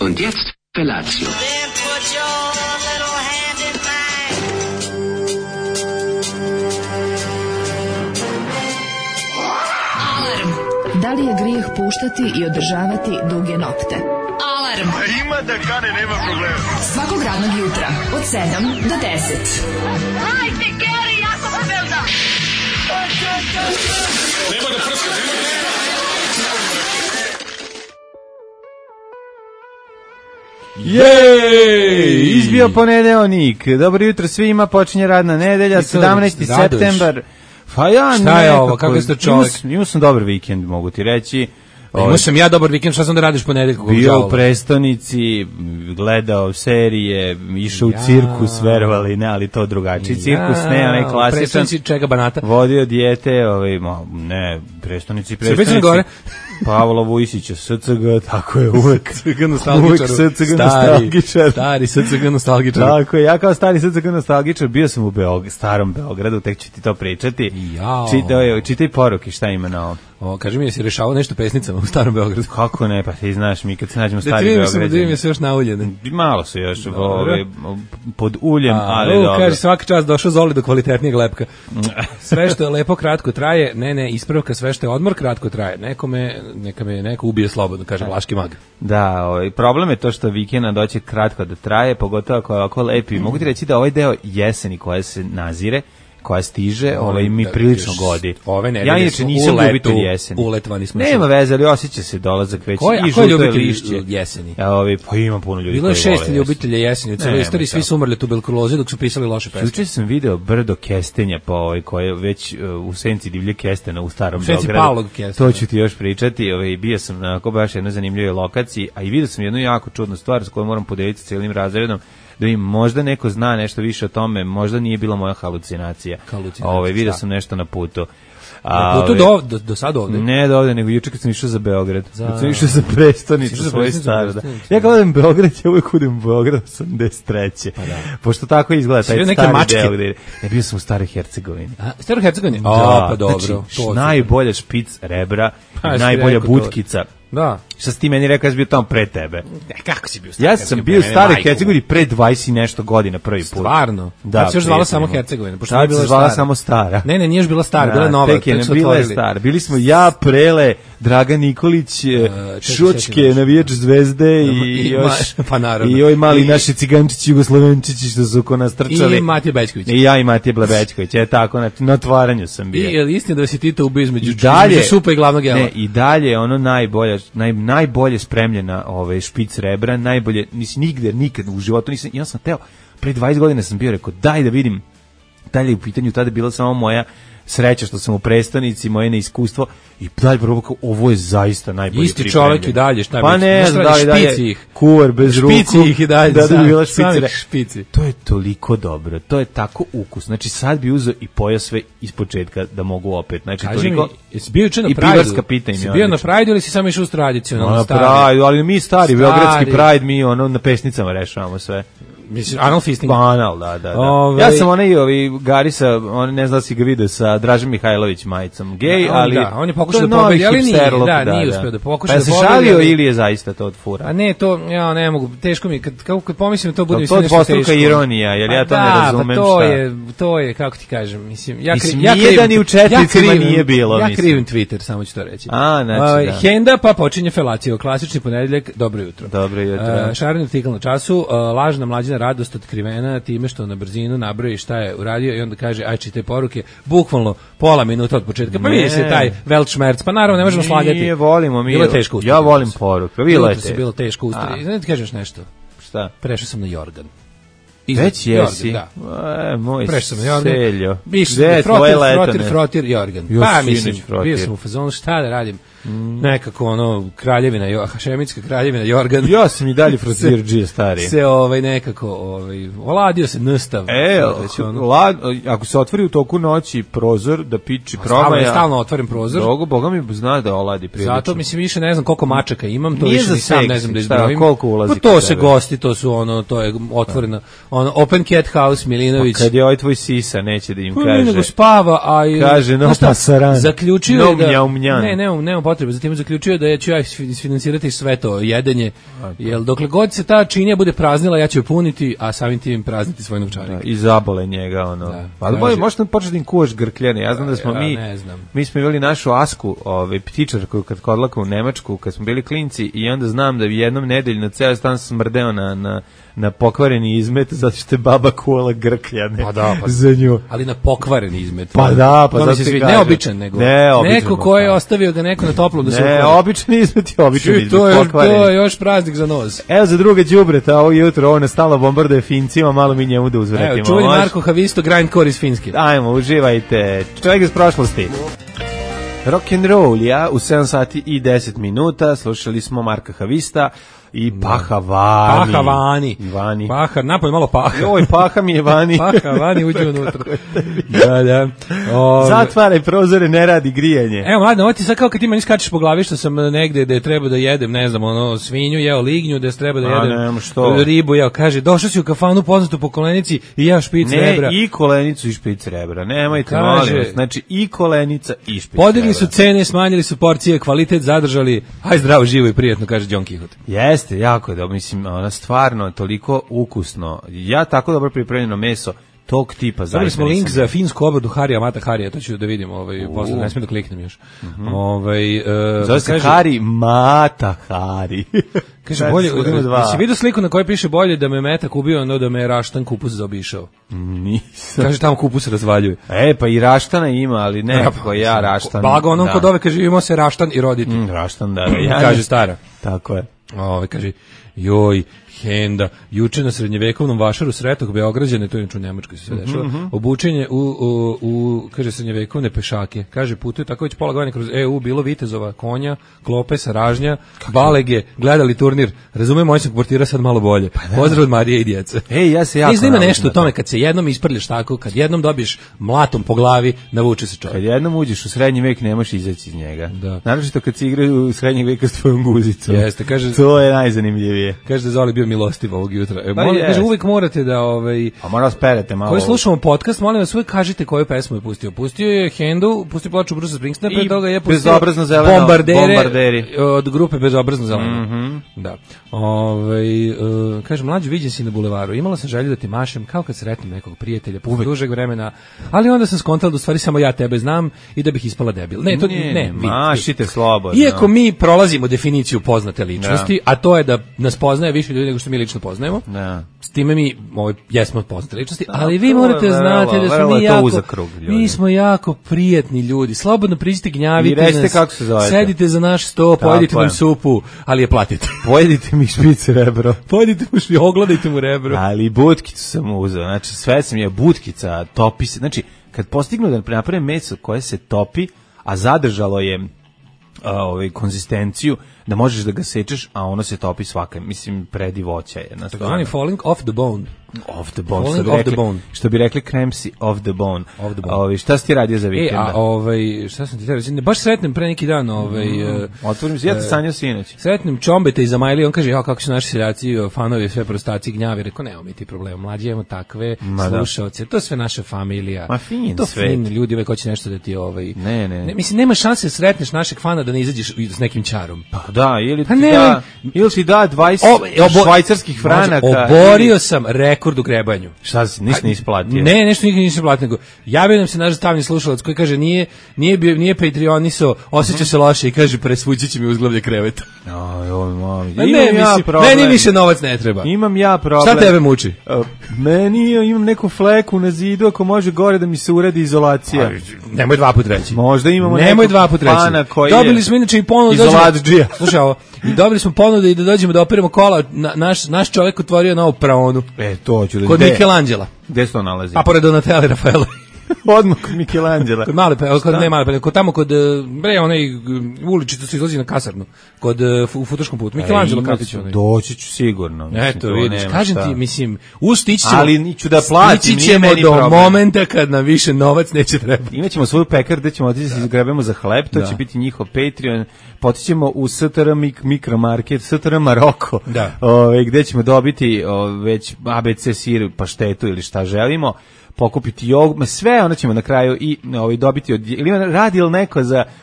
Und jetzt Felatio. Then put your little hand in mine. Alarm. Da li je grijeh puštati i održavati duge nokte? Alarm. Ima da kane, nema problema. Svakog radnog jutra od 7 do 10. Hajde, Geri, jako se velda. Nema da prska, Jej! Izbio ponedeljnik. Dobro jutro svima, počinje radna nedelja, 17. septembar. Pa ja šta je ovo, kako ste čovjek? Imao sam dobar vikend, mogu ti reći. Imao sam ja dobar vikend, šta sam da radiš ponedeljkom? Bio u prestonici, gledao serije, išao u cirkus, verovali ne, ali to drugačiji cirkus, ne, onaj klasičan. Prestonici čega banata? Vodio dijete, ne, prestonici. Gore? Pavla Vujsića, SCG, tako je uvek. SCG nostalgičar. Stari SCG nostalgičar. Tako je, ja kao stari SCG nostalgičar bio sam u starom Beogradu, tek ću ti to pričati. Čitaj poruke, šta ima na ovo. Kaži mi, jesi rešavao nešto pesnicama u starom Beogradu? Kako ne, pa ti znaš, mi kad se nađemo stari Beograđani. Da vidim se još nauljene. Malo su još pod uljem, ali dobro. Kaži, svaki čas došao Zoli do kvalitetnijeg lepka. Sve što je lepo kratko traje, ispravka, sve što je odmor kratko traje. Neka me neko ubije slobodno, kaže Vlaški mag. Da, problem je to što vikenda doće kratko da traje, pogotovo ako je ovako lepi. Mogu ti reći da ovaj deo jeseni koja se nazire, koja stiže, mi prilično godi. Ja inače nisam ljubitelj jeseni. Uletvani smo. Nema veze, ali osjeća se dolazak već i žuto lišće. Jeseni? Pa ima puno ljudi koji vole. Bilo je 6 ljubitelja jeseni. U celoj istoriji svi su umrli tuberkuloze dok su pisali loše pesme. Juče sam video brdo kestenja koje je već u senci divlje kestena u starom Beogradu. U senci Pavlog kestena. To ću ti još pričati. Bio sam na baš jednoj zanimljivoj lokaciji, a i vidio sam jednu jako čudnu stvar s kojom moram podeliti cijelim razredom. Da im možda neko zna nešto više o tome, možda nije bila moja halucinacija. Vidio sam nešto na putu. Na putu do sad ovde? Ne do ovde, nego juče kad sam išao za Beograd. Kad sam išao za prestonicu svoje stare. Ja kad odem Beograd, ja uvijek udem u Beograd 83. Pa da. Pošto tako izgleda taj stari Beograd. Ja bio sam u Staroj Hercegovini. Staroj Hercegovini? Pa dobro. Najbolja špic rebra, najbolja butkica. Da. Šta si ti meni rekao, ja sam bio tamo pre tebe? Kako si bio? Ja sam bio u Staroj Hercegovini pre 20 i nešto godina prvi put. Stvarno? Da. Tad se još zvala samo Hercegovina. Tad se zvala samo Stara. Ne, nije još bila Stara, bila je nova. Tek je ne bila je Stara. Bili smo ja, Prele, Dragan Nikolić, Šočke, navijač Zvezde i ovaj mali naši cigančići, Jugoslovenčići što su ko nas trčali. I Matija Bećković. I ja i Matija Bećković. Tako, na otvaranju sam bio. I je li istina da si Tito ubio između supa i glavnog jela? Ne, i dalje ono najbolje spremljena špic rebra, najbolje, nikad u životu nisam, ja sam teo, pre 20 godina sam bio rekao, daj da vidim, dalje u pitanju, tada je bila samo moja sreća što sam u prestonici, moje neiskustvo i dalje probao, ovo je zaista najbolje isti pripremljen. Čovjek i dalje, šta pa ne, dalje, kuvar bez ruku, špici ih i dalje, da bi bila špici. To je toliko dobro, to je tako ukus, znači sad bi uzeo i pojao sve ispočetka da mogu opet, znači kaži toliko, mi, jesi bio juče na Pride-u? I pivarska pita im je. Jesi bio na Pride-u ili si samo išao uz tradicionalno na Pride-u, ali mi stari, beogradski Pride, mi na pesnicama rešavamo sve. Mislim, anal fisting. Anal, da. Ja sam Garisa, ne znam da si ga vidio sa Dražem Mihajlović majicom, gej, ali... Da, on je pokušao da pobedi, ali nije uspio da pokuša da pobedi. Pa se šalio ili je zaista to od fura? A ne, to, ja ne mogu, teško mi, kad pomislim to bude mi sve nešto teško. To je dvostruka ironija, jer ja to ne razumem šta. To je, kako ti kažem, mislim, nijedan i u četnicima nije bilo, ja krivim Twitter, samo ću to reći. Znači da. Henda, pa počinje felacija, klasični ponedeljak, dobro jutro. Dobro jutro. Šareni artikl na času, lažna mlađina radost otkrivena time što na brzinu nabroji šta je uradio i onda kaže aj čitaj poruke, bukvalno pola minuta od početka. Pa vidi se taj Weltschmerz, pa naravno ne možemo slagati. Nije, volimo mi. Bilo je teško ustrati. Ja volim poruke. Bilo teško ustrati. Znači ti kažeš nešto. Šta? Prešao sam na Jorgan. Već jesi? Da. Moj prešao sam na Jorgan. Seljo. Frotir Jorgan. Pa mislim, bio sam u fazonu šta da radim. Nekako kraljevina, hašemitska kraljevina Jorgan. Ja sam i dalje frotirđije stari. Se nekako oladio se nstav. Ako se otvori u toku noći prozor da piči promaja. Stalno otvorim prozor. Boga mi zna da oladi prilično. Zato mislim više ne znam koliko mačaka imam, to više ni sam ne znam da izbrojim. Koliko ulazi? Pa to se gosti, to su to je otvoreno. Open Cat House Milinović. Kad je tvoj sisa neće da im kaže. Nego spava, a kaže no pasaran. Zaključio da. Ne, potrebe za tim, zaključio da ću ja isfinansirati sve to jedenje, jer dokle god se ta činija bude praznila, ja ću je puniti, a samim tim prazniti svoj novčanik. I zabole njega, ono. Da. Pa možda početi im kuvaš grkljane. Ja znam da smo mi smo imali našu Asku, ptičarku kad kodlaka u Nemačku, kad smo bili klinci, i onda znam da jednom nedeljno ceo stan smrdeo na pokvareni izmet, zato što je baba kuvala grkljane za nju. Ali na pokvareni izmet. Pa da, pa zato se kažem. Neobičan, nego neko ko je ostavio ga neko na toplom da se ukvari. Ne, običan izmet je običan izmet, pokvareni. To je još praznik za nos. Evo za druge đubreta, ovo jutro, ovo nastala bombarduje Fincima, malo mi njemu da uzvratimo. Evo, čuveni Marko Havisto, grindcore iz Finske. Ajmo, uživajte. Čovjek iz prošlosti. Rock and roll, ja, u 7 sati i 10 minuta, slušali smo Marka Havista i Paha Vani. Paha, napolje malo paha. Joj, paha mi je Vani. Paha Vani uđe unutra. Da. Zatvaraj prozore, ne radi grijanje. Evo, mladine, ovo ti sad kao kad ti meni skačeš po glavi što sam negde da je treba da jedem, ne znam, svinju, jeo lignju, da je treba da jedem ribu, kaže, došao si u kafanu poznatu po kolenici i ja špic rebra. Ne, i kolenicu i špic rebra, nemojte, molim vas, znači i kolenica i špic rebra. Podigli su cene, smanjili su porcije, kvalitet zadržali, aj zdravo, živo i prijetno, kaže Don Quixote. Jeste, jako je dobro, mislim, ona stvarno toliko ukusno, ja tako dobro pripremljeno meso, tog tipa zaista. Dobili smo link za finsku obradu Harija Mata Harija, to ću da vidim, posle ne smijem da kliknem još. Zove se Hari Mata Hari. Kaže, bolje, si vidio sliku na kojoj piše bolje da me metak ubio, no da me raštan kupus zaobišao? Nisam. Kaže, tamo kupus razvaljuje. Pa i raštana ima, ali nekako ja raštan. Blago onom kod ove, kaže, imao se raštan i roditi. Raštan, da. Kaže stara. Tako je. Kaže, joj, Henda, juče na srednjevekovnom vašaru Sretog Beograđane, to je u Nemačkoj se sve dešava, obučenje u kaže, srednjevekovne pešake. Kaže, putuje tako već pola godine kroz EU, bilo vitezova, konja, klope, saražnja, balege, gledali turnir. Razumem, moj sam portira sad malo bolje. Pozdrav od Marije i djece. Ja se jako ima nešto u tome, kad se jednom isprljaš tako, kad jednom dobiješ mlatom po glavi, navuče se čovjek. Kad jednom uđeš u srednji vek, nemaš izaći iz njega. Da. Naročito kad se igraju u srednjeg veka s tvojom guzicom. Jeste, kaže, to je najzanimljivije. Kaže da Zoli bio milostiv ovog jutra. Kaže, uvijek morate da a mora sperete malo. Koji slušamo podcast, molim vas, uvijek kažite koju pesmu je pustio. Pustio je Hendu, pustio ploču Brusa Springsteena, pre toga je pustio Bezobrazno zeleno, Bombarderi od grupe Bezobrazno zeleno. Da. Kaže, mlađu, viđen si na bulevaru. Imala sam želju da ti mašem kao kad sretnem nekog prijatelja posle dužeg vremena, ali onda sam skontala da u stvari samo ja tebe znam i da bih ispala debil. Ne, mašite slobodno. Iako mi prolazimo definiciju poznate ličnosti, a to je da nas poznaje više ljudi nego što mi lično poznajemo. S time mi jesmo poznate ličnosti, ali vi morate znati da smo mi smo jako prijatni ljudi. Slobodno priđite, gnjavite nas. Kako se zovete? Sedite za naš sto, pojedite nam supu, ali je platite. Pojedite mi špice rebro. Pojedite mu ogledajte mu rebro. Ali butkicu sam uzeo. Znači sve sam je butkica, topi se. Znači kad postignu da napravim meso koje se topi, a zadržalo je konzistenciju, da možeš da ga sečeš, a ono se topi svaka, mislim, predivoća je. Takozvani falling off the bone. Off the bone, što bi rekli kremsi off the bone. Šta si ti radio za vikenda? Šta sam ti te reći? Baš sretnem pre neki dan. Otvorim se, ja te sanjao sinoć. Sretnem Čombeta iz Amajlije, on kaže, kako su naši seljaci, fanovi, sve prostaci, gnjavi. Rekao, nemamo mi ti problema, mlađi imamo takve slušalce, to je sve naša familija. Ma fin to svet. Fin ljudi, uvek hoće nešto da ti Ne. Mislim, nema šanse da sretneš našeg fana da ne izađeš s nekim čarom. Pa da, ili ti da 20 švajcarskih franaka. Oborio sam rekord u grebanju. Šta si, ništa nisi platio? Ne, nešto nikad nisam platio, nego javio nam se naš stavni slušalac koji kaže nije Patreoniso, osjeća se loše i kaže presvući će mi uzglavlje kreveta. Meni više novac ne treba. Imam ja problem. Šta tebe muči? Imam neku fleku na zidu, ako može gore da mi se uredi izolacija. Nemoj dva put reći. Možda imamo nemoj dva put reći. Dobili smo inače i ponudu izolatđija. Slušaj ovo, i dobili smo ponudu i da dođemo da operimo kola, naš čovjek otvorio novu praonu. To ću da kod Michelangela. Gde se to nalazi? Pa pored Donatella i Rafaela. Odmah kod Michelangela. Kod tamo kod onaj uličica se izlazi na kasarnu, kod u Futoškom putu. Michelangelo kafić onaj. Doći ću sigurno. Eto, vidiš, kažem ti, mislim, ali niću da platim, stići ćemo do momenta kad nam više novac neće trebati. Imaćemo svoju pekar gde ćemo otići da se izgrebemo za hleb, to će biti njihov Patreon. Potićemo u STR mikromarket, STR Maroko, gde ćemo dobiti već ABC sir, paštetu ili šta želimo. pokupiti jogu, sve ono ćemo na kraju i dobiti ili radi li neko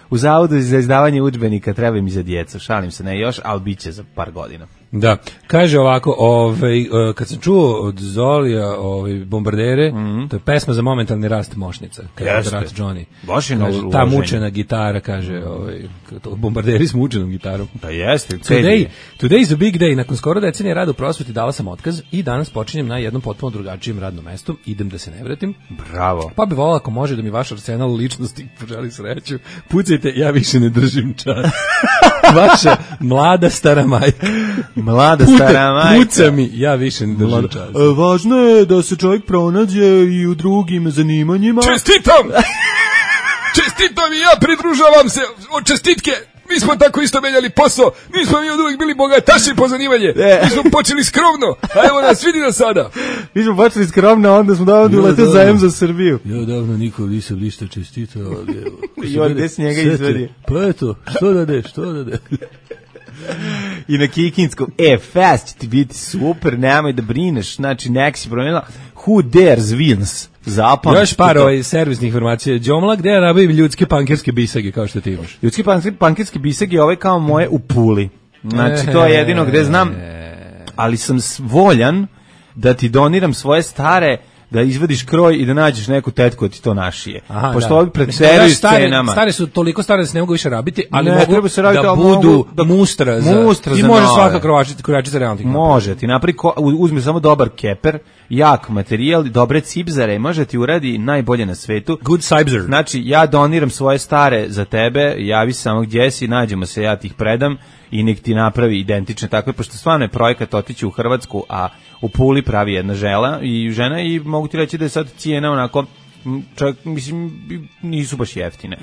u zavodu za izdavanje udžbenika, treba mi za djecu, šalim se, ne još, ali bit će za par godina. Da, kaže ovako, kad sam čuo od Zolija Bombardere, to je pesma za momentalni rast mošnica. Jeste. Rat Johnny. Baš je kaže, ta mučena gitara, kaže, Bombarderi s mučenom gitarom. Da jeste. Today is a big day. Nakon skoro decenije rada u prosveti dala sam otkaz i danas počinjem na jednom potpuno drugačijem radnom mestu. Idem da se ne vratim. Bravo. Pa bi volala ako može da mi vaš arsenal ličnosti poželi sreću. Pucajte, ja više ne držim čas. Vaša mlada stara majka. Mlada stara majka. Puca mi, ja više ne držim čas. Važno je da se čovjek pronađe i u drugim zanimanjima. Čestitam! Čestitam i ja pridružavam se od čestitke. Mi smo tako isto menjali posao. Mi smo mi od uvijek bili bogataši po zanimanje. Mi smo počeli skromno. A evo nas, vidi nas sada. Mi smo počeli skromno, onda smo davno uletio za M za Srbiju. Ja davno nikom nisam ništa čestitao. I on gde s njega izvedi. Pa eto, što da de. I na Kikinskom, fest će ti biti super, nemoj da brineš, znači nek si promenila Who Dares Wins. Zapamći. Još par servisnih informacija. Đomla, gde ja nabavim ljudske pankerske bisage, kao što ti imaš? Ljudske pankerske bisage kao moje u Puli. Znači, to je jedino gde znam, ali sam voljan da ti doniram svoje stare, da izvadiš kroj i da nađeš neku tetku da ti to našije. Aha, pošto ovi preteruju scenama. Stare su toliko stare da se ne mogu više rabiti, ali ne, mogu se rabiti, da budu mustra za i može svaka krojačica realno. Može, ti uzme samo dobar keper, jak materijal, dobre cipzare, može ti uradi najbolje na svetu. Good cipzer. Znači, ja doniram svoje stare za tebe, javi se samo gdje si, nađemo se, ja ti ih predam i nek ti napravi identične takve, pošto stvarno je projekat otići u Hrvatsku, a u Puli pravi jedna žena i mogu ti reći da je sad cijena onako, čak, mislim, nisu baš jeftine.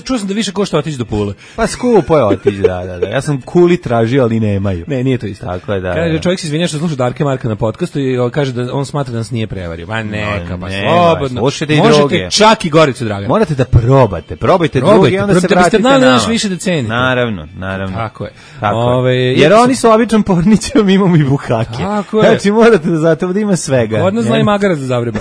Čuo sam da više košta otići do Pule. Pa skupo je otići, da. Ja sam Kuli tražio, ali nemaju. Ne, nije to isto. Tako je, da. Kaže, čovjek se izvinja što sluša Darke Marka na podcastu i kaže da on smatra da nas nije prevario. Ma neka, pa slobodno. Slušajte i možete druge. Čak i Goricu Dragana. Morate da probate druge i onda se vratite nama. Da biste više da cenite. Naravno. Tako je. Jer oni su običan pornićem, imamo i bukake. Tako je. Znači, morate da zato da ima svega. Od nas zna i magarac da zavreba.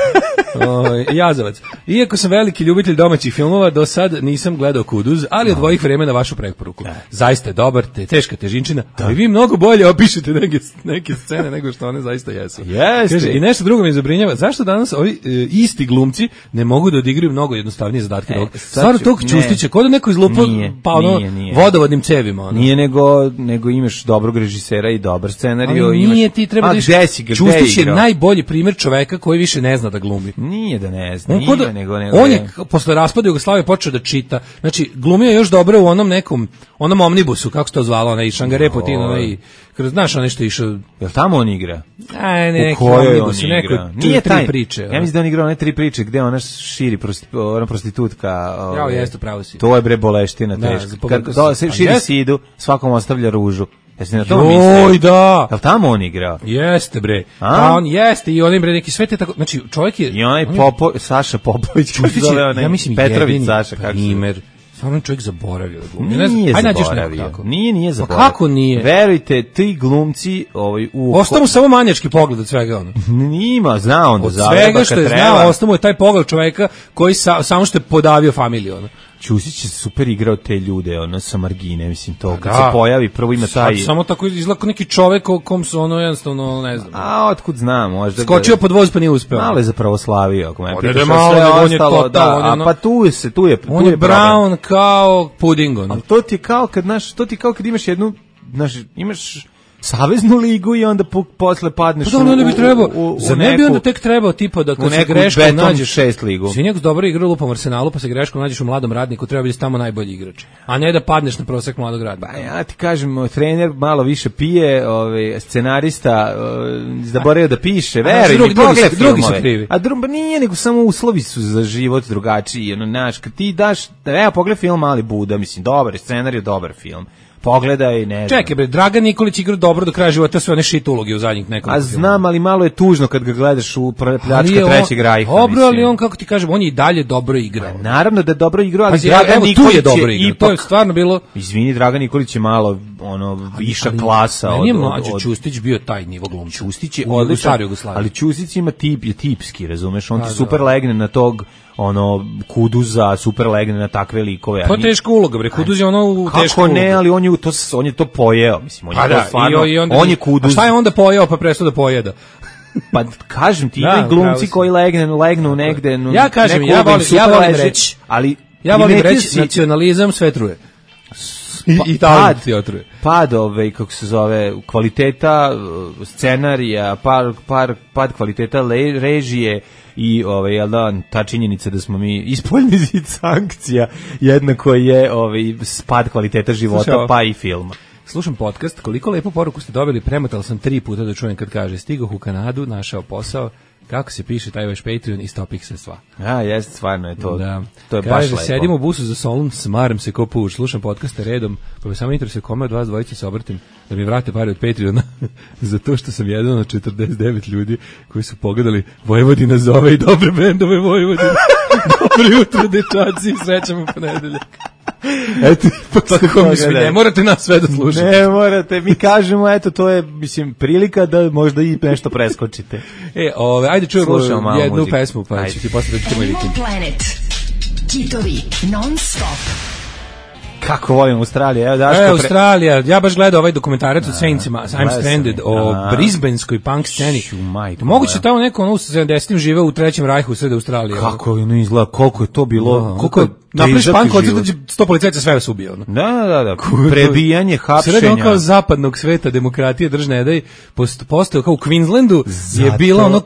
Jazavac. Iako sam veliki ljubitelj domaćih filmova, do sad nisam gledao Kuduz, ali od dvojih vremena vašu preporuku. Zaista je dobar, teška težinčina, ali vi mnogo bolje opišete neke scene nego što one zaista jesu. Kaže, i nešto drugo me zabrinjava, zašto danas ovi isti glumci ne mogu da odigraju mnogo jednostavnije zadatke? Stvarno tog Ćustića, kod da neko izlupo vodovodnim cevima. Nije nego imaš dobrog režisera i dobar scenariju. Nije, ti treba da Ćustić je najbolji primjer čoveka koji više ne zna da glumi. Nije da ne zna, on je posle raspada Jugoslavije počeo da čita. Znači, glumio je još dobro u onom omnibusu, kako se to zvalo, onaj Šangare Putin, onaj, znaš, onaj što je išao. Jel tamo on igra? Neki omnibus, neko nije tri priče. Ja mislim da on igra one tri priče gde ona širi prostitutka. Jeste, pravo si. To je bre boleština teška. Širi sidu, svakom ostavlja ružu. Jesi na to mislio? Joj, da. Jel tamo on igrao? Jeste, bre. A on jeste i onim bre neki sve te tako, znači čovjek je i onaj Saša Popović, ja mislim Petrović Saša, kako primer. Stvarno čovjek zaboravio da glumi. Nije zaboravio. Nije zaboravio. Pa kako nije? Verujte, ti glumci ostao mu samo manjački pogled od svega ono. Nima, zna on da zavreba kad treba. Od svega što je znao, ostao mu je taj pogled čoveka koji samo što je podavio familiju ono. Ćusić je super igrao te ljude, sa margine, mislim to, kad se pojavi, prvo ima taj... Samo tako izgleda kao neki čovek o kom su jednostavno, ne znam. A, otkud znam, možda... Skočio pod voz pa nije uspeo. Malo je za pravoslavio, ako me pitaš sve ostalo, a pa tu je on je brown kao puding, ono. Ali to ti je kao kad imaš jednu, imaš saveznu ligu i onda posle padneš u neku... bi trebao, za ne bi onda tek trebao tipa da kad se greškom nađeš 6 ligu. Svinjak dobro igra lupom Arsenalu, pa se greškom nađeš u Mladom Radniku, treba biti tamo najbolji igrač. A ne da padneš na prosek Mladog Radnika. Pa ja ti kažem, trener malo više pije, scenarista zaboravio da piše, veruj mi, drugi su krivi. A nije, nego samo uslovi su za život drugačiji, kad ti daš, evo pogledaj film Mali Buda, mislim, dobar je scenarij, dobar film. pogledaj, ne znam. Čekaj bre, Dragan Nikolić igra dobro do kraja života, sve one shit uloge u zadnjih nekoliko. A znam, ali malo je tužno kad ga gledaš u pljačka trećeg Rajha. Dobro, ali on, kako ti kažem, on je i dalje dobro igrao. Naravno da je dobro igrao, ali Dragan Nikolić je dobro igrao. To je stvarno bilo... Izvini, Dragan Nikolić je malo viša klasa. Meni je mlađi Ćustić bio taj nivo glumca. Ćustić je odličan, ali Ćustić ima je tipski, razumeš? On ti super legne na tog Kuduza, super legne na takve likove. Pa teška uloga, bre, Kuduz je u tešku Kako ne, ali on je to pojeo, mislim, on je to stvarno, on je Kuduz. A šta je onda pojeo, pa prestao da pojeda? Pa kažem ti, ima glumci koji legnu negde. Ja kažem, ja volim reći, ali ja volim reći, nacionalizam sve truje. I pad kako se zove, kvaliteta scenarija, pad kvaliteta režije i ta činjenica da smo mi ispoljni zid sankcija jednako je pad kvaliteta života pa i filma. Slušam podcast, koliko lepu poruku ste dobili, premotala sam 3 puta da čujem kad kaže stigoh u Kanadu, našao posao, kako se piše taj vaš Patreon i stopih se sva. A, jeste, stvarno je to. Da. To je kaže, baš lepo. Sedim u busu za Solun, smaram se ko puš, slušam podcaste redom, pa me samo interesuje kome od vas dvojice se obratim da mi vrate pare od Patreona, zato što sam jedan od 49 ljudi koji su pogledali Vojvodina zove i dobre bendove Vojvodina. Dobro jutro, dečaci, srećamo u ponedeljak. Eto, ne morate nas sve da slušate. Ne morate, mi kažemo, eto, to je, mislim, prilika da možda i nešto preskočite. Ajde čujemo jednu pesmu, pa ću ti posle da ćemo i vikend. Planet. Hitovi non-stop. Kako volim Australiju. Australija, ja baš gledao ovaj dokumentarac o Saintsima, I'm Stranded, o brisbaneskoj punk sceni. Moguće tamo neko u 70-im žive u trećem Rajhu u sred Australije. Kako je izgleda, koliko je to bilo, koliko je napriš punk koncert da 100 policajaca sve vas ubio. Da. Prebijanje, hapšenja. Sred kao zapadnog sveta, demokratije, držne edaj, postao kao u Queenslandu je bila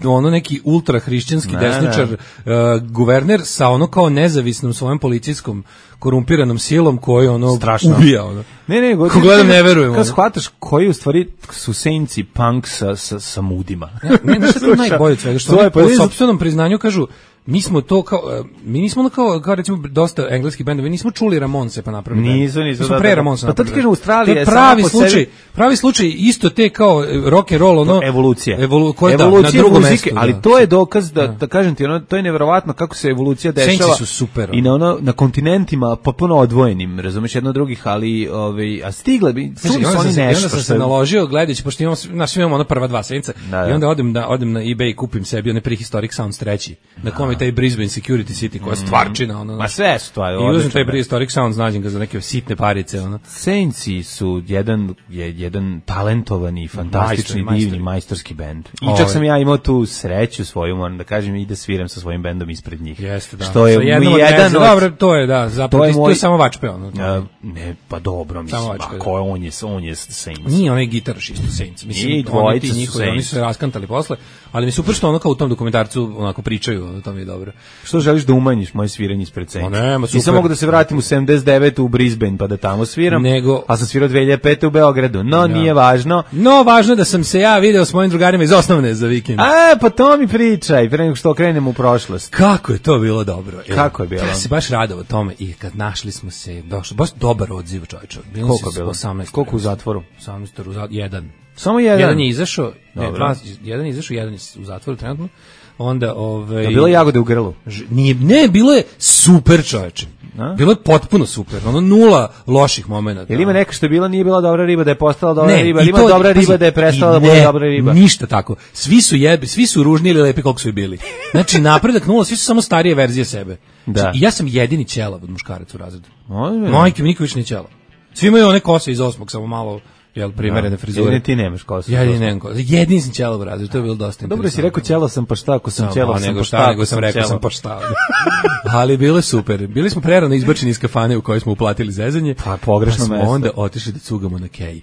ono neki ultrahrišćanski desničar guverner sa ono kao nezavisnom svojom policijskom korumpiranom silom koji ubija. Ne, ko gledam ne verujem. Kad shvataš koji u stvari su Saintsi punk sa mudima. Ne, što je najbolje od svega, što po sopstvenom priznanju kažu, mi smo to mi nismo kao recimo dosta engleskih bendova, nismo čuli Ramonse pa napravili. Nisu. Smo pre Ramonsa. Pa tad kažem Australija je pravi slučaj isto te kao rock and roll evolucija na drugom mestu. Ali to je dokaz da kažem ti, to je neverovatno kako se evolucija dešava. Saintsi su super. I na kontinentima potpuno odvojenim, razumeš, jedno od drugih, ali a stigle bi čuli su oni nešto. Onda sam se naložio gledajući, pošto imamo prva 2 Saintsa i onda odem na eBay i kupim sebi one Prehistoric Sounds 3 na kome taj Brisbane Security City koja je stvarčina. Ma sve su stvari. I uzem taj Prehistoric Sounds, nađem ga za neke sitne parice. Saintsi su jedan talentovani, fantastični, divni, majstorski bend. I čak sam ja imao tu sreću svoju, moram da kažem, i da sviram sa svojim bendom ispred njih. Jeste, da. Što je jedan dobro, to je, da, zapravo, to je samo vačpe. Ne, pa dobro, mislim, on je Saints. Nije onaj gitaraš isto Saints. Mislim, oni su se raskantali posle, ali mi su upršto ono kao u tom dokumentarcu onako pričaju, to mi je dobro. Što želiš da umanjiš moje sviranje ispred Saints? Nema, super. Nisam mogu da se vratim u 79 u Brisbane pa da tamo sviram, a sam svirao 2005 u Beogradu, nije važno. No, važno je da sam se ja video s mojim drugarima iz osnovne za vikend. Pa to mi pričaj, pre nego što krenemo u prošlost. Kako je to bilo dobro. Kako je bilo? Ja se baš radovao tome i kad našli smo se, došlo, baš dobar odziv, čovječe. Koliko je bilo? 18. Koliko u zatvoru? 18, jedan. Samo jedan? Jedan je izašao, jedan je u zatvoru trenutno. Onda je bilo jagode u grlu? Ne, bilo je super, čoveče. Bilo je potpuno super. Ono 0 loših momenata. Jel ima neka što je bila, nije bila dobra riba da je postala dobra riba, ili ima dobra riba da je prestala da bude dobra riba? Ništa tako. Svi su ružni ili lepi koliko su i bili. Znači napredak 0, svi su samo starije verzije sebe. I ja sam jedini ćelav od muškaraca u razredu. Majke mi niko više nije ćelav. Svi imaju one kose iz 8. samo malo primerene frizure. Jedini ti nemaš kosu. Jedini sam ćelav u razredu, to je bilo dosta interesantno. Dobro si rekao ćelav sam pa šta, ako sam ćelav sam pa šta. Nego sam rekao sam pa šta. Ali bilo je super. Bili smo prerano izbačeni iz kafane u kojoj smo uplatili zezanje. Pa pogrešno mesto. Pa smo onda otišli da cugamo na Kej.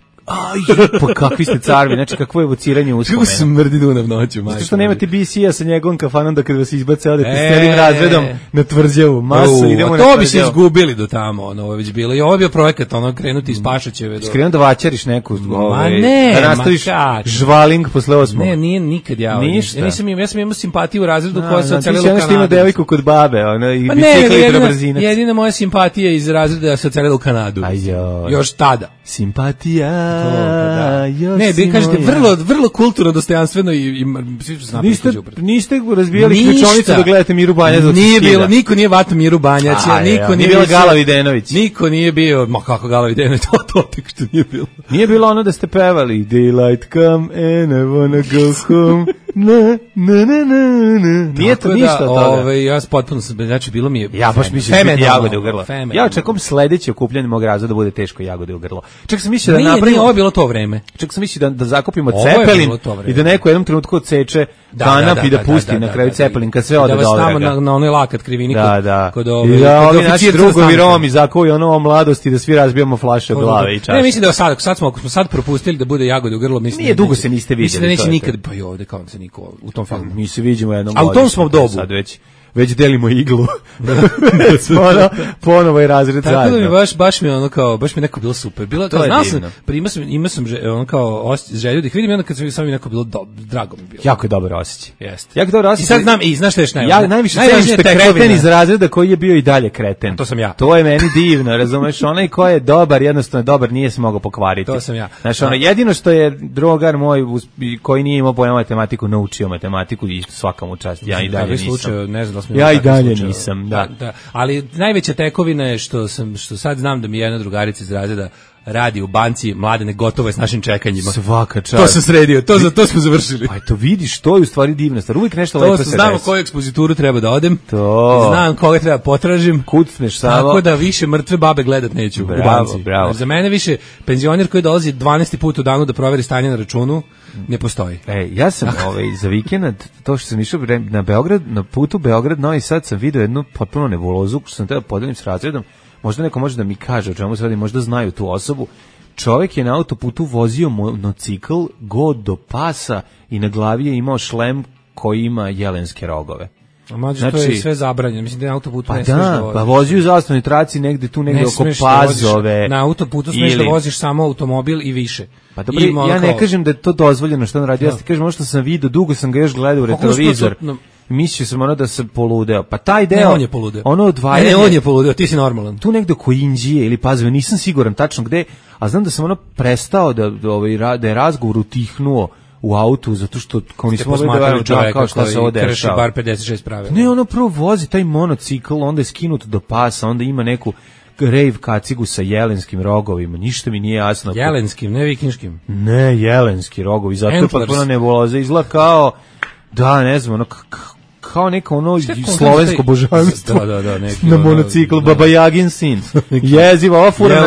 Pa kakvi ste carvi, znači kakvo je evociranje uspomena. Kako smrdi Dunav noću, majko. Zato što nemate BC-a sa njegovom kafanom da kad vas izbace odete s celim razredom na tvrđavu. Masu, idemo na to tvrđavu. bi se izgubili do tamo, ovo je već bilo. I ovo je bio projekat, krenuti iz Pašaćeve. Skrenuo da vaćariš neku, ne, da nastaviš žvaling posle 8. Ne, nije nikad ja. Ništa. Ja sam imao simpatiju u razredu koja se ocelila u Kanadu. Ti si ima devojku kod babe, i bicikli i brzinac. Jedina moja simpatija iz razreda se ocelila u Kanadu. Još tada. Simpatija. Ne, vi kažete vrlo kulturno, dostojanstveno i svi su znali. Niste razbijali ključonicu da gledate Miru Banjac. Nije bilo, niko nije vatao Miru Banjac, niko nije bila Gala Videnović. Niko nije bio, ma kako Gala Videnović, to tek što nije bilo. Nije bilo ono da ste pevali Daylight come and I wanna go home. Nije to ništa od toga. Ja potpuno sam, znači bilo mi je ja baš mislim da biti jagode u grlo. Ja očekujem sledeće okupljanje mog razreda da bude teško jagode u grlo. Čak sam mislio da napravimo. Nije ovo bilo to vreme. Čak sam mislio da zakupimo cepelin i da neko u jednom trenutku odseče kanap i da pusti na kraju cepelin kad sve ode do ovoga. Da vas tamo na onoj lakat krivini kod ove. Da ovi naši drugovi Romi zakuju ono o mladosti da svi razbijamo flaše glave i čaše. Ne, mislim da sad smo propustili da bude jagode u grlo, mislim. Nije dugo se niste videli. Mislim da neće nikad pa i ovde kao se niko u tom filmu. Mi se vidimo jednom. A u tom smo dobu. Sad već delimo iglu. Ponovo je razred zajedno. Tako da mi baš mi ono kao, baš mi neko bilo super. Bilo to znao sam, imao sam ono kao želju da ih vidim i onda kad sam mi neko bilo drago mi bilo. Jako je dobar osjećaj. Jeste. Jako dobar osjećaj. I sad znam, i znaš šta je najvažnije? Ja najviše cenim što je kreten iz razreda koji je bio i dalje kreten. To sam ja. To je meni divno, razumeš? Onaj ko je dobar, jednostavno dobar, nije se mogao pokvariti. To sam ja. Znaš, ono, jedino što je drugar moj koji nije imao pojma matematiku, naučio matematiku i svaka mu čast. Ja i dalje nisam. Ja i dalje nisam, da. Ali najveća tekovina je što sad znam da mi jedna drugarica iz razreda radi u banci, Mladene, gotovo je s našim čekanjima. Svaka čast. To sam sredio, to smo završili. Pa to vidiš, to je u stvari divna stvar. Uvijek nešto lepo se desi. Znamo koju ekspozituru treba da odem. Znam koga treba potražim. Kucneš samo. Tako da više mrtve babe gledat neću u banci. Bravo. Za mene više penzioner koji dolazi 12. put u danu da proveri stanje na računu ne postoji. Ja sam za vikend, to što sam išao na Beograd, na putu Beograd-Novi Sad sam vidio jednu potpuno nebulozu, što sam treba podelim s razredom. Možda neko može da mi kaže o čemu se radi, možda znaju tu osobu. Čovjek je na autoputu vozio monocikl god do pasa i na glavi je imao šlem koji ima jelenske rogove. Znači, to je sve zabranjeno, mislim da na autoputu ne smiješ da voziš. Pa vozio u zastavnoj traci negde oko Pazove. Na autoputu smiješ da voziš samo automobil i više. Pa dobro, ja ne kažem da je to dozvoljeno što on radi, ja ti kažem ono što sam vidio, dugo sam ga još gledao u retrovizor. Mislio sam da sam poludeo. Pa taj deo, on je poludeo. Ono odvajanje. Ne, on je poludeo, ti si normalan. Tu negde oko Inđije ili Pazove, nisam siguran tačno gde, a znam da sam prestao da je razgovor utihnuo u autu, zato što kao nismo mogli da verujem kao šta se ovde dešava. Bar 56 pravila. Ne, ono prvo vozi taj monocikl, onda je skinut do pasa, onda ima neku rave kacigu sa jelenskim rogovima, ništa mi nije jasno. Jelenskim, ne vikinškim. Ne, jelenski rogovi, zato je potpuno nebuloza, izgleda kao, da, ne znam, ono, kao neko ono slovensko božanstvo na monociklu, Baba Jagin sin. Jeziva, ova fura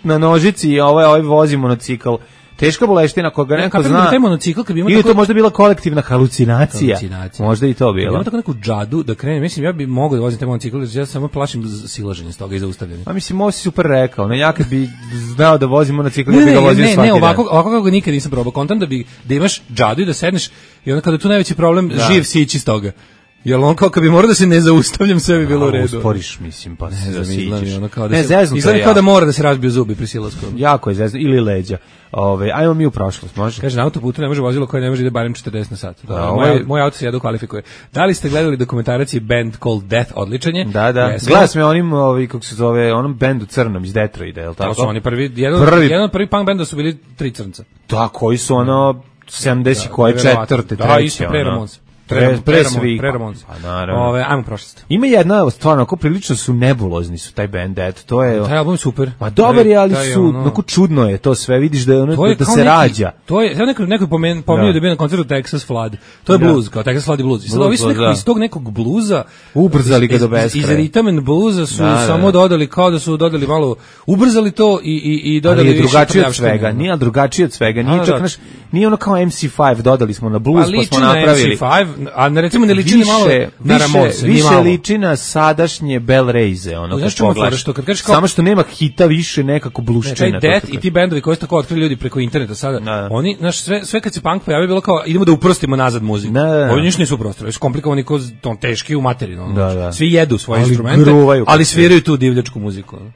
na nožici i ovaj vozi monocikl. Teška boleština koga neko zna. Ili to možda bila kolektivna halucinacija. Možda i to bilo. Ima tako neku džadu da krene. Mislim, ja bih mogao da vozim taj monocikl, ja samo plašim silaženje s toga i zaustavljanje. Pa mislim, ovo si super rekao. Ne, ja kad bi znao da vozim monocikl, ja bih ga vozio svaki dan. Ne, ovako kako nikad nisam probao. Kontam da imaš džadu i da sedneš i onda kada tu najveći problem, živ sići iz toga. Jel on kao kad bi morao da se ne zaustavljam, sve bi bilo u redu. Usporiš, mislim, pa se zasiđeš. Ne, zeznuto je. Izgleda kao da mora da se razbiju zubi pri silasku. Jako je zeznuto, ili leđa. Ajmo mi u prošlost, može? Kaže, na autoputu ne može vozilo koje ne može ide barem 40 na sat. Moj auto se jedno kvalifikuje. Da li ste gledali dokumentarac Band Called Death, odličanje? Da. Gledao me onim, kako se zove, onom bendu crnom iz Detroita, je li tako? To su oni jedan od prvi punk benda su bili 3 crnca. Da, koji su 70 koje četvrte, treće. Da, isto pre Ramonsa. Pre svih. Ajmo prošlost. Ima jedna stvarno, ako prilično su nebulozni su taj band, to je. Taj album je super. Ma dobar je, ali su, onako čudno je to sve, vidiš da je ono da se rađa. To je, ja neko pominjao da je bio na koncertu Texas Flood. To je blues, kao Texas Flood i blues. I sad ovi su iz tog nekog bluza ubrzali ga do beskraja. Iz rhythm and bluesa su samo dodali, kao da su dodali malo, ubrzali to i dodali više. Drugačije od svega, nije drugačije od svega, nije čak naš, nije ono kao MC5, dodali smo na blues, pa smo napravili. a recimo ne liči ni malo na Ramonse, više liči na sadašnje Bell Raise, ono Znaš kad čemu je pogledaš. fora, što kad kažeš kao- Samo što nema hita više nekako bluščina. Taj Death i ti bendovi koji su tako otkrili ljudi preko interneta sada, Da. oni, znaš, sve kad se punk pojavio bilo kao, idemo da uprostimo nazad muziku. Da. Ovi ništa nisu uprostili, su komplikovani ko ton teški u materinu. ono, Da, znaš. da. Svi jedu svoje Ali instrumente, gruvaju ali kad sviraju tu divljačku muziku. ono.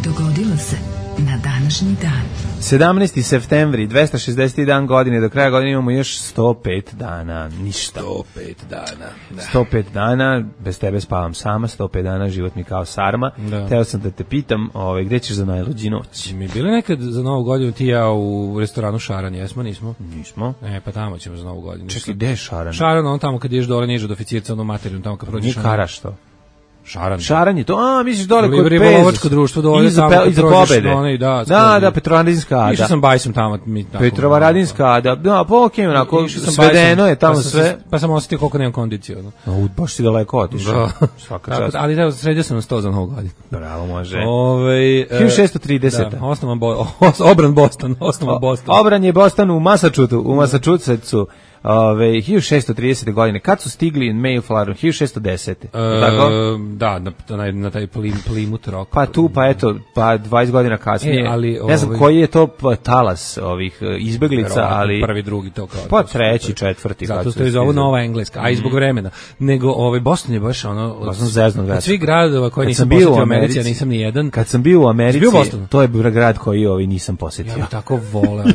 Dogodilo se na današnji dan. 17. septembri, 260. dan godine, do kraja godine imamo još 105 dana, ništa. 105 dana. Da. 105 dana, bez tebe spavam sama, 105 dana, život mi kao sarma. Da. Teo sam da te pitam, gde ćeš za najluđu noć? Mi bili nekad za Novu godinu ti i ja u restoranu Šaran, jesmo, nismo? Nismo. Pa tamo ćemo za Novu godinu. Čekaj, gde je Šaran? Šaran, on tamo kad ideš dole niže od oficirca, ono materinu, tamo kad prođeš. Nije Karaš to. Šaran. Šaran je to, misliš dole kod Ribolovačko Pezos. društvo dole Iza tamo kad iza prođeš pobede. na onaj, da, Da, Petrovaradinska ada. Išao sam bajsom tamo. Petrovaradinska ada. Da, pa okej, onako, Išao sam svedeno bajsom, je tamo pa sam sve. se- Pa sam osetio koliko nemam kondiciju. Ono. Baš si daleko otišao. Svaka Tako čast. da, ali da, sredio sam na 100 za Novu godinu. Bravo, može. 1630. Da. Obran Boston, osnovan Boston. Obran je Boston u Massachusettsu. 1630. godine. Kad su stigli Mayflower? 1610. Tako? Da, na taj Plymouth Rock. Pa tu, pa 20 godina kasnije. ali, ne znam koji je to talas ovih izbeglica, Verovatno ali... prvi, drugi, to kao. Pa treći, četvrti. Zato što je zovu Nova Engleska, a i zbog vremena. Nego Boston je baš ono od svih gradova koje nisam posjetio u Americi, ja nisam ni jedan. Kad sam bio u Americi, bio u Bostonu? To je grad koji nisam posjetio. Ja bih tako voleo.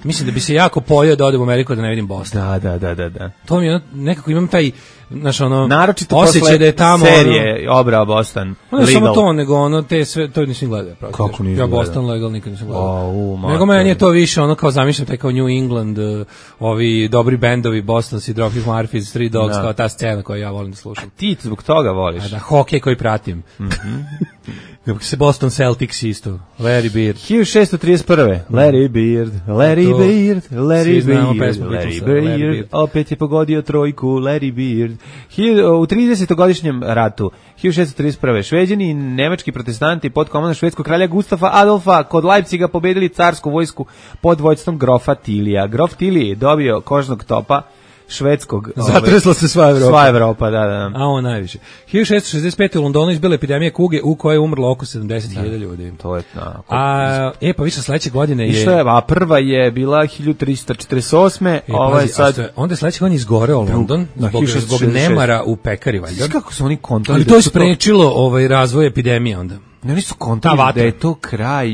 Mislim da bi se jako pojeo da odem u Ameriku da ne vidim Boston. Da. To mi je nekako imam taj naročito osjećaj posle da je tamo serije Obrao Boston. Ne samo to, nego te sve, to nisam gledao. Kako nisi ja gledao? Boston Legal nikad nisam gledao. Nego meni je to više kao zamišljam taj kao New England, ovi dobri bendovi, Boston, Dropkick Murphys, Three Dogs, kao ta scena koju ja volim da slušam. Ti zbog toga voliš. Da, hokej koji pratim. Kako se Boston Celtics isto, Larry Bird. 1631. Larry Bird, Svi znamo pesmu Beatlesa, Larry Bird. Opet je pogodio trojku, Larry Bird. U 30-godišnjem ratu, 1631. Šveđani i nemački protestanti pod komandom švedskog kralja Gustafa Adolfa kod Leipciga pobedili carsku vojsku pod vođstvom grofa Tilija. Grof Tilije je dobio kožnog topa švedskog. Zatresla se sva Evropa. Sva Evropa, da. A on najviše. 1665. u Londonu izbila epidemija kuge u kojoj je umrlo oko 70.000 ljudi. To je pa više sledeće godine je... a prva je bila 1348. Onda je sledeće godine izgoreo London zbog nemara u pekari, valjda. Kako su oni kontali? Ali to je sprečilo razvoj epidemije onda. Oni su kontali da je to kraj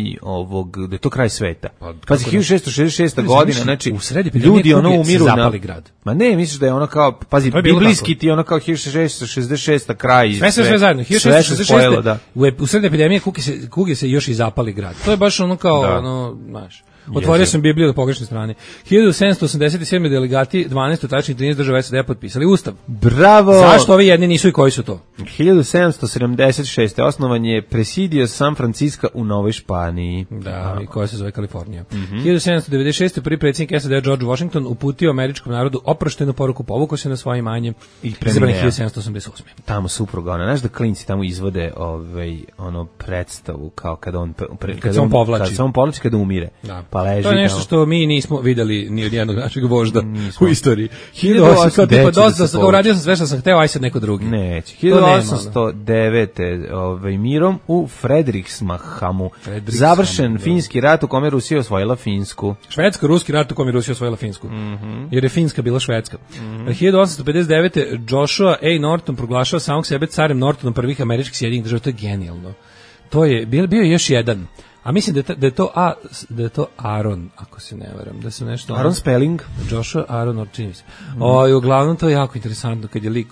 da je to kraj sveta. Pazi, 1666. godina, znači ljudi umiru na grad. Ma ne, misliš da je ono kao, pazi, biblijski ti ono kao 1666. kraj. Sve zajedno. 1666. U sred epidemije kuge se još i zapali grad. To je baš ono kao, znaš. Otvorio sam Bibliju do pogrešne strane. 1787. delegati 12 tačnih 13 država SAD potpisali ustav. Bravo! Zašto ovi jedni nisu i koji su to? 1776. osnovan je Presidio San Francisco u Novoj Španiji. Da, i koja se zove Kalifornija. 1796. prvi predsjednik SAD George Washington uputio američkom narodu oproštenu poruku, povukao se na svoje imanje i izabran 1788. Tamo supruga, znaš da klinci tamo izvode predstavu kao kada se on povlači. Kada umire. Da. Pa leži, to je nešto što mi nismo videli ni od jednog našeg vožda u istoriji. 1809. Uradio sam sve što sam hteo, aj sad neko drugi. Neće. 1809. Mirom u Fredrikshamu završen finski rat u kome Rusija osvojila Finsku. Švedsko-ruski rat u kome Rusija osvojila Finsku. Jer je Finska bila Švedska. 1859. Joshua A. Norton proglašava samog sebe carem Nortonom prvih američkih Sjedinjenih država. To je genijalno. To je bio još jedan. A mislim da je to Aaron, ako se ne varam, da se nešto... Aaron Spelling? Joshua Aaron, čini se. Uglavnom to je jako interesantno kad je lik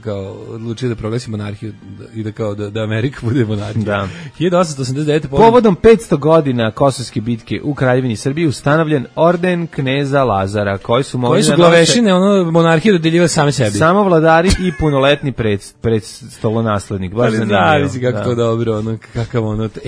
kao odlučio da proglasi monarhiju i da Amerika bude monarhija. Da. 1889. Povodom 500 godina Kosovske bitke u Kraljevini Srbiji ustanovljen orden kneza Lazara, koji su glavešine monarhije dodeljivali same sebi. Samo vladari i punoletni predstolonaslednik. Baš zanimljivo. Zavisi kako to dobro, kakav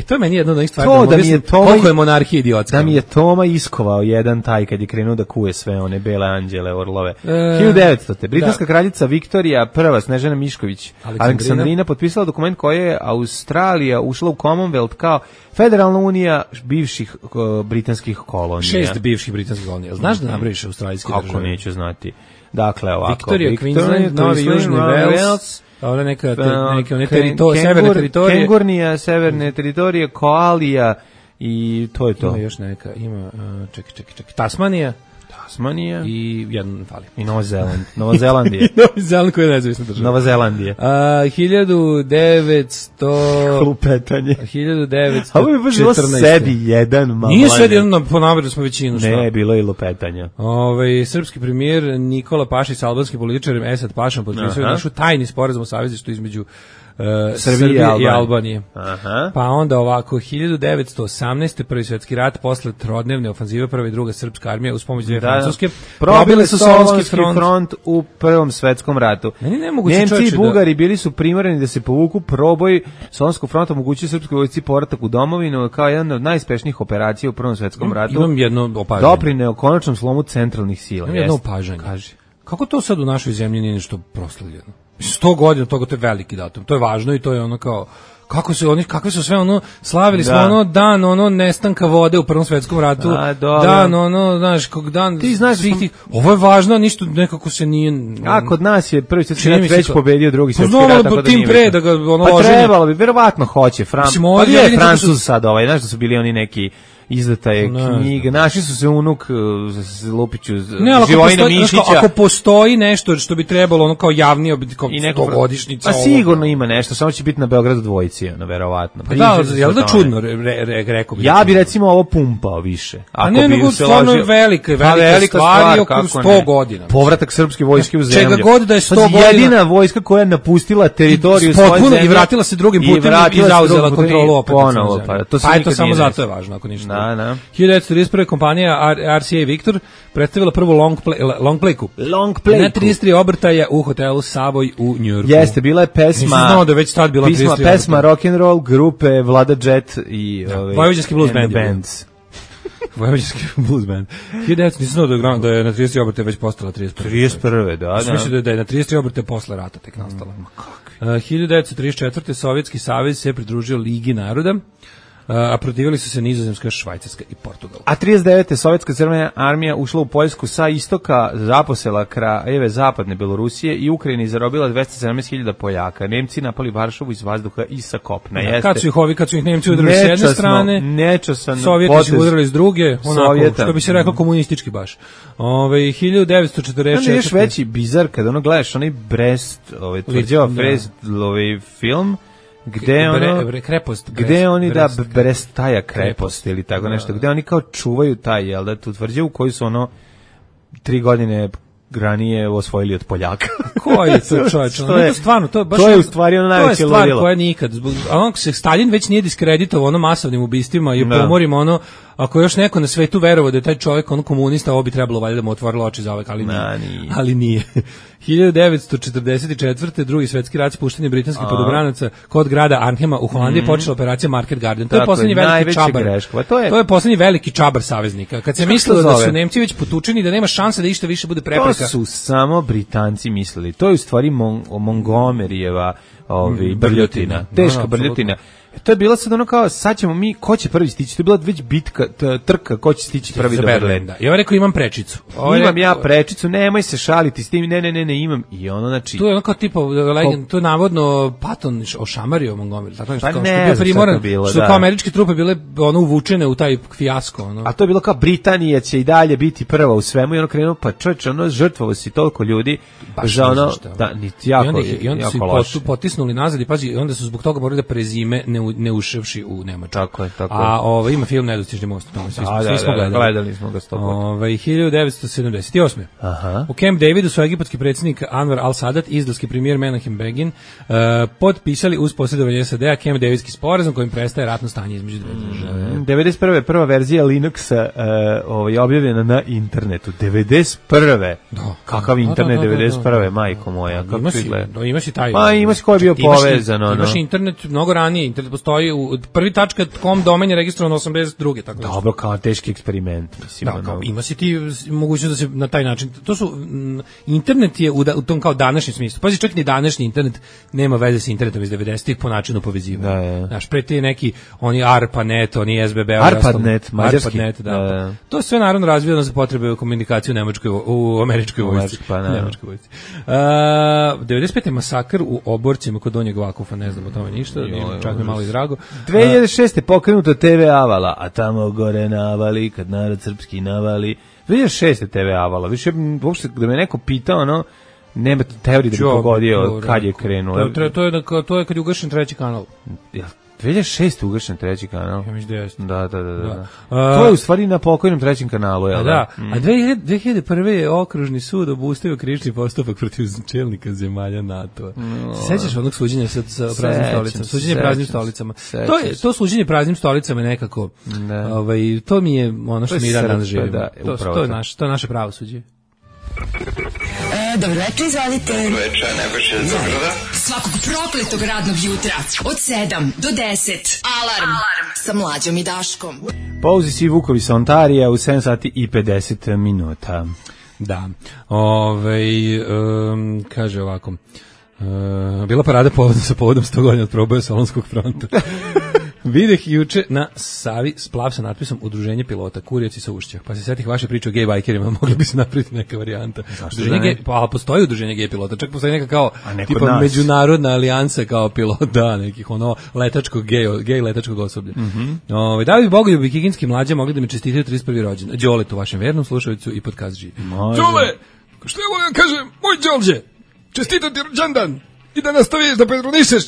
to je meni jedna od onih stvari. da mi je Toma, koliko je monarhija idiotska. Da mi je Toma iskovao jedan taj kad je krenuo da kuje sve one bele anđele, orlove. 1900. Britanska kraljica Viktorija I, Snežana Mišković, Aleksandrina potpisala dokument koji je Australija ušla u Commonwealth kao Federalna unija bivših britanskih kolonija. 6 bivših britanskih kolonija. Znaš da napraviš australijske države? Kako neću znati. Dakle, ovako. Victoria, Queensland, Novi Južni Wales, ona neke severne teritorije. Kengurnija, severne teritorije, Koalija i to je to. Ima još neka, čekaj. Tasmanija i jedan fali. I Nova Zelandija. Novi Zeland koja je nezavisna država. Nova Zelandija. 1900... Lupetanje. 1914. A ovo je baš bilo sedi jedan malo. Nije sedi jedan, ponavljali smo većinu. Ne, bilo je i lupetanja. Srpski premijer Nikola Pašić s albanskim političarem Esad Pašom potpisao našu tajni sporazum o savezništvu između Srbije i Albanije. Aha. Pa onda ovako 1918. Prvi svjetski rat posle trodnevne ofanzive prva i druga srpska armija uz pomoć dve francuske probile su Solunski front u Prvom svetskom ratu. Nemci i Bugari bili su primorani da se povuku. Proboj Solunskog fronta omogućio srpskoj vojsci povratak u domovinu kao jedan od najuspešnijih operacija u Prvom svetskom ratu. Imam jedno opažanje. Doprineo konačnom slomu centralnih sila. Imam jedno opažanje. Kaži. Kako to sad u našoj zemlji nije nešto proslavljeno? 100 godina toga, to je veliki datum. To je važno i to je ono kao kakve su sve ono slavili smo ono dan nestanka vode u Prvom svetskom ratu. Dan znaš, dan ti znaš svih tih, ovo je važno, ništa nekako se nije. A kod nas je Prvi svjetski rat već pobedio Drugi svjetski rat, tako da nije. Pre da ga pa trebalo bi, verovatno hoće. Je Francuz sad znaš da su bili oni neki izdata je knjiga, naši su se unuk Lupiću, Živojina Mišića. Ako postoji nešto što bi trebalo ono kao javni kao godišnjica. A sigurno ima nešto, samo će biti na Beogradu dvojici, verovatno. Pa da, jel da čudno, rekao bi. Ja bi recimo ovo pumpao više. A ne, nego stvarno je velika stvar oko 100 godina. Povratak srpske vojske u zemlju. Čega god da je 100 godina. Jedina vojska koja je napustila teritoriju svoje zemlje. I vratila se drugim putem i zauzela kontrolu opet. Pa je to samo zato je važno, ako ništa. 1931. kompanija RCA Victor predstavila prvu long playku. Na 33 obrtaja u hotelu Savoy u Njujorku. Jeste, bila je pesma. Nisam znao da već tad bila 33 obrtaja. Pesma rock and roll grupe Vlada Jet i Vojvođanski blues band. Vojvođanski blues band. 1900 nisam znao da je na 33 obrtaja već postala 31. Da. Mislim da je na 33 obrtaja posle rata tek nastala. 1934. Sovjetski savez se pridružio Ligi naroda. A protivili su se Nizozemska, Švajcarska i Portugal. A 39. Sovjetska crvena armija ušla u Poljsku sa istoka, zaposela krajeve zapadne Belorusije i Ukrajini i zarobila 217.000 Poljaka. Nemci napali Varšavu iz vazduha i sa kopna. Kad su ih Nemci udarili s jedne strane, Sovjeti su udarili s druge, onako, što bi se rekao komunistički baš. 1946. Još veći bizar kada ono gledaš, onaj Brest, tvrđava Brest, film, gde oni da Brestaja krepost ili tako nešto, gde oni kao čuvaju taj, jel da, tu tvrđavu koju su 3 godine ranije osvojili od Poljaka. Koji je to čovječ? To je u stvari ono najveće ludilo. To je stvar koja nikad, se Stalin već nije diskreditovao masovnim ubistvima i pomorima ako još neko na svetu verovao da je taj čovjek komunista, ovo bi trebalo valjda da mu otvorilo oči za uvek, ali nije. 1944. Drugi svetski rat, spuštanje britanskih podobranaca kod grada Arnhema u Holandiji počela operacija Market Garden. To je poslednji veliki čabar. To je poslednji veliki čabar saveznika. Kad se mislilo da su Nemci već potučeni, da nema šanse da išta više bude prepreka. To su samo Britanci mislili. To je u stvari Montgomeryjeva brljotina. Teška brljotina. To je bilo sad ono kao, sad ćemo mi, ko će prvi stići? To je bila već bitka, trka, ko će stići prvi do Berlina. I on rekao, imam prečicu. Imam ja prečicu, nemoj se šaliti s tim, ne, imam. I ono, znači... To je ono kao tipa, to je navodno Patton ošamario Montgomery. Tako nešto, pa ne znam šta je bilo, što kao američke trupe bile uvučene u taj fijasko. A to je bilo kao, Britanija će i dalje biti prva u svemu i ono krenuo, pa čovječ, žrtvovo si toliko ljudi. Za ono, i onda su potisnuli nazad i pazi, onda su zbog toga morali da prezime ne uševši u Nemačku. Tako je. A ima film Nedostižni most, svi smo gledali smo ga 100%. 1978. U Camp Davidu su egipatski predsjednik Anwar al-Sadat i izraelski premijer Menachem Begin potpisali uz posredovanje SAD-a Camp Davidski sporazum kojim prestaje ratno stanje između dve države. 91. prva verzija Linuxa objavljena na internetu. 91. Kakav internet 91. majko moja, kako izgleda? Imaš i taj. Pa imaš ko je bio povezan. Imaš internet mnogo ranije, internet postoji prvi .com domen je registrovan 82. tako da. Dobro, kao teški eksperiment, mislim. Da, kao, ima si ti mogućnost da se na taj način, to su, internet je u tom kao današnjem smislu, pazi, čak ni današnji internet nema veze sa internetom iz 90-ih po načinu povezivanja. Znaš, pre te neki, oni ARPANET, oni SBB, ARPANET, mađarski. ARPANET, da. To je sve naravno razvijeno za potrebe komunikacije u američkoj vojsci. Nemačkoj vojsci. 95. masakr u Oborcima kod Donjeg Vakufa, ne znam o tome ništa, čak mi malo i drago. 2006. pokrenuto TV Avala, a tamo gore navali, kad narod srpski navali. 2006. TV Avala, više uopšte da me neko pitao, ono, nema teorije da bi pogodio kad je krenuo. To je kad je ugašen treći kanal. 2006. ugašen treći kanal. Ja mislim da jeste. Da. To je u stvari na pokojnom trećem kanalu, jel da? Da. A 2001. je okružni sud obustavio krivični postupak protiv čelnika zemalja NATO-a. Sećaš onog suđenja sa praznim stolicama? Suđenje praznim stolicama. To suđenje praznim stolicama je nekako, to mi je ono što mi danas živimo. To je naše pravosuđe. Dobro večer, izvolite. Dobro večer, Nebojša iz Zagrada. Svakog prokletog radnog jutra od 7 do 10. Alarm sa Mlađom i Daškom. Pauzi si Vukovi sa Ontarija u 7 sati i 50 minuta. Da. Kaže ovako. Bila parada sa povodom 100 godina od proboja Solunskog fronta. Videh juče na Savi splav sa natpisom Udruženje pilota, Kurjaci sa Ušća. Pa se setih vaše priče o gej bajkerima, mogli bi se napraviti neka varijanta. Pa postoji udruženje gej pilota, čak postoji neka kao tipa međunarodna alijansa kao pilota, nekih ono letačkog gej letačkog osoblja. Da bi Bogoljubi Kikinski mlađa mogli da mi čestitaju 31. rođendan. Đoletu, vašem vernom slušalicu i podcast živi. Đole, što ja mogu kažem, moj Đolđe, čestitam ti rođendan i da nastaviš da pedronišeš.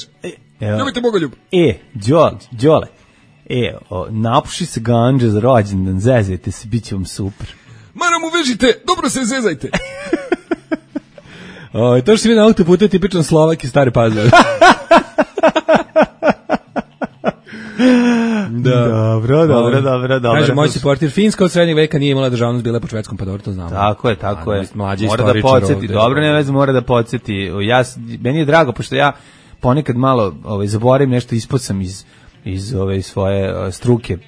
Ljubite Bogoljub. Đole, napuši se ganđa za rođendan, zezajte se, bit će vam super. Maram uvežite, dobro se zezajte. To što si mi na autoputu je tipičan Slovak i Stari Pazar. Dobro. Kaže, moj supporter, Finska od srednjeg veka nije imala državnost, bila je po švedskom, pa dobro, to znamo. Tako je. Mora da podsjeti, dobro, ne veze, mora da podsjeti. Meni je drago, pošto ja ponekad malo zaboravim nešto, ispod sam iz ove svoje struke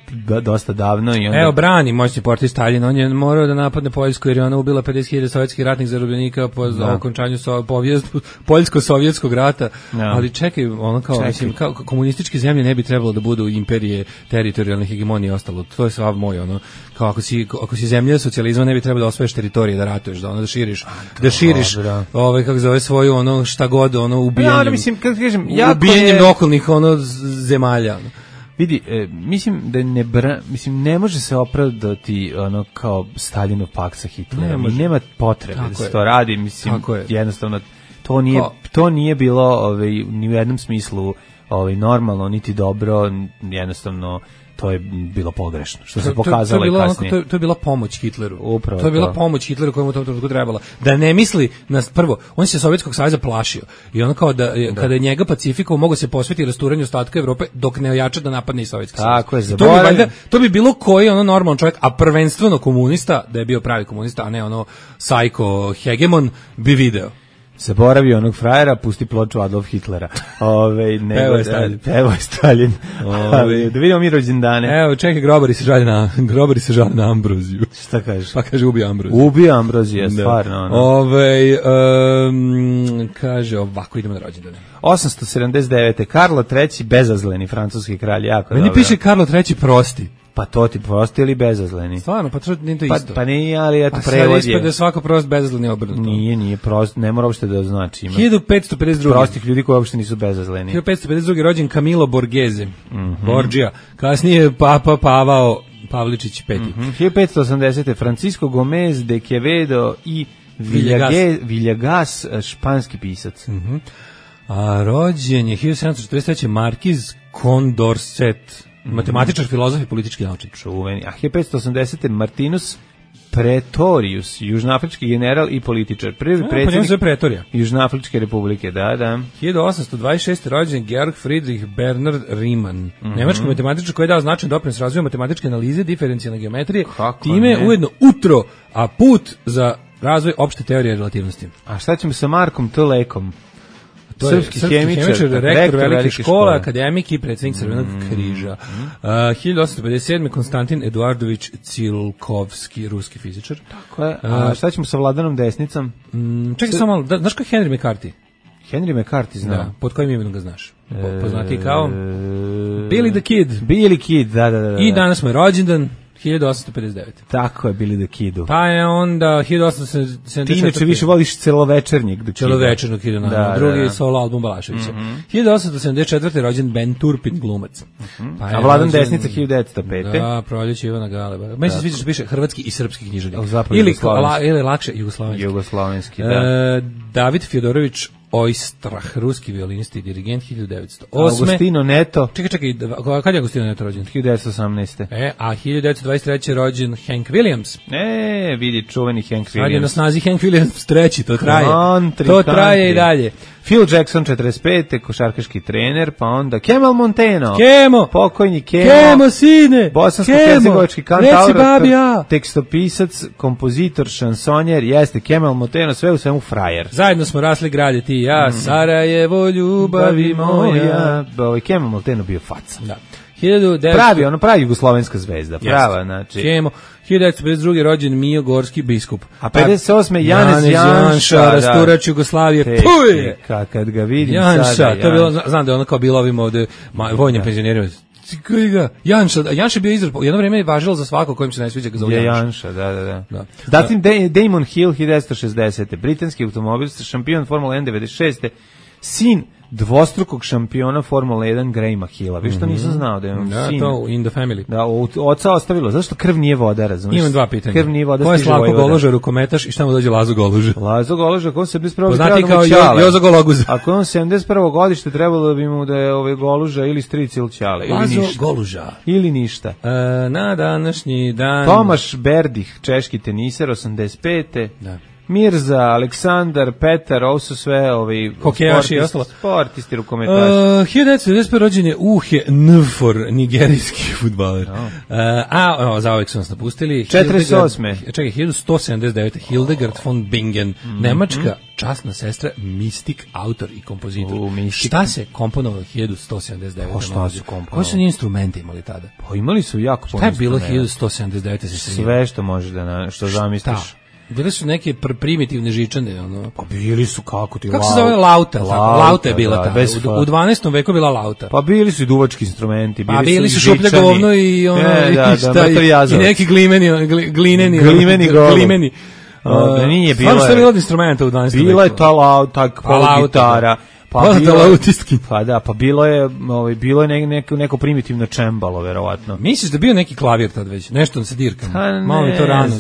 dosta davno i onda... Evo, brani moćni portir Stalin, on je morao da napadne Poljsku jer je ona ubila 50.000 sovjetskih ratnih zarobljenika po okončanju poljsko-sovjetskog rata, ali čekaj, ono kao, mislim, kao komunističke zemlje ne bi trebalo da budu imperije teritorijalne hegemonije i ostalo, to je svav moj, ono, kao ako si zemlja socijalizma ne bi trebalo da osvojiš teritorije, da ratuješ, da širiš, kako zove svoju, ono, šta god, ono, ubijanjem okolnih, ono, zemalja. Vidi, mislim da ne može se opravdati ono kao Staljinov pakt sa Hitlerom. Nema potrebe da se to radi, mislim, jednostavno to nije bilo ni u jednom smislu normalno, niti dobro, jednostavno to je bilo pogrešno, što se pokazalo i kasnije. To je bila pomoć Hitleru. Upravo to je bila pomoć Hitleru kojemu u tom trenutku trebala. Da ne misli, prvo, on se Sovjetskog saveza plašio. I ono kao kada je njega pacifikovao, mogo se posvetiti rasturanju ostatka Evrope dok ne ojača da napadne i Sovjetski savez. Tako je, to bi bilo koji ono normalan čovjek, a prvenstveno komunista, da je bio pravi komunista, a ne ono sajko hegemon, bi video. Zaboravi onog frajera, pusti ploču Adolf Hitlera. Evo je Stalin. Da vidimo mi rođendane. Evo, čekaj, grobari se žale na Ambroziju. Šta kažeš? Pa kaže, ubio Ambroziju. Ubio Ambroziju, stvarno. Kaže, ovako idemo na rođendane. 879. Karlo III, bezazleni francuski kralj, jako dobro. Meni piše Karlo III prosti. Pa to ti prosti ili bezazleni? Stvarno, pa to nije to isto. Pa nije, ali eto prevod je. A sad ispred da svako prost bezazleni obrnuto. Nije prost, ne mora uopšte da znači. 1552. Prostih ljudi koji uopšte nisu bezazleni. 1552. rođen Camilo Borghese, Borgia. Kasnije Papa Pavao Pavličić V. 1580. Francisco Gomez de Quevedo i Villegas, španski pisac. A rođen je 1743. Markiz Condorcet, matematičar, filozof i politički naučnik. Čuveni. A 1580. Martinus Pretorius, južnoafrički general i političar. Prvi predsjednik Južnoafričke republike, da. 1826. rođen Georg Friedrich Bernhard Riemann, nemački matematičar koji je dao značajan doprinos razvoju matematičke analize, diferencijalne geometrije, time ujedno utro, a put za razvoj opšte teorije relativnosti. A šta ćemo sa Markom T. Lekom? To je Srpski hemičar, rektor velike škole, akademik i predsjednik Crvenog križa. 1857. Konstantin Eduardović Cilkovski, ruski fizičar. Tako je. A šta ćemo sa Vladanom Desnicom? Čekaj samo malo, znaš ko je Henry McCarthy? Henry McCarthy znam. Da, pod kojim imenom ga znaš? Poznati kao Billy the Kid. Billy Kid, da. I danas mu je rođendan, 1859. Tako je, Billy the Kidu. Pa je onda 1874. Ti inače više voliš celovečernjeg do Kida. Celovečernog Kida, naravno. Drugi solo album Balaševića. 1874. rođen Ben Turpin, glumac. Pa a Vladan Desnica 1905. Da, Proljeće Ivana Galeba. Meni se sviđa što piše hrvatski i srpski književnik. Ili lakše jugoslovenski, da. David Fjodorović Oistrah, ruski violinist i dirigent, 1908. Agostino Neto. Čekaj, kad je Agostino Neto rođen? 1918. A 1923. rođen Hank Williams. Vidi, čuveni Hank Williams. Sad je na snazi Hank Williams treći, to traje. To traje i dalje. Phil Jackson, 45. košarkaški trener, pa onda Kemal Monteno. Kemo! Pokojni Kemo. Kemo, sine! Bosansko-hercegovački kantautor, tekstopisac, kompozitor, šansonjer, jeste Kemal Monteno, sve u svemu frajer. Zajedno smo rasli grade ti i ja, Sarajevo, ljubavi moja. Kemal Monteno bio faca. Da. Pravi jugoslovenska zvezda, prava, znači. Kemo. 1952. rođen Mio Gorski biskup. A 58. Janez Janša, rasturač Jugoslavije. Puj! Kad ga vidim Janša, sada. To je bilo, znam da je ono kao bilo ovim ovde vojnim penzionerima. Janša je bio izraz, jedno vreme je važilo za svako kojim se ne sviđa ga zove Janša. Da. Zatim Damon Hill, 1960. Britanski automobilista, šampion Formula 1 96. Sin dvostrukog šampiona Formula 1 Grahama Hilla. Vi što nisam znao da je on sin. Da, to in the family. Da, oca ostavilo. Zašto krv nije voda, razumiješ? Imam dva pitanja. Krv nije voda, ko je Slavko Goloža, rukometaš i šta mu dođe Lazo Goluža? Lazo Goluža, ako on se 71. Poznati kao Jozo Gologuz. Ako on 71. godište, trebalo bi mu da je Goluža ili stric ili ćale. Lazo Goluža. Ili ništa. Na današnji dan... Tomaš Berdih, češki teniser, 85. Da. Mirza, Aleksandar, Petar, ovo su sve hokejaši i ostalo. Sportisti, rukometaši. 1995. rođen je Uhe Nfor, nigerijski fudbaler. Za ovek su nas napustili. 48. Čekaj, 1179. Hildegard von Bingen, nemačka časna sestra, mistik, autor i kompozitor. Šta se komponovalo 1179? Šta su komponovali? Koji su njih instrumenti imali tada? Pa imali su jako puno. Šta je bilo 1179? Sve što možeš što zamisliš. Bile su neke primitivne žičane, ono. Pa bili su kako ti se zove lauta? Lauta je bila ta. U 12. veku bila lauta. Pa bili su i duvački instrumenti, bili su šuplje govno i ono i neki glimeni. Nije bilo. Stvarno što je bilo od instrumenta u 12. veku? Bila je ta lauta, polugitara. Pa bilo je neko primitivno čembalo, verovatno. Misliš da bio neki klavir tad već? Nešto sa dirkama? Malo mi to rano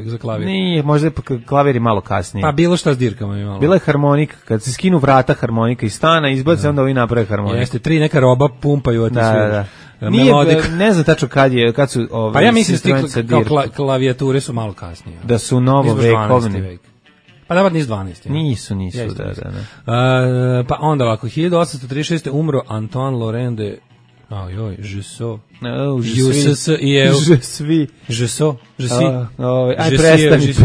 za klavir. Nije, možda je klavir i malo kasnije. Pa bilo šta s dirkama je malo. Bila je harmonika, kad se skinu vrata harmonika iz stana, izbace, onda ovi naprave harmoniku. Jeste, 3 neka roba pumpaju, a ti da. Nije, ne znam tačno kad su pa ja mislim da klavijature su malo kasnije. Da su novovekovne. Pa da, nisu 12. Nisu, da. Pa onda ovako, 1836. umro Antoine Laurent de Jussot.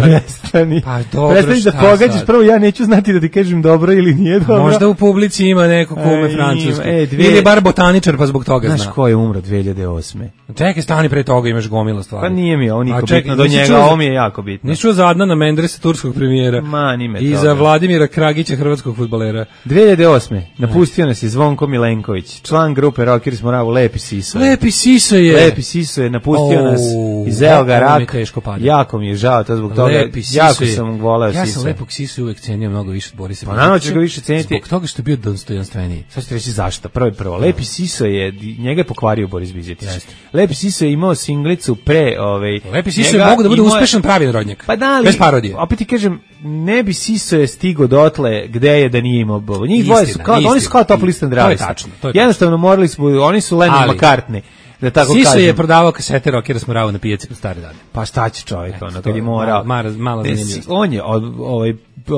Prestani. Pa dobro, prestani da pogađaš, prvo ja neću znati da ti kažem dobro ili nije dobro. Možda u publici ima neko kume francuski. Ili bar botaničar, pa zbog toga zna. Znaš ko je umro 2008. Čekaj, stani pre toga, imaš gomila stvari. Pa nije mi ovo niko bitno do njega, ovo mi je jako bitno. Nisi čuo za Adnana Mendresa, turskog premijera. I za Vladimira Kragića, hrvatskog fudbalera. 2008. Napustio nas je Zvonko Milenković, član grupe Rockers Moravu, Lepi Siso. Lepi Siso je napustio nas iz evo ga rak. Jako mi je žao to zbog toga. Jako sam voleo Siso. Ja sam Lepog Sisu uvek cenio mnogo više od Borisa. Pa naravno ću ga više ceniti. Zbog toga što je bio dostojanstveniji. Sad ću reći zašto. Prvo. Lepi Siso je, njega je pokvario Boris Bizetić. Lepi Siso je imao singlicu pre... Lepi Siso je mogu da bude uspešan pravi narodnjak. Pa da li, bez parodije. Opet ti kažem, ne bi Siso je stigo dotle gde je da nije imao bovo. Njih dvoje su, oni su kao top list and drivers. To je tačno. Jednostavno morali smo, oni su Lennon McCartney. da tako Siso kažem. je prodavao kasete Rockera Smorava na pijaci po stare dane. Pa šta će čovjek, ono, to kad je je morao. malo zanimljivost. On je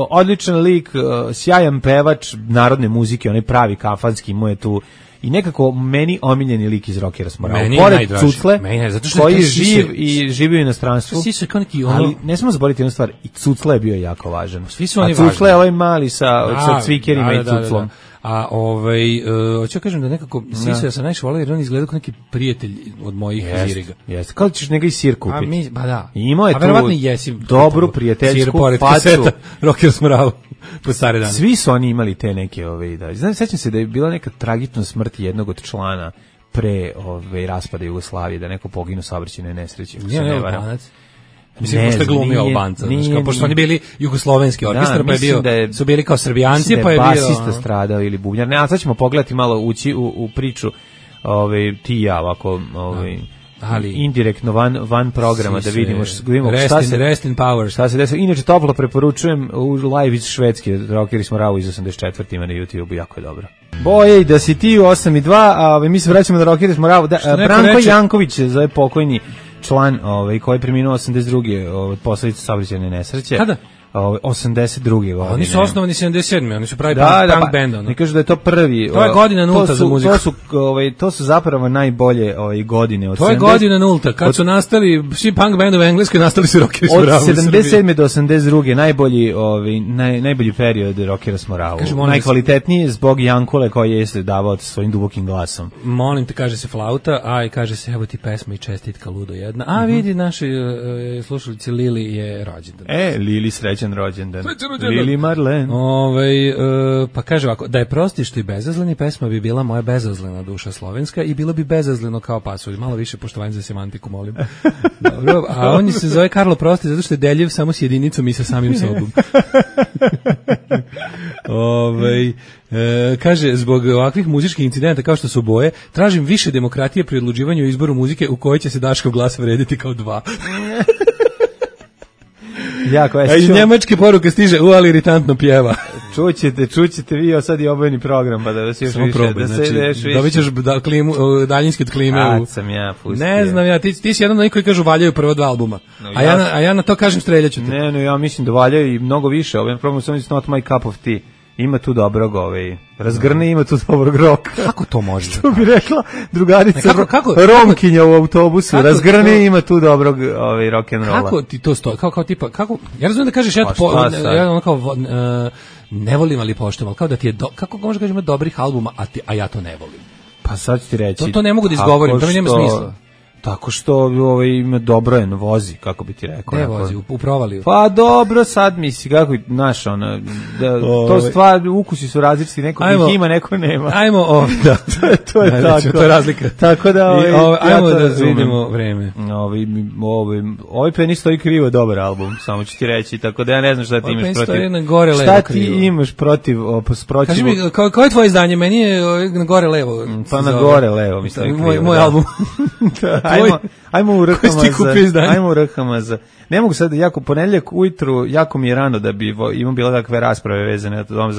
odličan lik, sjajan pevač narodne muzike, onaj pravi kafanski, mu je tu i nekako meni omiljeni lik iz Rockera Smorava. Meni je Pored najdraži. Cucle, Meni je, zato što koji je je taj živ Siso- i živio u inostranstvu. Siso je kao neki ono... Ali ne smemo zaboraviti jednu stvar, i Cucla je bio jako važan. Svi su oni A Cucla važni. je ovaj mali sa cvikerima i Cuclom. Da. A hoću kažem da nekako Siso ja sam najviše voleo jer on izgleda kao neki prijatelj od mojih ziriga. Jeste, kao da ćeš njega i sir A kupiti. mi, ba da. I imao je A tu verovatno i jesi dobru sir prijateljsku pored facu. kaseta Rockera Smorava po stare dane. Svi su oni imali te neke da. Znam, sećam se da je bila neka tragična smrt jednog od člana pre raspada Jugoslavije, da neko poginu u saobraćajnoj nesreći. ako se ne varam. Mislim, Ne pošto je znam, glumio nije- Albanca, nije- znaš, kao, pošto oni bili jugoslovenski orkestar, pa je mislim bio, da je- su bili kao Srbijanci, Mislim pa je da bio... basista ono, stradao ili bubnjar. Ne, a sad ćemo pogledati malo ući u priču ti i ja ovako Ali- indirektno van programa da vidimo Rest in power. šta se desilo. Inače toplo preporučujem u live iz Švedske, Rockeri Smorava iz 84. ima na YouTube, jako je dobro. Boje, da si ti u 8:02, a mi se vraćamo na Rockeri Smorava. neko Branko reče- Janković je zove pokojni član koji je preminuo 82. od posledica saobraćajne nesreće. Kada? 82. godine. Oni su osnovani 77. Oni su pravi Da, punk band. Ono. ne kažu da je to prvi. To je godina nulta za muziku. To su zapravo najbolje godine od To je 70 godina nulta, kad su nastali svi punk bandovi u Engleskoj, nastali su Rockeri od Smorava u Srbiji. 77. do 82. najbolji period Rockera Smorava. Kaže, molim Najkvalitetniji zbog Jankule koji je se davao svojim dubokim glasom. Molim te, kaže se flauta, a i kaže se evo ti pesma i čestitka ludo jedna. A vidi, naši slušalici Lili je rođendan. Lili srećan rođendan. Srećan rođendan. Lili Marlen. Pa kaže ovako, da je prosti što i bezazleni, pesma bi bila moja bezazlena duša slovenska i bilo bi bezazleno kao pasulj. Malo više poštovanja za semantiku, molim. Dobro, a on se zove Karlo Prosti zato što je deljiv samo s jedinicom i sa samim sobom. Kaže, zbog ovakvih muzičkih incidenta kao što su boje, tražim više demokratije pri odlučivanju o izboru muzike u kojoj će se Daškov glas vrediti kao 2. Jako, A iz njemačke poruke stiže, ali iritantno pjeva. Čućete vi sad i obojeni program, pa da vas još Samo više, probaj, da se znači, još više. dobit ćeš daljinski od klime. Kad sam ja pustio. Ne znam ja, ti si jedan od onih koji kažu valjaju prvo 2 albuma. A ja na to kažem streljaću te. Ne, ja mislim da valjaju i mnogo više. Ovaj program sam not my cup of tea. Ima tu dobrog, razgrne, ima tu dobrog roka. Kako to može? Što bi rekla drugarica kako- Romkinja u autobusu, kako razgrne, to- ima tu dobrog rock'n'rolla. Kako ti to stoji? Kao tipa, kako? Ja razumijem da kažeš Pa šta sad? ja ono kao ne volim ali poštujem, ali kao da ti je kako može kažeš ima dobrih albuma, a ja to ne volim. Pa sad ću ti reći. To ne mogu da izgovorim, to mi nema smisla. Tako što ima dobro je, vozi, kako bi ti rekao. Ne onako. vozi, u provaliju. Pa dobro, sad misli, kako, znaš, to stvar, ukusi su različiti, neko ih ima, neko nema. Ajmo, da. To je Znači, tako. to je razlika. Tako da, ajmo ja to da razumem. vidimo vreme. Ovaj Penny stoji krivo dobar album, samo ću ti reći, tako da ja ne znam šta ti Ovaj imaš Penny protiv. stoji na gore levo Šta ti krivo. imaš protiv Kaži mi, koje je tvoje izdanje? Meni je na gore levo. Pa na gore levo, mislim. Moj album. Ajmo u Koji si ti kupio izdanje? Ajmo u RHMZ. Ne mogu sad, ponedjeljak ujutru, jako mi je rano da bi imam bilo kakve rasprave vezane o tome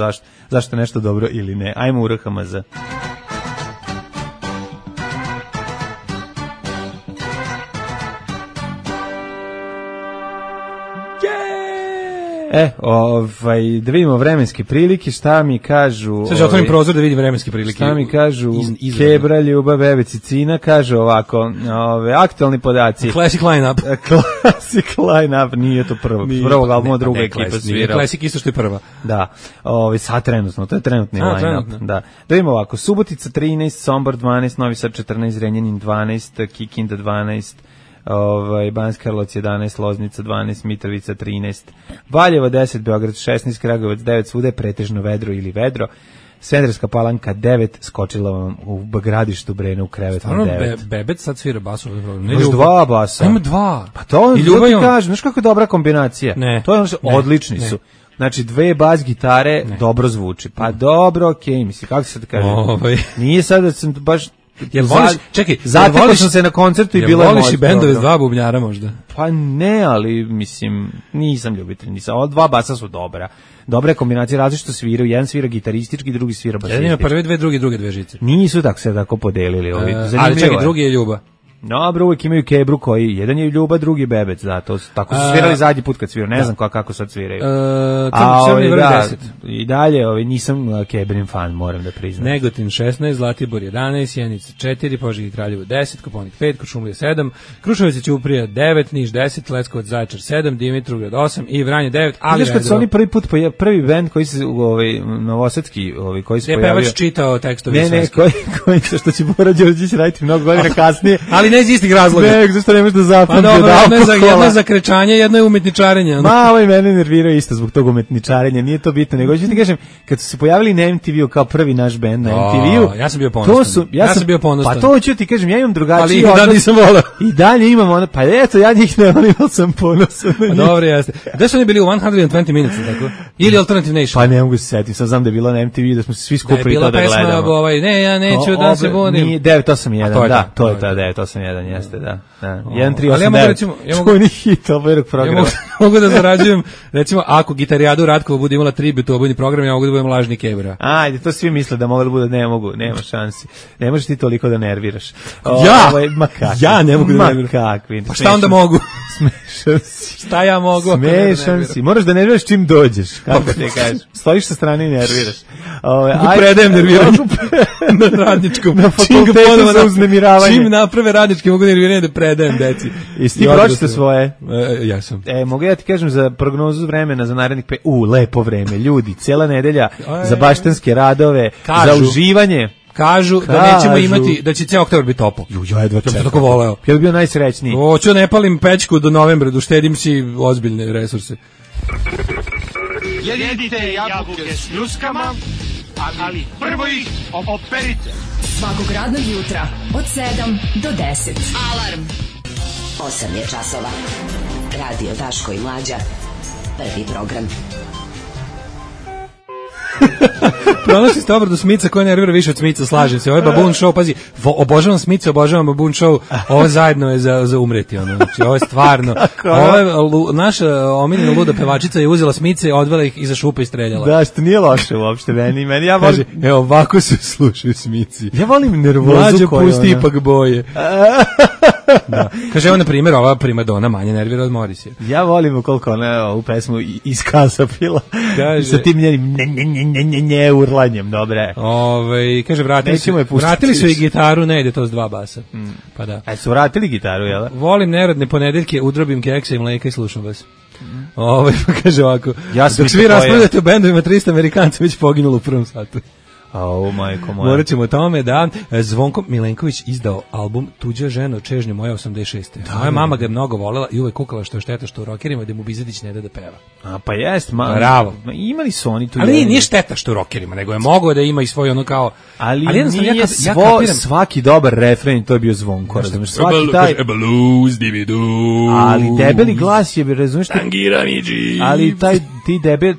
zašto je nešto dobro ili ne. Ajmo u RHMZ. Da vidimo vremenske prilike, šta mi kažu... Sad ću otvorim prozor da vidim vremenske prilike. Šta mi kažu Kebra, Ljuba, Bebe, Cicina, kažu ovako, aktualni podaci. Classic line-up. Classic line-up, nije to prvog albuma, druga ekipa svirala. Classic isto što je prva. Da, sad trenutno, to je trenutni line-up. Da vidimo ovako, Subotica 13, Sombor 12, Novi Sad 14, Renjanin 12, Kikinda 12, Banjska Karlovac 11, Loznica 12, Mitrovica 13, Valjevo 10, Beograd 16, Kragujevac 9, svuda je pretežno vedro ili vedro. Smederevska Palanka 9, skočila vam u Gradištu Brena u krevet na 9. Bebec sad svira basu. Imaš 2 basa. Ima 2. Pa to ti kažem, znaš kako je dobra kombinacija? Ne. To je odlični su. Znači 2 bas gitare dobro zvuči. Pa dobro, okej, mislim, kako se da kaže? Nije sad da sam baš Jel voliš, čekaj, zatekao sam se na koncertu i bilo je voliš moj i bendove s program. dva bubnjara možda? Pa ne, ali mislim, nisam ljubitelj, nisam. Ova dva basa su dobra. Dobra je kombinacija, različito sviraju, jedan svira gitaristički, drugi svira Jedan ima basistički. prve dve, drugi dve žice. Nisu tako se tako podelili ovi. Ali čekaj, drugi je Ljuba. Dobro, uvijek imaju kebru koji, jedan je Ljuba, drugi je Bebec, da, to tako su svirali zadnji put kad sviraju, ne znam kako sad sviraju. I dalje, nisam kebrin fan, moram da priznam. Negotin 16, Zlatibor 11, Sjenica 4, Požega i Kraljevo 10, Koponik 5, Kuršumlija 7, Kruševac i Ćuprija 9, Niš 10, Leskovac Zaječar 7, Dimitrovgrad 8 i Vranje 9, ali kad su oni prvi bend koji se novosadski, koji se pojavio. Pevač čitao tekstove Ne, koji što će Bora Đorđević raditi mnogo godina kasnije. Ali ne iz istih razloga. Ne, zašto ne možeš da zapamti? Pa dobro, jedno je za krečanje, jedno je umetničarenje. Malo i mene nervirao isto zbog tog umetničarenja, nije to bitno, nego ću ti kažem, kad su se pojavili na MTV-u kao prvi naš bend na MTV-u, ja sam bio ponosan. Ja sam bio ponosan. Pa to ću ti kažem, ja imam drugačiji odnos. Ali nisam volao. I dalje imam ono, pa eto, ja njih ne volim, ali sam ponosan. Pa dobro, jeste. Gde su oni bili u 120 Minutes, tako? Ili Alternative Nation? Pa ne mogu se setiti, sad znam da je bilo na MTV, da smo se svi skupili to da gledamo. Da je bila pesma, ne, ja neću da se budim. 981, da, to je ta 981, jeste, da. 1389. Ali ja mogu recimo, čuveni hit ovog programa. Mogu da zarađujem, recimo, ako Gitarijadu Ratkova bude imala tribut u obojni program, ja mogu da budem lažni kebra. Ajde, to svi misle da mogu da bude, ne mogu, nema šansi. Ne možeš ti toliko da nerviraš. Ja ne mogu da nerviraš. Kakvi. Pa šta onda mogu? Smešan si. Šta ja mogu? Smešan si. Moraš da nerviraš čim dođeš, kako ti kažeš. Stojiš sa strane i nerviraš. Predajem nerviranje na radničkom. Na fakultetu za uznemiravanje. Čim naprave radnički mogu nerviranje da predajem deci. Jesi ti pročite svoje? Ja sam. Mogu ja ti kažem za prognozu vremena za narednih lepo vreme, ljudi, cijela nedelja za baštanske radove, za uživanje. Kažu da nećemo imati, da će cijel oktobar biti toplo. Ja jedva čekam. Tako voleo. Ja bih bio najsrećniji. Hoću ne palim pećku do novembra, da uštedim si ozbiljne resurse. Jedite jabuke s ljuskama, ali prvo ih operite. Svakog radnog jutra od 7 do 10. Alarm. 8 je časova. Radio Daško i Mlađa. Prvi program. Pronašli ste obradu Smica koja nervira više od Smica, slažem se. Ovo je Baboon Show, pazi, obožavam Smica, obožavam Baboon Show, ovo zajedno je za umreti, ono. Znači, ovo je stvarno, ovo je, naša omiljena luda pevačica je uzela Smice, odvela ih iza šupa i streljala. Da, što nije loše uopšte, meni ja volim... Kaže, evo, ovako se slušaju Smici. Ja volim nervozu Mlađo koju pusti ipak boje. Da. Kaže, evo, na primjer, ova primadona manje nervira od Morisija. Ja volim koliko ona ovu pesmu iskazapila sa tim njenim ne urlanjem, dobre. Kaže, vratili su i gitaru, ne ide to s dva basa. Pa da. A su vratili gitaru, jel? Volim neradne ponedeljke, udrobim keksa i mleka i slušam vas. Pa kaže ovako, dok svi raspravljate o bendovima, 300 Amerikanca već poginulo u prvom satu. Majko moja. Morat ćemo o tome da Zvonko Milenković izdao album Tuđa ženo, čežnje moja 86. Moja mama ga je mnogo volela i uvek kukala što je šteta što u rokerima da mu Bizetić ne da peva. Pa jest, bravo. Imali su oni tu. Ali nije šteta što u rokerima, nego je mogao da ima i svoj ono kao... Ali nije svaki dobar refren, to je bio Zvonko, razumiješ? Svaki taj... Ali debeli glas je, razumiješ? Ali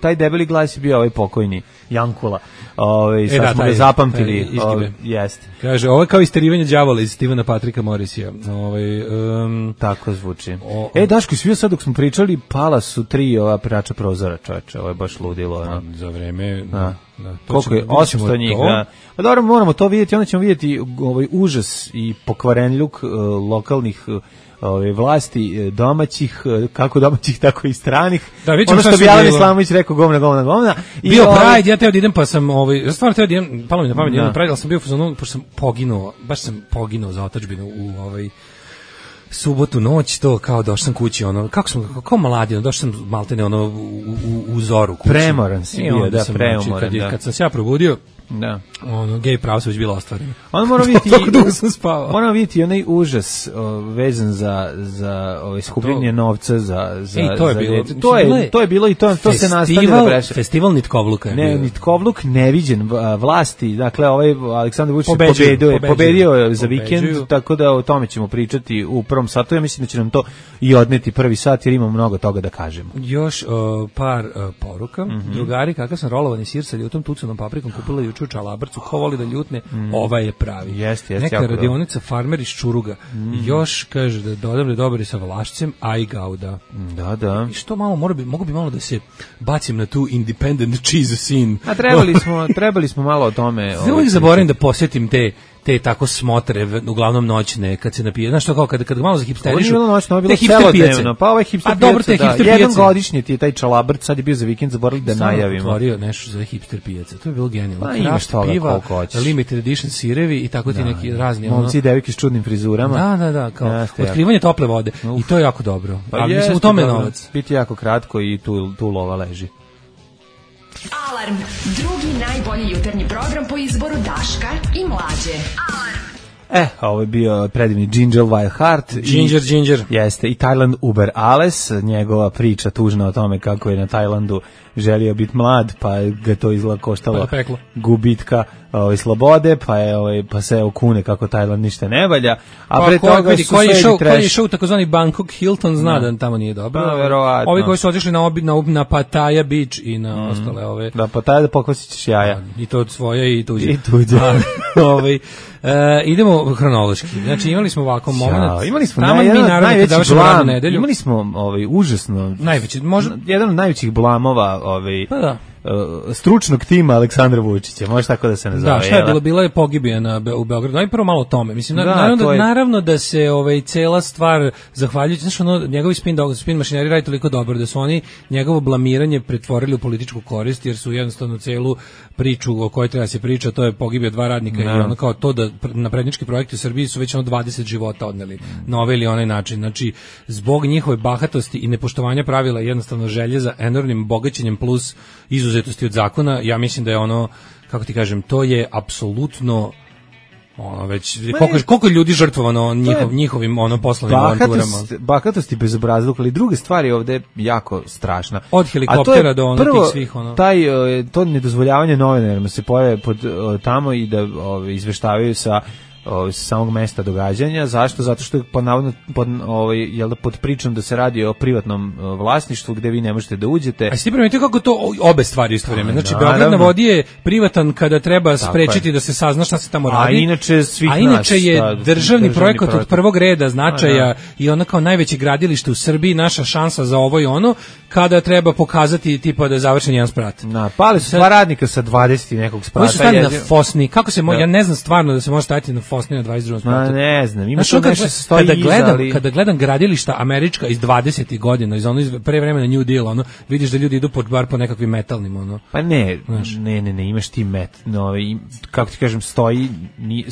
taj debeli glas je bio ovaj pokojni, Jankula. Sad smo ga zapamtili. Jeste. Kaže, ovo je kao isterivanje đavola iz Stivena Patrika Morrisija. Tako zvuči. Daško, svi sad dok smo pričali, pala su 3 ova perača prozora, čoveče. Ovo je baš ludilo. Za vreme... Koliko je? 800 njih, da. Pa dobro, moramo to vidjeti, onda ćemo vidjeti užas i pokvarenljuk lokalnih vlasti domaćih, kako domaćih, tako i stranih. Da, ono što bi Alan Islamović rekao, govna. Bio Pride, ja teo da idem, pa sam, ja stvarno teo da idem, palo mi na pamet, idem Pride, ali sam bio fazonu, pošto sam poginuo za otadžbinu u subotu noć, to kao došao sam kući, kako mladi, došao sam maltene u zoru kući. Premoran si bio, da, premoran, da. Kad sam se ja probudio, da. Gej pravo se već bilo ostvareno. On mora vidjeti, tako dugo sam spavao. Moramo vidjeti onaj užas vezan za skupljenje novca za to je bilo. To je bilo i to se nastavlja da breše. Festival Nitkovluka je bio. Nitkovluk neviđen, vlasti, dakle Aleksandar Vučić pobedio za vikend, tako da o tome ćemo pričati u prvom satu. Ja mislim da će nam to i odneti prvi sat jer imamo mnogo toga da kažemo. Još par poruka. Drugari, kakav sam rolovani sir sa ljutom tucanom paprikom kupila juče u Čalabrcu, ko voli da ljutne, ovaj je pravi. Jeste, Neka jako radionica Farmer iz Čuruga. Još kaže da dodam da je dobar i sa Vlašcem, a i Gauda. Da. I što malo, mogu bi malo da se bacim na tu independent cheese scene. A trebali smo malo o tome. Uvijek zaboravim da posjetim te tako smotre, uglavnom noćne, kad se napije. Znaš što, kao kad malo za hipsterišu. Ovo je te hipster pijace. Pa ovaj hipster pijace, jedan godišnji ti je taj Čalabrc, sad je bio za vikend, zaboravili da najavimo. Otvorio nešto za hipster pijace, to je bilo genijalno. Pa imaš toga koliko hoćeš. Limited edition sirevi i tako ti neki razni. Momci i devojke s čudnim frizurama. Da, kao otkrivanje tople vode. I to je jako dobro. Ali mislim, u tome je novac. Biti jako kratko i tu lova leži. Alarm, drugi najbolji jutarnji program po izboru Daška i Mlađe. Ovo je bio predivni Ginger Wild Heart. Ginger. Jeste, i Thailand Uber Alles, njegova priča tužna o tome kako je na Tajlandu želio biti mlad, pa ga to izgleda koštalo gubitka slobode, pa se okune kako Tajland ništa ne valja. A pre toga su koji je išao u takozvani Bangkok Hilton, zna da tamo nije dobro. Pa, verovatno. Ovi koji su otišli na Pattaya Beach i na ostale ove. Da, Pattaya da pokosićeš jaja. I to od svoje i tuđe. Idemo hronološki. Znači imali smo ovako moment. Imali smo najveći blam. Imali smo užasno najveći, jedan od najvećih blamova pa da. Stručnog tima Aleksandra Vučića, može tako da se nazove. Da, šta je bilo? Bila je pogibija u Beogradu. Aj prvo malo o tome. Mislim, naravno da se cela stvar zahvaljujući, znači njegovi spin mašineri radi toliko dobro da su oni njegovo blamiranje pretvorili u političku korist, jer su jednostavno celu priču o kojoj treba se priča, to je pogibija 2 radnika i ono kao to da naprednički projekti u Srbiji su već 20 života odneli na ovaj ili onaj način. Znači, zbog njihove bahatosti i nepoštovanja pravila, jednostavno želje za enormnim bogaćenjem plus izuzetosti od zakona, ja mislim da je kako ti kažem, to je apsolutno već koliko ljudi žrtvovano njihovim poslovnim avanturama. Bahatost i bezobrazluk, ali druga stvar je ovde jako strašna. Od helikoptera do tih svih to nedozvoljavanje novinarima se pojave tamo i da izveštavaju sa samog mesta događanja. Zašto? Zato što je pod pričom da se radi o privatnom vlasništvu gde vi ne možete da uđete. A ste primetili kako to obe stvari isto vrijeme. Znači, Beograd na vodi je privatan kada treba sprečiti da se sazna šta se tamo radi. A inače je državni projekat od prvog reda značaja i ono kao najveće gradilište u Srbiji, naša šansa za ovo i ono, kada treba pokazati tipa da je završen jedan sprat. Pali su 2 radnika sa 20 nekog sprata. Koji su stali na Fosni. Kako se ja ne znam stvarno da se može staviti na Fosni na 22. spratu. Ne znam, ima što nešto se stoji kada gledam gradilišta američka iz 20. godina, iz pre vremena New Deal, vidiš da ljudi idu bar po nekakvim metalnim, Pa ne, imaš ti kako ti kažem, stoji,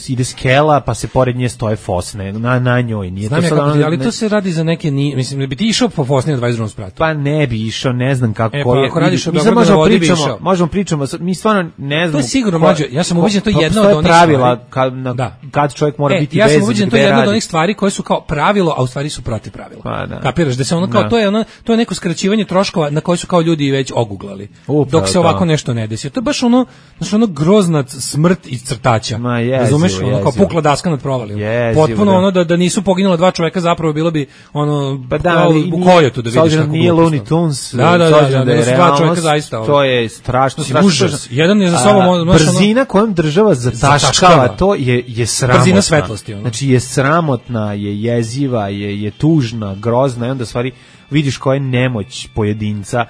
ide skela, pa se pored nje stoje Fosne, na njoj. Nije znam to ali to se radi za neke, mislim, da bi ti išao po Fosni na 22. spratu. Pa ne bi išao, ne znam kako je. Ako radiš o Beogradu na vodi bi išao. Možemo pričamo, mi stvarno ne znam. To je sigurno mlađe, ja sam ubeđen to je jedno od onih pravila kad čovjek mora biti vezan. Ja sam ubeđen to je jedno od onih stvari koje su kao pravilo, a u stvari su protiv pravila. Kapiraš da se kao to je neko skraćivanje troškova na koje su kao ljudi već oguglali. Dok se ovako nešto ne desi. To je baš grozna smrt iz crtača. Razumeš? Kao pukla daska nad provalima. Potpuno da nisu poginula 2 čoveka, zapravo bilo bi u kojotu da vidiš kako nije Looney Tunes. Da, 2 čoveka zaista. To je strašno. Užas. Jedan je za sobom brzina kojom država zataškava, to je sramotna. Brzina svetlosti. Znači je sramotna, je jeziva, je tužna, grozna i onda stvari vidiš koja je nemoć pojedinca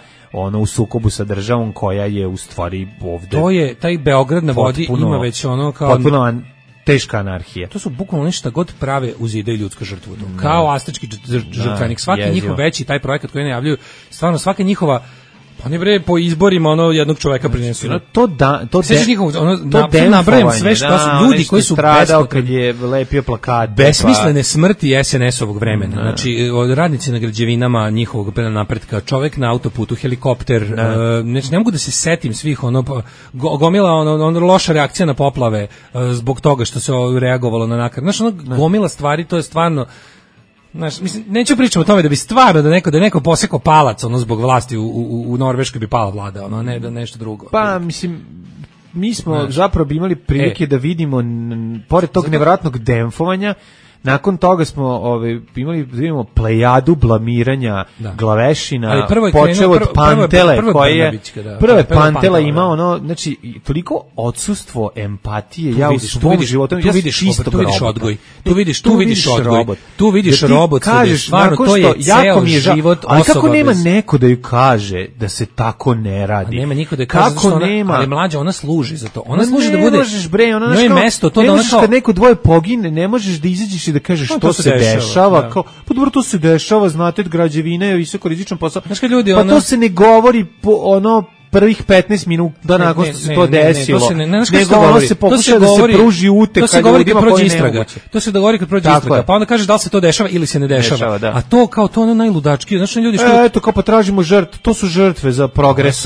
u sukobu sa državom koja je u stvari ovde. To je, taj Beograd na vodi ima već kao... Potpuno teška anarhija. To su bukvalno nešto god prave uzide ljudska žrtvu. Kao astički žrtvenik. Svaki njihov veći taj projekat koji najavljuju, stvarno svaka njihova pa ne bre po izborima jednog čoveka prinesu. Sećaš njihovu nabrajam sve što su ljudi koji su stradao kad je lepio plakat. Besmislene smrti SNS-ovog vremena. Znači radnici na građevinama njihovog napretka, čovek na autoputu, helikopter, ne mogu da se setim svih gomila loša reakcija na poplave zbog toga što se reagovalo na nakar. Znači gomila stvari, to je stvarno. Znaš, mislim, neću pričati o tome da bi stvarno da neko posekao palac zbog vlasti u Norveškoj bi pala vlada, ne da nešto drugo. Pa mislim, mi smo zapravo bi imali prilike da vidimo pored tog nevjerojatnog demfovanja Nakon toga smo imali vidimo plejadu blamiranja glavešina, počeo od Pantele koji je prve Pantela imao ono, znači toliko odsustvo empatije. Ja u svom životu tu vidiš odgoj. Tu vidiš odgoj. Tu vidiš robot. Stvarno to je ceo život osoba. Ali kako nema neko da ju kaže da se tako ne radi? Nema niko da kaže kako nema. Ali mlađa ona služi za to. Ona služi da bude. Ne možeš bre, ona je mesto to da ona kad neko dvoje pogine, ne možeš da izađeš i da kažeš što se dešava. Kao pa dobro to se dešava, znate, građevina je visoko rizičan posao. Pa to se ne govori ono prvih 15 minuta nakon što se to desilo. Nego ono se pokuša da se pruži utek kad ljudima prođe istraga. To se dogovori kad prođe istraga. Pa onda kažeš da li se to dešava ili se ne dešava. A to kao to ono najludački. Znači ljudi što eto kao potražimo žrtve, to su žrtve za progres.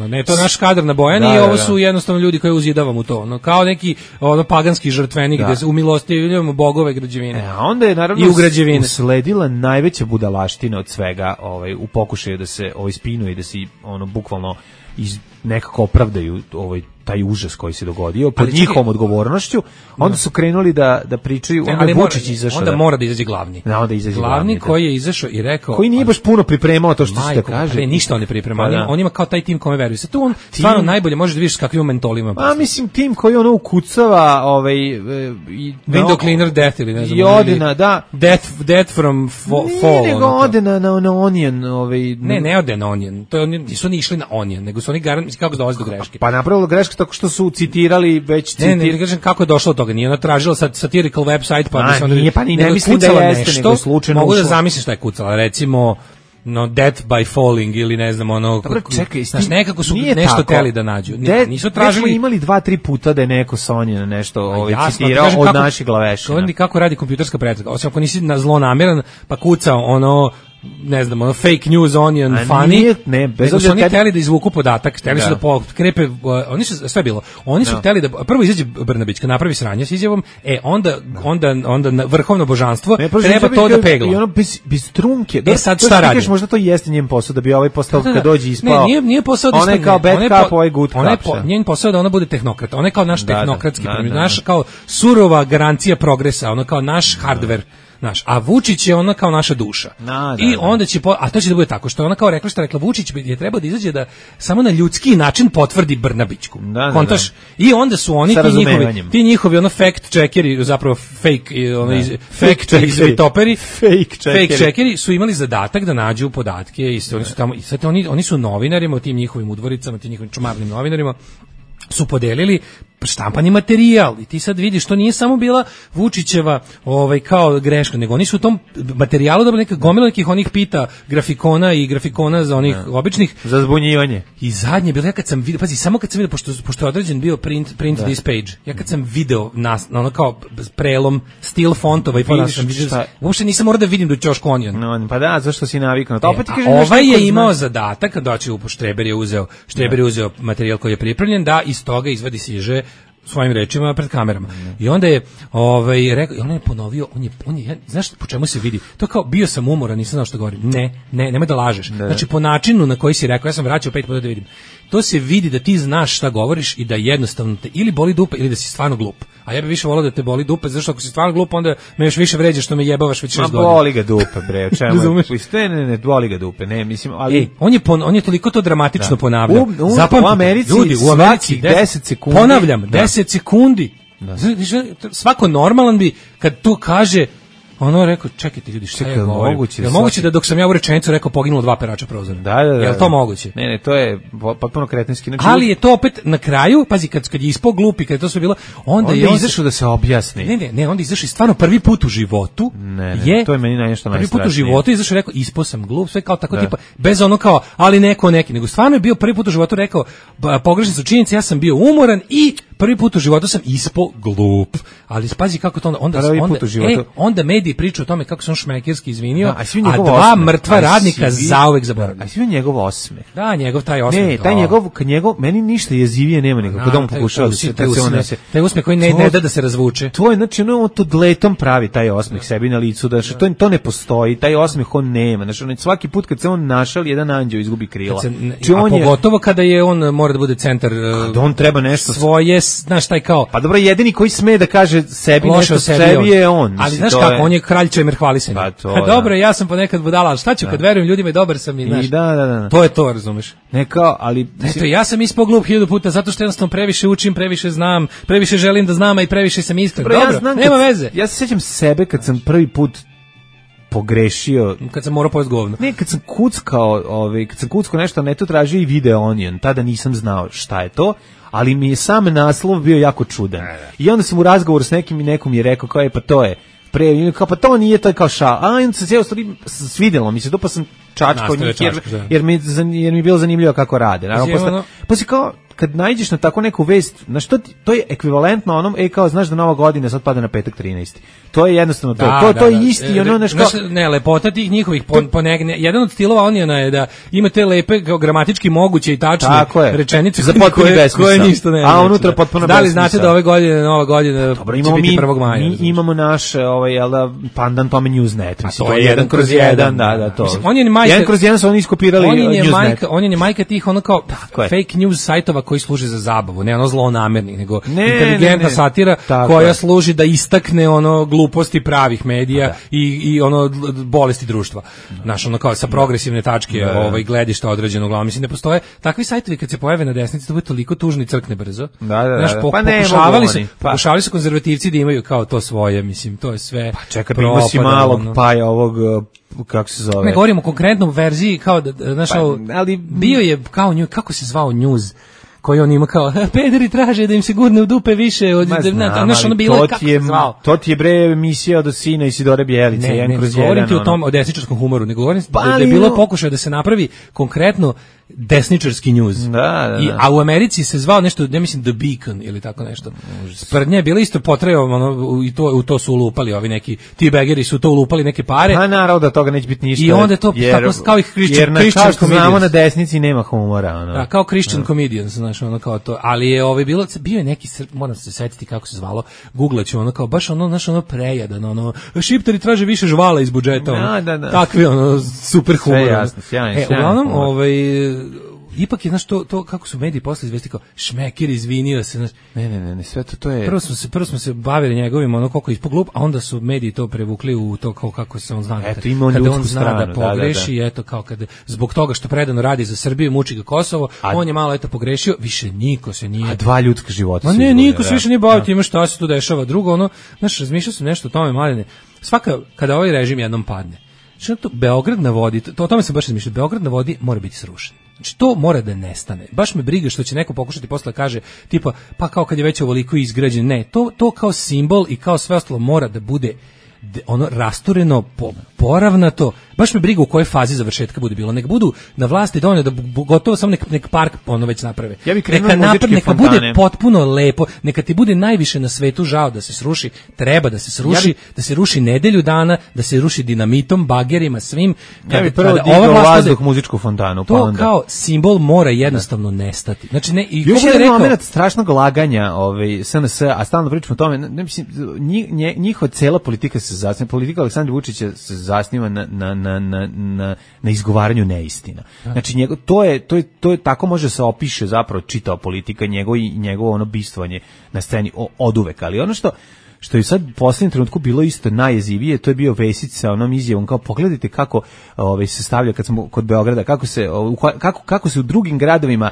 Ne, to je naš kadar na Bojani i ovo su jednostavno ljudi koji uzidavamo to. Ono kao neki ono paganski žrtvenik gde se umilostivljujemo bogove građevine. A onda je naravno usledila najveća budalaština od svega, u pokušaju da se spinuje i da se ono bukvalno nekako opravdaju taj užas koji se dogodio pod njihovom odgovornošću. Onda su krenuli da pričaju, onda Vučić izašao. Onda mora da izađe glavni. Glavni koji je izašao i rekao, koji nije baš puno pripremao to što se kaže. Ništa on ne priprema. On ima kao taj tim kome veruje. Sad tu on stvarno najbolje možeš da vidiš kakvim mentolima. A mislim tim koji ono ukucava window cleaner death ili ne znam. I ode da death from fall. Nego ode na onion, Ne ode na onion. To nisu ni išli na onion, nego su oni garant kako dolazi do greške. Pa napravilo greške tako što su citirali već Ne kažem kako je došlo do toga. Nije ona tražila satirical website pa se onda ne mislim da jeste nego slučajno. Mogu da zamislim šta je kucala, recimo death by falling ili ne znam ono. Dobro, čekaj, nekako su nešto teli da nađu. Nisu tražili. Smo imali 2-3 puta da je neko Sonja nešto citirao od naših glavešina. Kako radi kompjuterska pretraga? Osim ako nisi zlonameran pa kucao ono ne znam, ono fake news onion funny. Ne, bez obzira oni hteli da izvuku podatak, hteli su da pokrepe, oni su sve bilo. Oni su hteli da prvo izađe Brnabić, kad napravi sranje s izjavom, onda vrhovno božanstvo treba to da pegla. I ono bez trunke. Sad šta radi? Možda to jeste njen posao da bi ovaj postao kad dođe ispao. Ne, nije posao da ona je kao bad cup, ovaj good cup. Njen posao da ona bude tehnokrat. Ona je kao naš tehnokratski, naš kao surova garancija progresa, ona kao naš hardware. A Vučić je ona kao naša duša. I onda će a to će da bude tako što ona kao rekla Vučić je trebao da izađe da samo na ljudski način potvrdi Brnabićku. Kontaš? I onda su oni ti njihovi ono fact checkeri, zapravo fake izvitoperi, fake checkeri su imali zadatak da nađu podatke i oni su tamo i sad oni su novinarima, tim njihovim udvoricama, tim njihovim čumarnim novinarima su podelili štampani materijal i ti sad vidiš to nije samo bila Vučićeva kao greška, nego oni su u tom materijalu dobili neka gomila nekih onih pita grafikona i grafikona za onih običnih za zbunjivanje. I zadnje bilo ja kad sam video, pazi, samo kad sam video pošto je određen bio print this page. Ja kad sam video ono kao prelom stil fontova i pa sam vidio, uopšte nisam morao da vidim do ćošku onion. Pa da, zašto si navikao na to? Opet ti kažem, ovaj je imao zadatak da doći u Štreber je uzeo materijal koji je pripremljen da iz toga izvadi siže svojim rečima pred kamerama. I onda je rekao, on je ponovio, on je znaš po čemu se vidi? To kao bio sam umoran, nisam znao što govorim. Nemoj da lažeš. Znači po načinu na koji si rekao, ja sam vraćao 5 puta da vidim. To se vidi da ti znaš šta govoriš i da jednostavno te ili boli dupe ili da si stvarno glup. A ja bih više volao da te boli dupe, zato što ako si stvarno glup onda me još više vređaš što me jebavaš već 6 godina. Boli ga dupe, bre, o čemu? Ne, boli ga dupe, ne, mislim, ali on je toliko to dramatično ponavljao. U Americi, ljudi, u Americi 10 sekundi. Ponavljam, 10 sekundi. Svako normalan bi kad to kaže ono rekao, čekajte ljudi, šta je moguće da dok sam ja u rečenicu rekao poginulo 2 perača prozora? Da. Jel to moguće? Ne, to je potpuno kretenski. Ali je to opet na kraju, pazi, kad je ispao glup i kad je to sve bilo, onda je izašao da se objasni. Ne, onda izašao stvarno prvi put u životu. Ne, to je meni nešto najstrašnije. Prvi put u životu izašao rekao, ispao sam glup, sve kao tako tipa, bez ono kao, ali neki, nego stvarno je bio prvi put u životu rekao, pogrešne su činjenice, ja sam bio umoran i prvi put u životu sam ispao glup. Ali pazi kako to onda mediji pričaju o tome kako se on šmekerski izvinio, a 2 mrtva radnika zauvek zaboravili. A svi njegov osmeh. Da, njegov taj osmeh. Ne, taj njegov, meni ništa jezivije nema nego kad on pokušava da se unese. Taj osmeh koji ne da se razvuče. To je, znači, ono to dletom pravi taj osmeh sebi na licu, da to ne postoji, taj osmeh on nema. Znači, svaki put kad se on našal, jedan anđeo izgubi krila. A pogotovo kada je on mora da bude centar, da on treba nešto svoje znaš, taj kao... Pa dobro, jedini koji sme da kaže sebi Loše nešto o sebi sebi je on. Ali Mislim, znaš kako, on je kralj čemer hvalisanja. Pa to, dobro, ja sam ponekad budala, ali šta ću kad verujem ljudima i dobar sam i znaš. Da. To je to, razumeš? Ne kao, ali... Eto, ja sam ispao glup 1000 puta zato što jednostavno previše učim, previše znam, previše želim da znam, a i previše sam iskren. Dobro, nema veze. Ja se sjećam sebe kad sam prvi put pogrešio. Kad sam morao pojesti govno. Ne, kad sam kuckao nešto, neto tražio i Video Onion, tada nisam znao šta je to, ali mi je sam naslov bio jako čudan. I onda sam u razgovoru s nekim i nekom je rekao, kao je, pa to je, kao pa to nije, to je kao šal. A onda se cijelo stvari svidjelo mi se to, pa sam čačkao njih, jer mi je bilo zanimljivo kako rade. Naravno, pa si kao, kad nađeš na tako neku vest, na što to je ekvivalentno onom, kao znaš da Nova godina sad pada na petak 13. To je jednostavno to. To je isti ono nešto. Ne, lepota tih njihovih jedan od stilova Onijana je da ima te lepe kao gramatički moguće i tačne rečenice za koje ništa ne. A unutra potpuno da li znate da ove godine Nova godina će biti 1. maja? Mi imamo naš pandan tome Newsnet, mislim to je 1/1, da to. On je majka 1/1 su oni iskopirali Newsnet. On je majka tih ono kao fake news sajtova koji služe za zabavu, ne ono zlonamernih, nego inteligentna satira koja služi da istakne ono gluposti pravih medija i ono bolesti društva. Znaš, ono kao sa progresivne tačke gledišta određeno uglavnom. Mislim, ne postoje takvi sajtovi kad se pojave na desnici, to bude toliko tužno i crkne brzo. Znaš, pokušavali su konzervativci da imaju kao to svoje, mislim, to je sve. Pa čekaj, ima si malog paja ovog, kako se zove? Ne govorimo o konkretnom verziji, kao da, znaš, ali bio je kao nju, kako se zvao news, koji on ima kao, pederi traže da im se gurne u dupe više od... To ti je bre emisija od sina Isidore Bjelice. Ne govorim ti o tom, o desničarskom humoru, ne govorim da je bilo pokušaj da se napravi konkretno desničarski news. A u Americi se zvao nešto, ne mislim The Beacon ili tako nešto. Sprdnje je bilo isto potrajao, i u to su ulupali ovi neki, ti begeri su to ulupali neke pare. Pa naravno da toga neće biti ništa. I onda to kao ih Christian comedians. Jer znamo na desnici nema humora. Da, kao Christian comedians, znaš, ono kao to. Ali je bio je neki, moram se setiti kako se zvalo, googlaću, ono kao baš ono, znaš, ono prejadan, ono, šiptari traže više žvala iz budžeta, ono, takvi, ono, super humor. Sve jasno, sjajno. Uglavnom, ipak je, znaš, to kako su mediji posle izvesti kao Šmeker izvinio se, znaš. Ne, sve to je... Prvo smo se bavili njegovim, ono, koliko je ispod glup, a onda su mediji to prevukli u to kao kako se on zna. Eto, ima on ljudsku stranu. Da pogreši, eto, kao kada, zbog toga što predano radi za Srbiju, muči ga Kosovo, on je malo, eto, pogrešio, više niko se nije... A 2 ljudska života su... Ma ne, niko se više nije bavio time šta se tu dešava. Drugo, ono, znaš, razmišljao sam nešto o tome, Mladene, kada ovaj režim jednom padne, što to Beograd na vodi, o tome sam baš razmišljao, Beograd na vodi mora biti srušen. Znači, to mora da nestane. Baš me briga što će neko pokušati posle kaže, tipa, pa kao kad je već ovoliko izgrađen. Ne, to kao simbol i kao sve ostalo mora da bude ono rastureno, poravnato. Baš me briga u kojoj fazi završetka bude bilo. Nek budu na vlasti donio da gotovo samo nek park ono već naprave. Ja neka bude potpuno lepo. Neka ti bude najviše na svetu žao da se sruši. Treba da se sruši, da se ruši nedelju dana, da se ruši dinamitom, bagerima, svim. Ja bih prvo digao vazduh muzičku fontanu. To onda kao simbol mora jednostavno nestati. Znači, ne, i još jedan moment strašnog laganja SNS, a stalno pričamo o tome, ne mislim, njihova cela politika se zasniva, politika Aleksandra Vučića se zasniva na izgovaranju neistina. Znači, to je tako može se opiše zapravo čitao politika njegovo ono bistvovanje na sceni oduvek, ali ono što je sad u posljednjem trenutku bilo isto najjezivije, to je bio Vesić sa onom izjavom, kao pogledajte kako se stavlja kad smo kod Beograda, kako se u drugim gradovima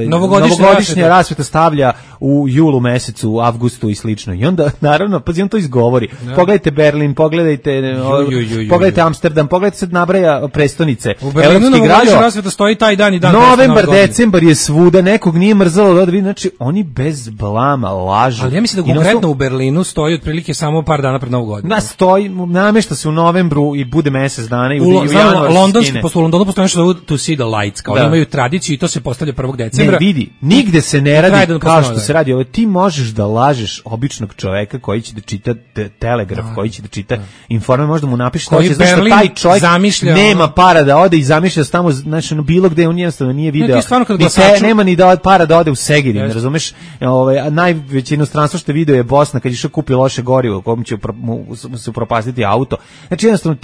novogodišnja rasveta stavlja u julu mesecu, avgustu i slično. I onda, naravno, pazi, on to izgovori. Pogledajte Berlin, pogledajte Amsterdam, pogledajte sad nabraja prestonice. U Berlinu novogodišnja rasveta stoji taj dan i dan. Novembar, decembar je svuda, nekog nije mrzalo da vidi, znači oni bez blama lažu. Ali ja mislim da konkretno u Berlinu stoji otprilike samo par dana pred Novu godinu. Da, stoji, namešta se u novembru i bude mesec dana i u januaru skine. U Londonu postoji nešto to see the lights, kao imaju tradiciju i to se postavlja 1. decembra. Ne, vidi, nigde se ne radi kao što se radi. Ti možeš da lažeš običnog čoveka koji će da čita Telegraf, koji će da čita Informer, možda mu napišeš zašto taj čovjek nema para da ode i zamišlja tamo, znači, bilo gde on jednostavno nije video. Nema ni para da ode u Segedin, razumeš? Najveće inostranstvo što je video je Bosna, kad išao kupi loše gorivo, kom će se upropastiti auto. Znači, jednostavno,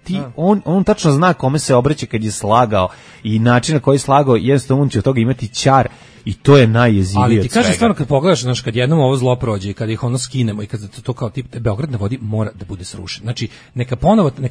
ti on tačno zna kome se obraća kad je slagao i način na koji je slagao, jednostavno on će od toga imati ćar i to je najjezivije od svega. Ali ti kažem stvarno, kad pogledaš, znaš, kad jednom ovo zlo prođe i kad ih ono skinemo i kad to kao tip Beograd na vodi mora da bude srušen. Znači, neka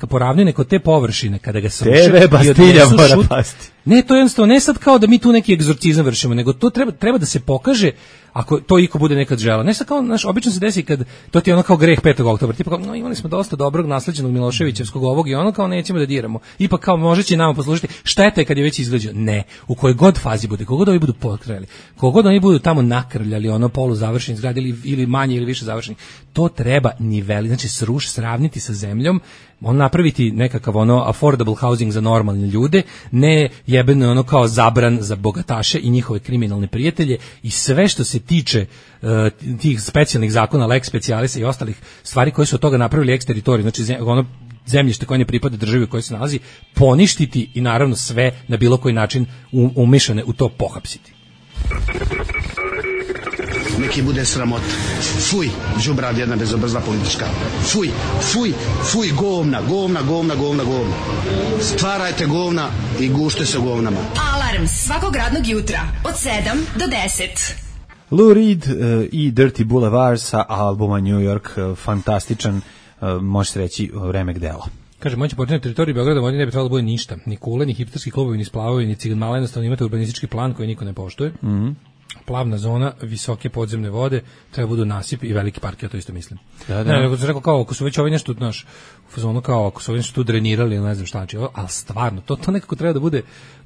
poravni neko te površine kada ga sruše. TV Bastilja mora pasti. Ne, to je jednostavno, ne sad kao da mi tu neki egzorcizam vršimo, nego to treba da se pokaže ako to iko bude nekad želeo. Ne sad kao, znaš, obično se desi kad to ti je ono kao greh 5. oktobra, tipa kao, no, imali smo dosta dobrog nasleđenog Miloševićevskog ovog i ono kao nećemo da diramo. Ipak kao može će nama poslužiti. Šteta je kad je već izgrađeno. Ne, u kojoj god fazi bude, kogod oni budu potkrali, kogod oni budu tamo nakrljali ono polu završeni zgrade ili manje ili više završeni, to treba niveli, znači sravniti sa zemljom, on napraviti nekakav ono affordable housing za normalne ljude, ne jebeno ono kao zabran za bogataše i njihove kriminalne prijatelje i sve što se tiče tih specijalnih zakona, lex specialisa i ostalih stvari koje su od toga napravili eksteritorij, znači ono zemljište koje ne pripada državi u kojoj se nalazi, poništiti i naravno sve na bilo koji način umešane u to pohapsiti. Neki bude sramot. Fuj, đubrad jedna bezobrazna politička. Fuj, fuj, fuj, govna. Stvarajte govna i gušte se govnama. Alarm svakog radnog jutra od 7 do 10. Lou Reed i Dirty Boulevard sa albuma New York, fantastičan, može se reći, remek delo. Kaže, moći počinati teritoriju Beograda vodi ne bi trebalo da bude ništa. Ni kule, ni hipsterski klubovi, ni splavovi, ni cigan mala, jednostavno imate urbanistički plan koji niko ne poštuje. Plavna zona, visoke podzemne vode, treba budu nasip i veliki park, ja to isto mislim. Da. Ne, nego sam rekao kao, ako su već ovi nešto, znaš, u fazonu kao, ako su ovi nešto tu drenirali, ne znam šta, ali stvarno, to nekako treba da bude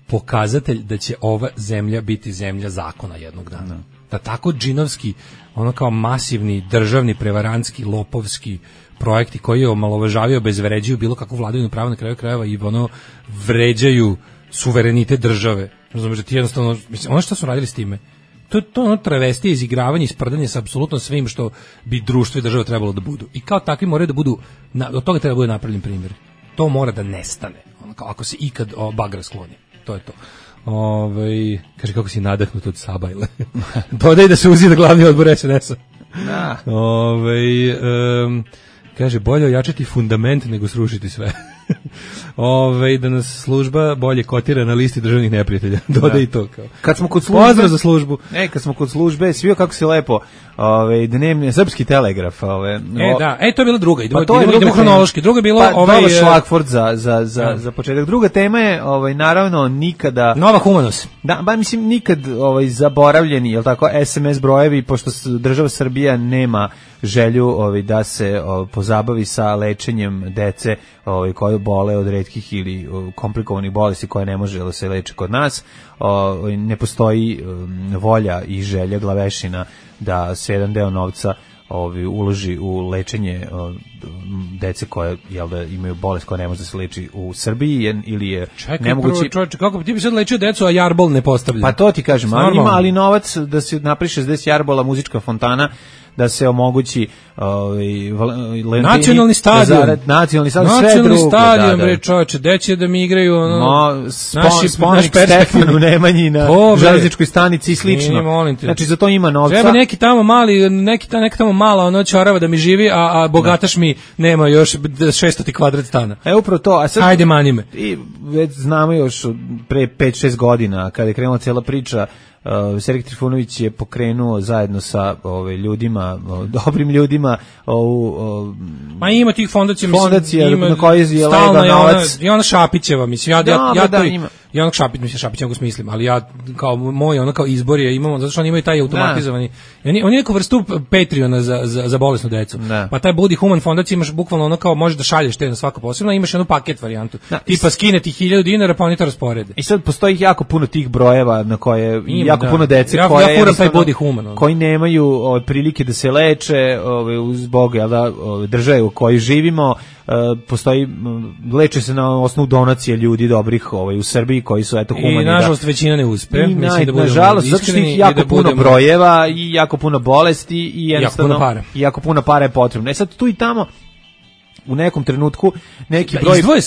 pokazatelj da će ova zemlja biti zemlja zakona jednog dana. Da tako džinovski, ono kao masivni, državni, prevarantski, lopovski projekti koji je omalovažavaju, obezvređuju bilo kakvu vladavinu prava na kraju krajeva i ono vređaju suverenitet države. Razumeš da ti jednostavno, mislim, ono što su radili s time, to je ono travestije, izigravanje, isprdanje sa apsolutno svim što bi društvo i država trebalo da budu. I kao takvi moraju da budu, od toga treba da bude napravljen primjer. To mora da nestane, ono, kao ako se ikad bagra skloni. To je to. Kaže kako si nadahnut od Sabajle. Dodaj da se uzida glavni odbor SNS-a. Kaže, bolje ojačati fundament nego srušiti sve. Da nas služba bolje kotira na listi državnih neprijatelja. Dodaj i to kao. Kad smo kod službe, pozdrav za službu. Kad smo kod službe, svio kako si lepo, dnevni srpski telegraf, to je bila druga. Idemo hronološki. Druga je bila Šlagford za početak. Druga tema je naravno nikada Nova Humanos. Da, mislim nikad zaboravljeni, je l' tako, SMS brojevi, pošto država Srbija nema želju da se pozabavi sa lečenjem dece koje bole od retkih ili komplikovanih bolesti koje ne može da se leče kod nas. Ne postoji volja i želja glavešina da se jedan deo novca uloži u lečenje dece koje imaju bolest koja ne može da se leči u Srbiji ili je nemoguće. Čekaj, kako bi ti bi sad lečio decu, a jarbol ne postavlja? Pa to ti kažem, ali novac da se napravi 60 jarbola, muzička fontana, da se omogući nacionalni stadion, sve stadion, bre čoveče, deće da mi igraju spomenik Stefanu Nemanji na železničkoj stanici i slično. Znači za to ima novca. Treba neki tamo mali, neka tamo mala ono čorava da mi živi, a bogataš mi nema još 600 kvadrat stana. Upravo to. A sad, ajde mani me. I već znamo još pre 5-6 godina kada je krenula cijela priča, Sergej Trifunović je pokrenuo zajedno sa ljudima, dobrim ljudima, ma ima tih fondacija na koji je lega novac. I ona Šapićeva, mislim, i onog Šapić mogu smislim, ali ja kao moj ono kao izbor je imamo, zato što oni imaju taj automatizovani, oni neku vrstu Patreona za bolesnu decu. Pa taj Budi Human fondacija imaš bukvalno ono kao možeš da šalješ te na svako posebno, imaš jednu paket varijantu. Tipa skine ti 1000 dinara pa oni to rasporede. I sad postoji jako puno tih brojeva na koje jako puno dece koji nemaju prilike da se leče zbog države u kojoj živimo. Postoji, leče se na osnovu donacije ljudi dobrih u Srbiji koji su humani. I nažalost većina ne uspe. Nažalost, zato što ih jako puno brojeva i jako puno bolesti i jednostavno jako puno para je potrebno. Sad tu i tamo u nekom trenutku neki broj izdvoje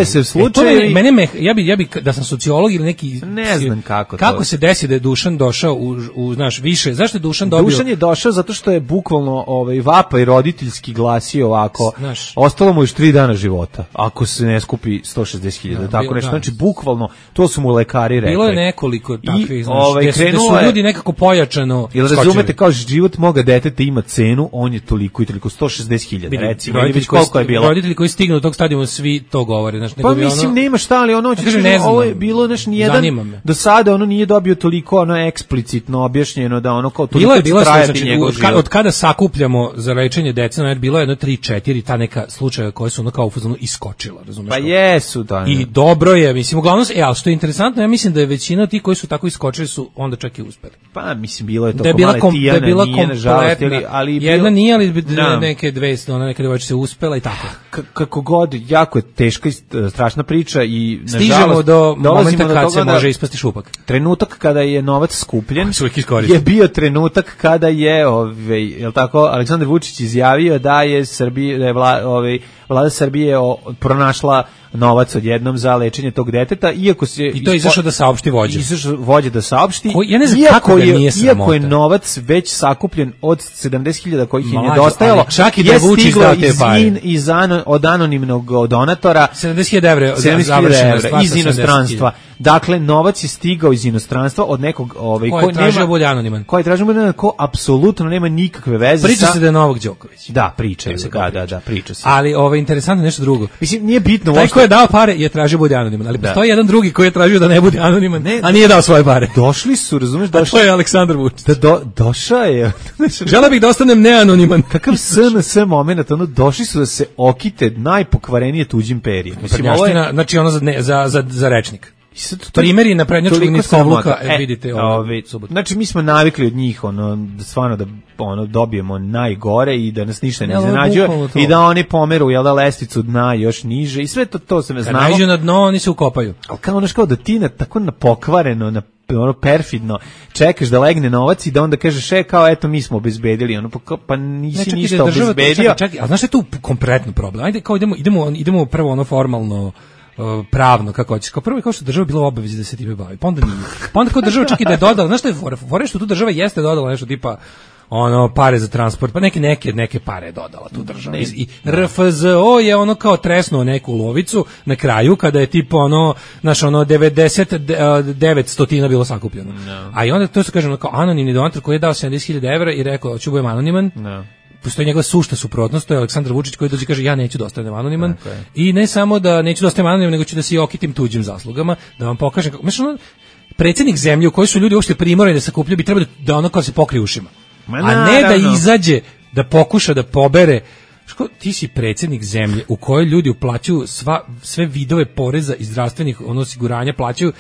se slučajevi. Ja bi da sam sociolog ili neki ne znam kako se desi da je Dušan došao u znaš više. Zašto je Dušan dobio? Dušan je došao zato što je bukvalno vapaj roditeljski glasio ovako. Znaš, ostalo mu još 3 dana života ako se ne skupi 160.000, tako nešto. Znači bukvalno to su mu lekari rekli. Bilo je nekoliko takvih, gde su ljudi nekako pojačano. Jel razumete, kao život moga deteta ima cenu, on je toliko i toliko 160.000 recimo. Koliko je bilo? Roditelji koji stignu do tog stadijuma svi to govore, znači pa mislim nema šta, ali ono ovo je bilo znači nijedan do sada ono nije dobio toliko ono eksplicitno objašnjeno da ono kao toliko znači, od kada sakupljamo za lečenje dece, znači bilo je jedno 3-4 ta neka slučaja koje su ono kao u fazonu iskočila, razumeš? Pa jesu da. I dobro je, mislim uglavnom al što je interesantno, ja mislim da je većina tih koji su tako iskočili su onda čak i uspeli. Pa mislim bilo je to Tijana nije nažalost, ali jedna nije, ali neke dve, ona neka devojčica se uspela i tako. Kako god, jako je teška i strašna priča i stižemo do momenta kad se može ispasti šupak. Trenutak kada je novac skupljen je bio trenutak kada je jel tako, Aleksandar Vučić izjavio da je Srbija, da je vlada Srbije pronašla novac odjednom za lečenje tog deteta, iako se i to je izašao da saopšti vođa. Izašao vođa da saopšti. Ja ne znam kako ga nije sramota. Iako je novac već sakupljen od 70.000 kojih je nedostajalo, čak i da Vučić dao te pare od anonimnog donatora 70.000 € iz inostranstva. Dakle, novac je stigao iz inostranstva od nekog ko tražio bolje anoniman. Koji tražio bolje anoniman, ko apsolutno nema nikakve veze priča se da je Novak Đoković. Da, priča se. Ali interesantno nešto drugo. Mislim, nije bitno. Taj ko je dao pare je tražio bolje anoniman, ali postoji jedan drugi koji je tražio da ne bude anoniman, a nije dao svoje pare. Došli su, razumeš, to je Aleksandar Vučić. Došao je. Želeo bih da ostanem neanoniman. Kakav SNS moment, došli su da se okite najpokvarenije tuđim perijem. Mislim, znači ono za rečnik. Primjeri na prednjačkog nitkovluka, vidite subotu. Znači mi smo navikli od njih stvarno da dobijemo najgore i da nas ništa ne iznenađuje i da oni pomeru lestvicu dna još niže i sve to se ne znamo. Kad naiđu na dno, oni se ukopaju. Ali kao da ti tako na pokvareno, perfidno čekaš da legne novac i da onda kažeš kao eto mi smo obezbedili, pa nisi ništa obezbedio. Čekaj, a znaš šta je tu kompletno problem? Ajde kao idemo prvo formalno pravno, kako hoćeš. Kao prvo je kao što država bila u obavezi da se time bavi, pa onda nije. Pa onda kao država čak i da je dodala, znaš što je fora što tu država jeste dodala nešto tipa pare za transport, pa neke pare je dodala tu država. I RFZO je kao tresnuo neku lovicu na kraju kada je tipa 99 bilo sakupljeno. No. A i onda to se kaže kao anonimni donator koji je dao 70.000 € i rekao hoću budem anoniman. No. Postoji njegova sušta suprotnost, to je Aleksandar Vučić koji dođe i kaže ja neću da ostanem anoniman i ne samo da neću da ostanem anoniman, nego ću da se okitim tuđim zaslugama, da vam pokažem kako. Predsjednik zemlje u kojoj su ljudi uopšte primorani da sakupljaju bi trebalo da kao se pokrije ušima. A ne da izađe, da pokuša da pobere. Ti si predsjednik zemlje u kojoj ljudi uplaćuju sve vidove poreza i zdravstvenih osiguranja plaćaju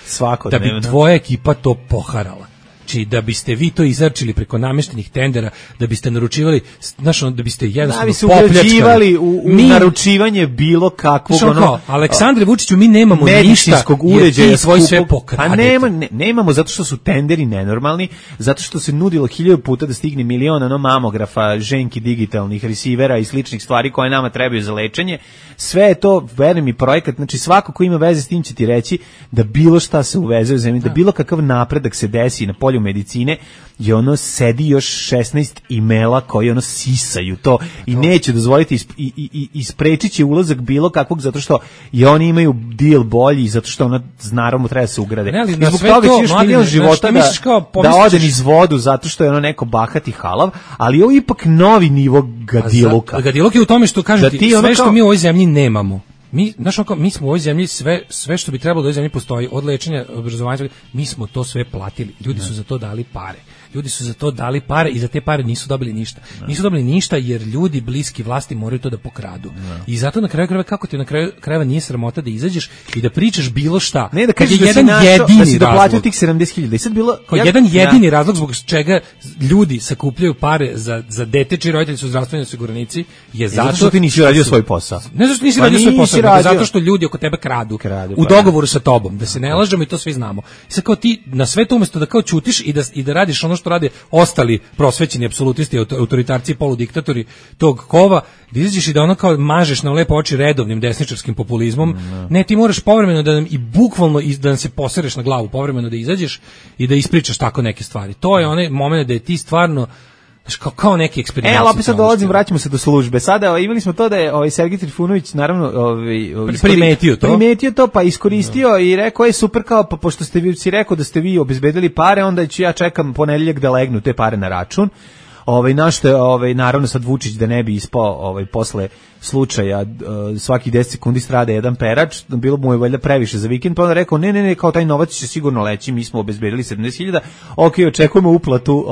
da bi tvoja ekipa to poharala. Znači, da biste vi to izarčili preko namještenih tendera, da biste naručivali, da biste jednostavno popljačkali. Da bi se ugrađivali u naručivanje bilo kakvog Aleksandre Vučiću, mi nemamo medicinskog uređaja, ti svoj sve pokradete. Pa nemamo, zato što su tenderi nenormalni, zato što se nudilo 1000 puta da stigne milion mamografa, ženki digitalnih resivera i sličnih stvari koje nama trebaju za lečenje. Sve je to, verujem, i projekat, znači svako ko ima veze s tim će ti reći da bilo šta se uveze u zemlji, da bilo kakav napredak se desi na polju medicine, i sedi još 16 imela koji sisaju to i neće dozvoliti i sprečit će ulazak bilo kakvog, zato što i oni imaju deal bolji, zato što naravno treba se ugrade. I zbog toga će još milion života da ode niz vodu, zato što je neko bahati halav, ali ovo je ipak novi nivo gadiluka. Gadiluk je u tome što kažete, sve što mi u ovoj zemlji nemamo. Mi smo u ovoj zemlji sve što bi trebalo da u ovoj zemlji postoji, od lečenja, obrazovanja, mi smo to sve platili. Ljudi su za to dali pare. I za te pare nisu dobili ništa. Nisu dobili ništa jer ljudi bliski vlasti moraju to da pokradu. I zato na kraju krajeva, kako ti na kraju krajeva nije sramota da izađeš i da pričaš bilo šta. Ne, da kažeš da si doplatio tih 70.000. I sad bilo jedan jedini razlog zbog čega ljudi sakupljaju pare za dete čiji roditelji su zdravstveni osiguranici je zato što ti nisi radio svoj posao. Ne zato što nisi radio svoj posao, nego radio. zato što ljudi oko tebe kradu u pa dogovoru sa tobom, da se ne lažemo i to svi znamo. I sad kao ti na sve to umesto da kao ćutiš i da radiš ono što rade ostali prosvećeni apsolutisti, autoritarci i poludiktatori tog kova, da izađeš i da ono kao mažeš na lepo oči redovnim desničarskim populizmom, ne, ti moraš povremeno da nam i bukvalno da nam se posereš na glavu, povremeno da izađeš i da ispričaš tako neke stvari. To je onaj moment da je ti stvarno kao neki eksperiment. Ali opet sad dolazim, vraćamo se do službe. Sada imali smo to da je Sergej Trifunović naravno primetio to, pa iskoristio i rekao je super, kao pa pošto ste vi si rekao da ste vi obezbedili pare, onda ću ja čekam ponedeljak da legnu te pare na račun. Našto je naravno sad Vučić da ne bi ispao posle slučaja svakih 10 sekundi strada jedan perač, bilo mu je valjda previše za vikend, pa onda rekao ne, kao taj novac će sigurno leći, mi smo obezbedili 70.000, očekujemo uplatu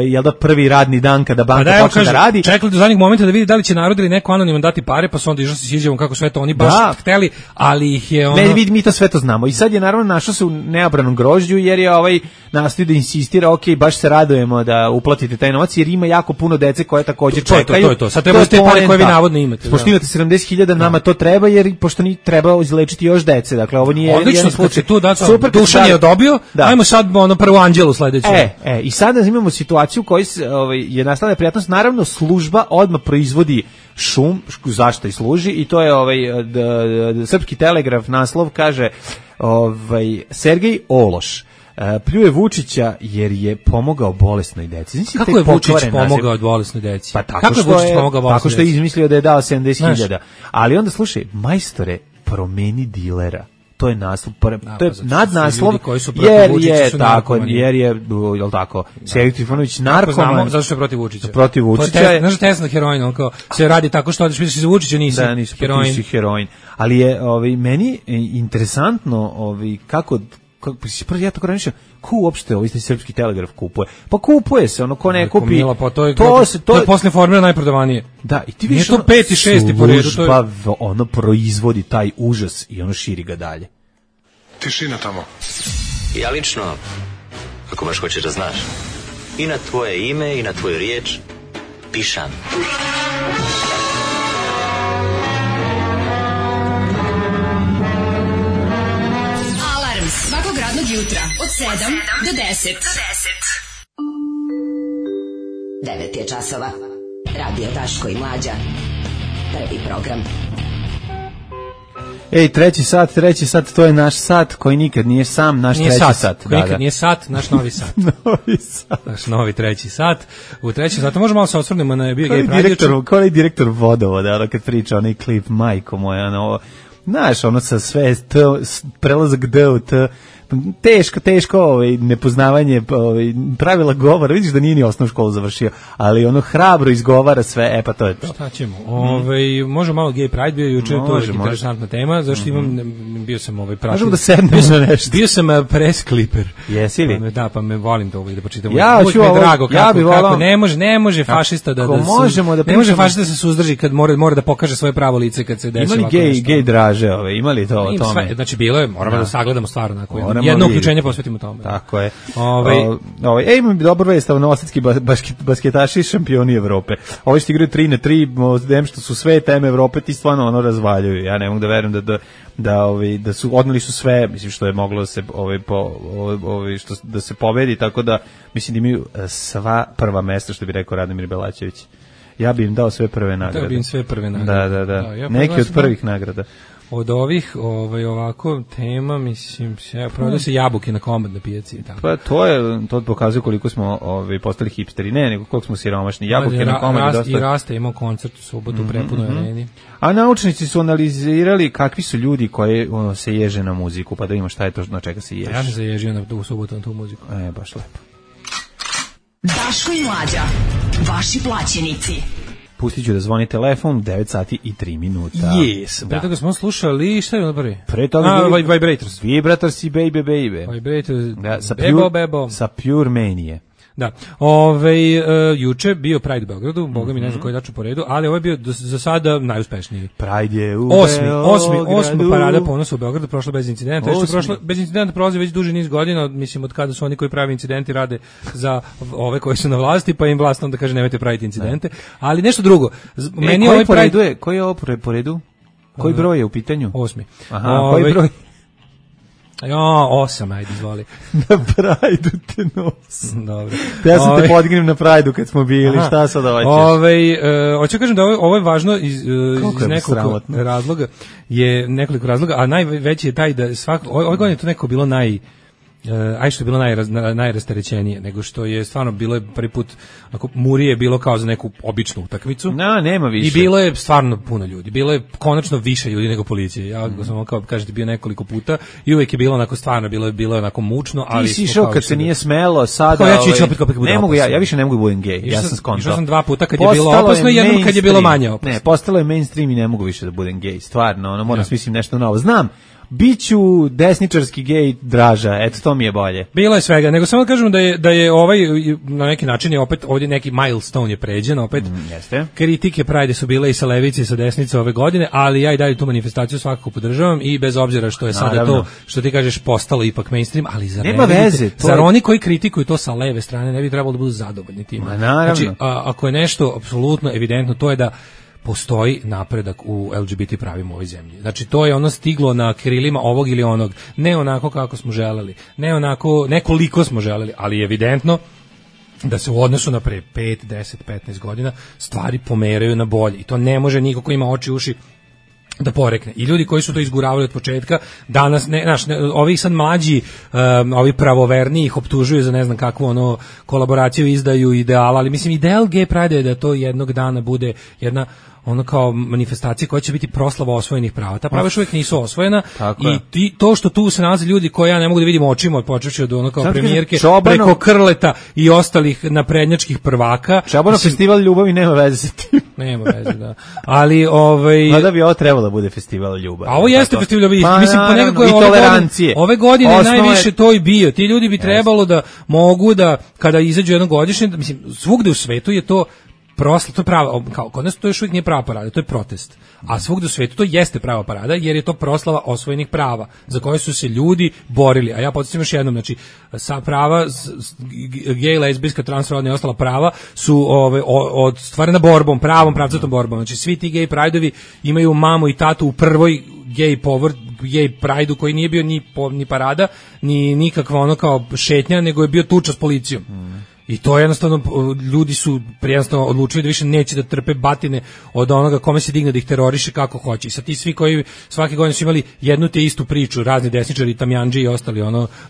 jel da prvi radni dan kada banka počne da radi. Čekali do zadnjeg momenta da vidi da li će narod ili neko anoniman dati pare, pa su onda išli se sviđamo kako sve to oni baš hteli, ali ih je ono... Ne, vidi, mi to sve to znamo. I sad je naravno našao se u neobranom grožđu, jer je nastoji da insistira, baš se radujemo da uplatite taj novac, jer ima jako puno dece koje također čekaju. To. Sad treba te pare koje vi navodno imate. Pošto imate 70.000, nama to treba, jer pošto ni treba izlečiti još dece. Dakle, ovo nije odlično, slučaj. Tu super, Dušan je dobio, ajmo sad prvu Anđelu sledeću. I sada imamo situaciju koji je nastala neprijatnost. Naravno, služba odmah proizvodi šum, zašto i služi, i to je Srpski telegraf naslov, kaže Sergej Ološ pljuje Vučića jer je pomogao bolesnoj deci. Kako je Vučić pomogao bolesnoj deci? Pa tako što je izmislio da je dao 70.000. Ali onda slušaj, majstore, promeni dilera. To je naslov, to je nadnaslov, jer je jel tako, Sergej Trifunović narkoman. Zato što je protiv Vučića. Protiv Vučića. Znaš Tesla heroin, on kao se radi tako što odeš misliš za Vučića, nisi heroin. Ali je meni interesantno kako ja tako razmišljam, ko uopšte Srpski telegraf kupuje? Pa kupuje se, ko ne kupi. Mila, pa to je posle formira najprodavanije. Da, i ti vidiš to 5. i 6. po redu. Služba proizvodi taj užas i širi ga dalje. Tišina tamo. Ja lično, ako baš hoćeš da znaš, i na tvoje ime i na tvoju riječ pišam. Svakog radnog jutra od 7 do 10. 9 je časova. Radio Daško i Mlađa. Prvi program. Treći sat, to je naš sat koji nikad nije sam, naš nije treći sat. Nikad nije sat, naš novi sat. Naš novi treći sat. U treći sat, možemo malo se osvrnemo na bio gej radio. Kao je direktor vodovoda, kad priča onaj klip, majko moja, znaš, sa sve, prelazak D u T, teško nepoznavanje pravila govora, vidiš da nije ni osnovnu školu završio, ali hrabro izgovara sve, pa to je to. Šta ćemo? Možemo malo Gay Pride, bio juče, to je interesantna tema, zašto bio sam pratio. Možemo da sednemo na nešto. Bio sam press clipper. Jesi li? Pa me volim to da počitam. Ja ću ovo, drago, kako ne može fašista da ne može fašista se suzdrži kad mora da pokaže svoje pravo lice kad se desi ovako nešto. Imali gej draže, imali to o tome? Znači bilo je, moramo da sagledamo stvarno jedno uključenje posvetimo tome. Tako je. Imam dobro vest, novosadski basketaši šampioni Evrope. Ovi što igraju 3-3, što su sve teme Evrope, ti stvarno razvaljuju. Ja ne mogu da verujem da su odneli su sve, mislim što je moglo se da se pobedi, tako da mislim da imaju sva prva mesta, što bi rekao Radomir Belačević. Ja bi im dao sve prve nagrade. Da bi im sve prve nagrade. Da. Neki od prvih nagrada. Od ovih ovako tema, mislim, prodaju se jabuke na Komad na pijaci. Tako. Pa to pokazuje koliko smo postali hipsteri, nego koliko smo siromašni. Jabuke na Komad dosta. I Rasta imao koncert u subotu u prepunoj areni. A naučnici su analizirali kakvi su ljudi koji se ježe na muziku, pa da ima šta je to na čega se ježe. Ja sam se ježio u subotu na tu muziku. Baš lepo. Daško i Mlađa, vaši plaćenici. Pustit ću da zvoni telefon, 9 sati i 3 minuta. Yes. Pre toga smo slušali, šta je ono prvi? Pre toga Vibrators. Vibrators i Baby. Vibrators, Bebo. Sa Pure Manie. Da. Juče bio Pride u Beogradu, boga mi ne znam koji daču po redu, ali ovo je bio za sada najuspešniji. Pride je u Osmi parada ponosa u Beogradu, prošla bez incidenta. Bez incidenta prolazi već duži niz godina, mislim od kada su oni koji pravi incidenti rade za ove koji su na vlasti, pa im vlast onda kaže nemojte praviti incidente. Ali nešto drugo. Koji je ovo po redu? Koji broj je u pitanju? 8. Aha, koji broj? 8, ajde, izvoli. Na Prajdu te nos. Dobro. Ja sam te podignem na Prajdu kad smo bili, šta sad hoćeš? Hoću kažem da ovo je važno iz nekoliko razloga, a najveći je taj da ove godine je to neko bilo što je bilo najrasterećenije, nego što je stvarno bilo je prvi put, ako Murije je bilo kao za neku običnu utakmicu. Nema više. I bilo je stvarno puno ljudi. Bilo je konačno više ljudi nego policije. Ja sam kao kažete bio nekoliko puta i uvek je bilo onako stvarno bilo je onako mučno, ali ti si išao kad se nije smelo, sada ja ću ići opet kako bude. Ne mogu ja više ne mogu da budem gej. Ja sam skontao. Išao sam 2 puta kad je bilo opasno i jednom kad je bilo manje opasno. Ne, postalo je mainstream i ne mogu više da budem gej. Stvarno, moram smislim nešto novo. Znam. Biću desničarski gej Draža, eto to mi je bolje. Bilo je svega, nego samo kažem da je ovaj na neki način je opet ovdje neki milestone je pređen, opet jeste. Kritike Pride su bile i sa levice i sa desnice ove godine, ali ja i dalje tu manifestaciju svakako podržavam i bez obzira što je sada to, što ti kažeš, postalo ipak mainstream, ali nema veze. Zar oni koji kritikuju to sa leve strane ne bi trebalo da budu zadovoljni tim? Znači, ako je nešto apsolutno evidentno, to je da postoji napredak u LGBT pravima u ovoj zemlji. Znači, to je ono stiglo na krilima ovog ili onog. Ne onako kako smo želeli, ne koliko smo želeli, ali je evidentno da se u odnosu na pre 5, 10, 15 godina stvari pomeraju na bolje. I to ne može niko ko ima oči i uši da porekne. I ljudi koji su to izguravali od početka, danas, ovi sad mlađi, ovi pravoverni ih optužuju za ne znam kakvu kolaboraciju, izdaju ideala, ali mislim ideal Gay Pride je da to jednog dana bude jedna kao manifestacija koja će biti proslava osvojenih prava. Ta prava još uvijek nisu osvojena i to što tu se nalaze ljudi koje ja ne mogu da vidim očima, počevši od kao premijerke, preko Krleta i ostalih naprednjačkih prvaka. Čabanov festival ljubavi nema veze sa tim. Nema veze, da. Ali da bi ovo trebalo da bude festival ljubavi. A ovo jeste festival ljubavi. Mislim, po nekako je ove godine najviše to i bio. Ti ljudi bi trebalo da mogu da, kada izađu jednogodišnje, mislim, svugde u svetu je to to je prava, kao kod nas to još uvijek nije prava parada, to je protest. A svugdje u svijetu to jeste prava parada, jer je to proslava osvojenih prava, za koje su se ljudi borili. A ja podsjećam još jednom, znači, sa prava, gej, lezbijska, transrodna i ostala prava su ostvarena borbom, pravcatom borbom. Znači, svi ti gej prideovi imaju mamu i tatu u prvoj gej prideu koji nije bio ni parada, ni nikakva kao šetnja, nego je bio tuča s policijom. I to jednostavno, ljudi su jednostavno odlučili da više neće da trpe batine od onoga kome se digne da ih teroriše kako hoće. I sad ti svi koji svake godine su imali jednu te istu priču, razni desničari, tamjanđi i ostali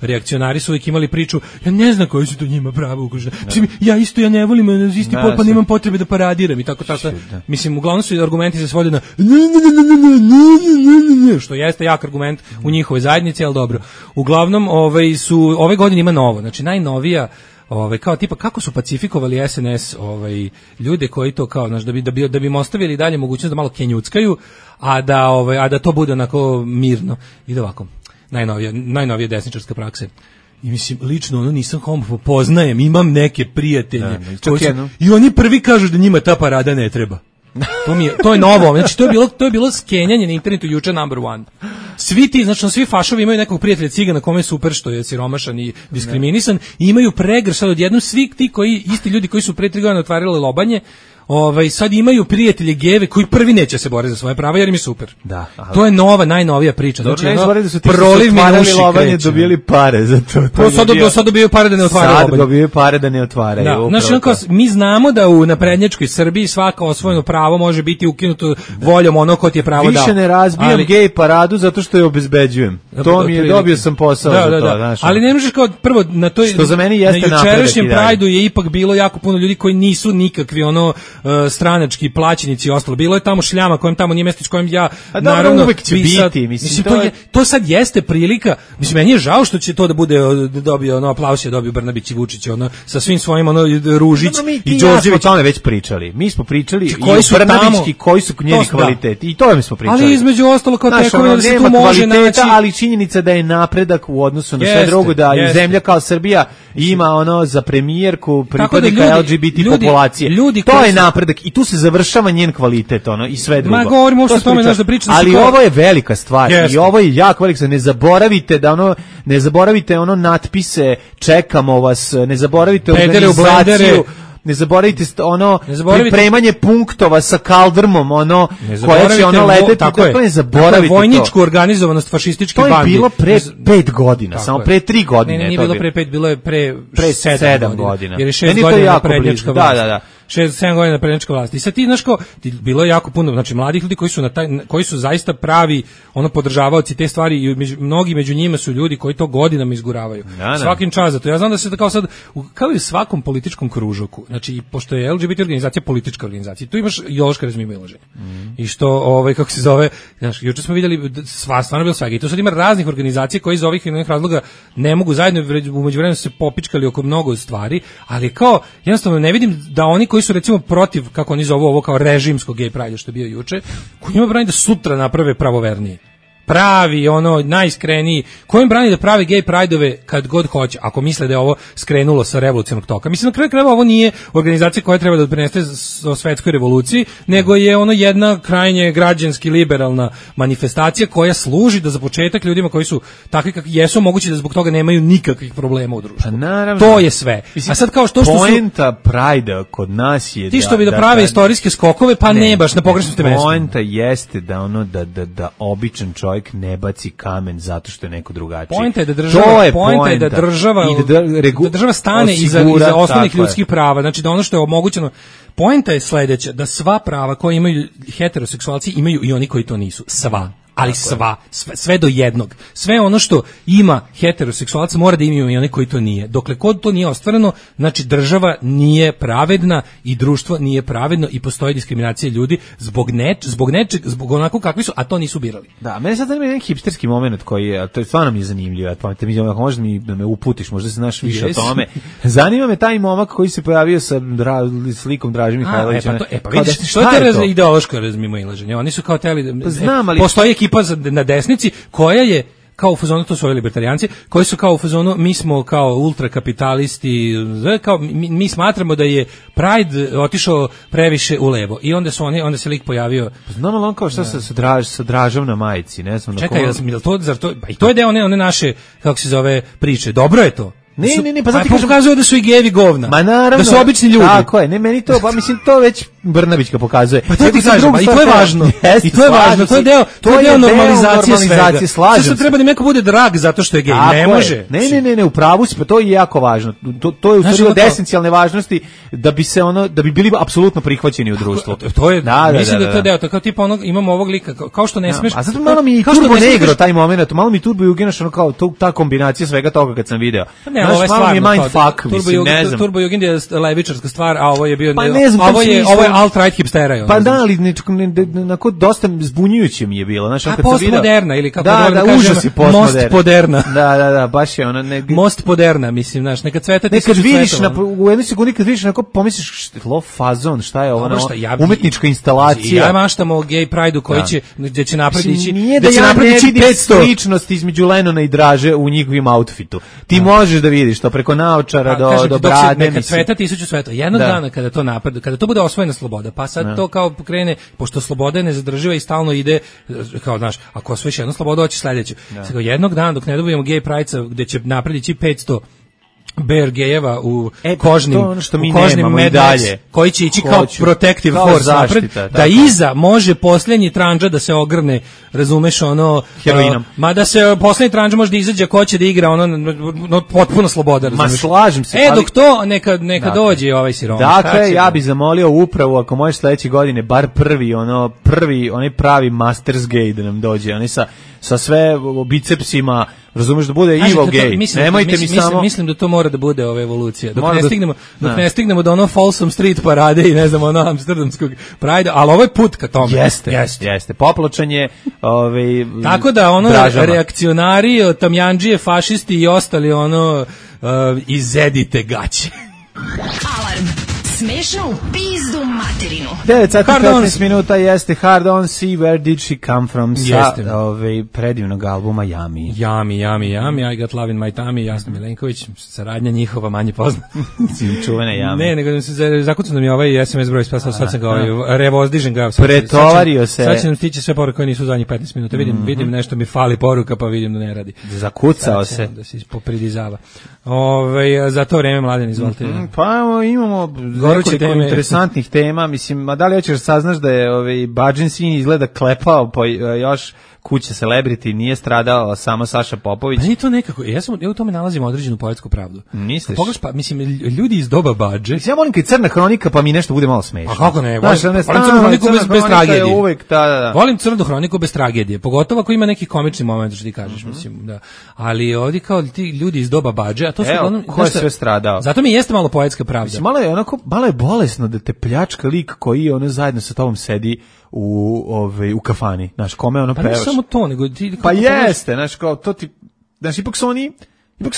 reakcionari su uvijek imali priču, ja ne znam koji su to njima pravo ugrožene. Mislim, ja ne volim isti pol, pa nemam potrebe da paradiram i tako. Mislim, uglavnom su argumenti se svode na što jeste jak argument u njihovoj zajednici, ali dobro. Uglavnom, ove godine ima novo, znači najnovija kao tipa kako su pacifikovali SNS ljude koji to kao da bi im ostavili dalje mogućnost da malo kenjuckaju, a da to bude onako mirno. Ide ovako. Najnovije desničarske prakse. I mislim, lično nisam homofob, poznajem, imam neke prijatelje i oni prvi kažu da njima ta parada ne treba. To je novo, znači to je bilo skenjanje na internetu juče #1. Svi fašovi imaju nekog prijatelja cigana kome je super što je siromašan i diskriminisan i imaju pregrš sad odjednom svi ti isti ljudi koji su pre 3 godine otvarali lobanje, sad imaju prijatelje geve koji prvi neće se boriti za svoje prava jer im je super. Da, to je najnovija priča. Znači, da su ti otvarali lobanje dobili pare za to. Sad dobiju pare da ne otvaraju lobanje. Sad dobiju pare da ne otvaraju. Znači, mi znamo da u naprednjačkoj Srbiji svako osvojeno pravo može biti ukinuto voljom onog ko ti je pravo dao. Više ne razbijam gej paradu zato što je obezbeđujem. To mi je, dobio sam posao za to. Ali ne možeš kao prvo na toj, što za meni jeste na jučerašnjem Prideu je ipak bilo jako puno ljudi koji nisu nikakvi stranački plaćenici i ostalo. Bilo je tamo šljama kojem tamo nije mjesto s kojim ja naravno uvek će biti. Mislim, to sad jeste prilika. Mislim, meni je žao što će to da bude dobio aplauz je dobio Brnabić i Vučić sa svim svojim Ružić i Đorđević. O tome već pričali. Mi smo pričali i Brnabićki koji su njeni kvaliteti. I to mi smo pričali. Ali između ostalo kao tekovina da se tu može naći. Ali činjenica da je napredak u odnosu na sve drugo, da i zemlja kao Srbija ima za premijerku pripadnika LGBT populacije. To je napredak i tu se završava njen kvalitet i sve drugo. Ma govorimo o tome da pričam. Ali ovo je velika stvar i ovo je jako velika stvar. Ne zaboravite natpise, čekamo vas, ne zaboravite organizaciju. ne zaboravite pripremanje punktova sa kaldrmom, koja će leteti, tako ne zaboravite to. Vojničku organizovanost fašističke bandi. To je bilo pre 5 godina, samo pre 3 godine. Ne, nije bilo pre 5, bilo je pre 7 godina. Jer je 6 godina naprednjačka vlast. Da. 6-7 godina naprednjačka vlast. I sad ti, znaš, bilo je jako puno, znači, mladih ljudi koji su zaista pravi, podržavaoci te stvari i mnogi među njima su ljudi koji to godinama izguravaju. Svakim čas za to. Ja znam da se kao sad, kao i u svakom političkom kružoku, znači, pošto je LGBT organizacija politička organizacija, tu imaš ideološko razmimoilaženje. I što, kako se zove, znaš, juče smo vidjeli, stvarno bilo svega. I tu sad ima raznih organizacija koji iz ovih i onih razloga ne mogu zajedno, u međuvremenu se popičkali oko mnogo stvari, ali kao, jednostavno ne vidim da oni koji su recimo protiv, kako oni zovu ovo kao režimskog gay pride što je bio juče, koji njima brani da sutra naprave pravovernije. Pravi, najiskreniji, kojim brani da prave gay prideove kad god hoće, ako misle da je ovo skrenulo sa revolucionarnog toka. Mislim, na kraju krajeva ovo nije organizacija koja treba da doprinese o svetskoj revoluciji, nego je jedna krajnje građanski liberalna manifestacija koja služi da za početak ljudima koji su takvi kakvi jesu, moguće da zbog toga nemaju nikakvih problema u društvu. To je sve. A sad kao što poenta pride kod nas je ti što bi da prave istorijske skokove, pa ne baš na pogrešnom ste mestu. Poenta jeste da običan čovjek ne baci kamen zato što je neko drugačiji. Poenta je da država stane iza osnovnih ljudskih prava. Znači da ono što je omogućeno. Poenta je sledeća, da sva prava koje imaju heteroseksualci imaju i oni koji to nisu. Sva. Ali sve do jednog. Sve ono što ima heteroseksualac mora da imaju i oni koji to nije. Dokle kod to nije ostvareno, znači država nije pravedna i društvo nije pravedno i postoji diskriminacija ljudi zbog nečeg, zbog onako kakvi su, a to nisu birali. Da, mene sad zanima jedan hipsterski moment koji je, to je stvarno mi je zanimljivo, ako možeš da me uputiš, možda se znaš više o tome. Zanima me taj momak koji se pojavio sa slikom Draže Mihajlovića. Vidiš, što je to ideološko razmimoilaženje? Oni su kao teli, postoji ekipa na desnici koja je kao u fazonu, to su ovi libertarijanci, koji su kao u fazonu, mi smo kao ultrakapitalisti, kao mi smatramo da je Pride otišao previše u levo. I onda se lik pojavio. Znam ali on kao šta sa Dražom na majici, ne znam. Čekaj, i to je deo one naše, kako se zove, priče. Dobro je to. Ne, pa zato pokazuje da su i gejevi govna. Ma naravno. Da su obični ljudi. Tako je, ne meni to, pa mislim to već Brnabićka pokazuje. Pa to ti kažem, i to je važno. I to je važno, to je deo normalizacije svega. Sad treba da neko bude drag zato što je gej, ne može. Ne, u pravu si, pa to je jako važno. To je u stvari od esencijalne važnosti da bi bili apsolutno prihvaćeni u društvu. To je, mislim da je to deo, kao tipa imamo ovog lika, kao što ne smeš. A sad malo mi i Turbo Negro taj moment, malo mi Turbo Juginaš kao ta kombinacija svega toga kad sam video. Ovo je stvarno Turbo Jugend je levičarska stvar, a ovo je bio ovo je alt-right hipstera. Pa da, ali nekako dosta zbunjujuće mi je bilo, znaš, kad sam video. Postmoderna ili kako da užas je postmoderna. Da, baš je ona most moderna, mislim, znaš, neka cveta ti nekad vidiš u jednoj sekundi kad vidiš onako pomisliš low fazon, šta je ovo, umetnička instalacija. Ja maštam o gay pride-u koji će gde će napredići, da će napredići 500 ličnosti između Lenona i Draže u njihovim outfitu. Ti možeš da vidiš to preko naočara do brade. Neka cveta tisuću sveta. Jednog dana kada to napreduje, kada to bude osvojena sloboda, pa sad to kao krene, pošto sloboda je nezadrživa i stalno ide, kao znaš, ako osvojiš jednu slobodu, hoćeš sledeću. Sad jednog dana dok ne dobijemo gay pride-a gde će napredići 500 bear gejeva u kožnim medalje koji će ići kao protective force napred, da iza može posljednji tranđa da se ogrne, razumeš, heroinom. Ma da se posljednji tranđa može da izađe, ko će da igra, potpuno sloboda, razumeš. Ma slažem se. Dok to neka dođe ovaj sirom. Dakle, ja bih zamolio upravu, ako možeš sledeće godine, bar onaj pravi Masters gay da nam dođe, oni sa sve bicepsima, razumeš, da bude evil gay. Nemojte mi samo. Mislim da to mora da bude ova evolucija. Dok ne stignemo do Folsom Street parade i ne znam, amsterdamskog Pride, ali ovo je put ka tome. Jeste. Popločanje, tako da reakcionari, tamjanđije, fašisti i ostali izedite gaće. Alarm. Smešno u pizdu materinu. 9:15 minuta jeste Hard On See Where Did She Come From sa predivnog albuma Yummy. Yummy, I Got Love in My Tummy, Jasna Milenković, saradnja njihova manje poznata. Čuvene Yummy. Ne, nego se zakucao nam je ovaj SMS broj, spasao, sad sam ga revozdižem ga. Pretovario se. Sad će nam stići sve poruke koje nisu zadnjih 15 minuta. Vidim nešto mi fali poruka, pa vidim da ne radi. Zakucao se. Da se popridizava. Za to vreme, Mladen, izvolite. Pa imamo nekoliko interesantnih tema, mislim, a da li hoćeš da saznaš da je Badžin sin izgleda klepao po još kuće celebrity, nije stradao samo Saša Popović. Pa nije to nekako, ja u tome nalazim određenu poetsku pravdu. Misliš? Pogledaš, pa mislim, ljudi iz doba Badže. Ja volim kad Crna hronika, pa mi nešto bude malo smešno. A kako ne? Znaš, volim Crnu hroniku bez tragedije. Uvek, da. Volim Crnu hroniku bez tragedije, pogotovo ako ima neki komični moment, što ti kažeš, mislim, da. Ali ovdje kao ti ljudi iz doba Badže, a to su uglavnom, ko je sve stradao? Zato mi jeste malo poetska pravda. Mislim, malo je bolesno da te pljačka lik koji zajedno sa tobom sedi u kafani, znaš, kome ono pevaš. Pa ne samo to, nego ti... Pa jeste, znaš, kao to ti... Znaš, ipak su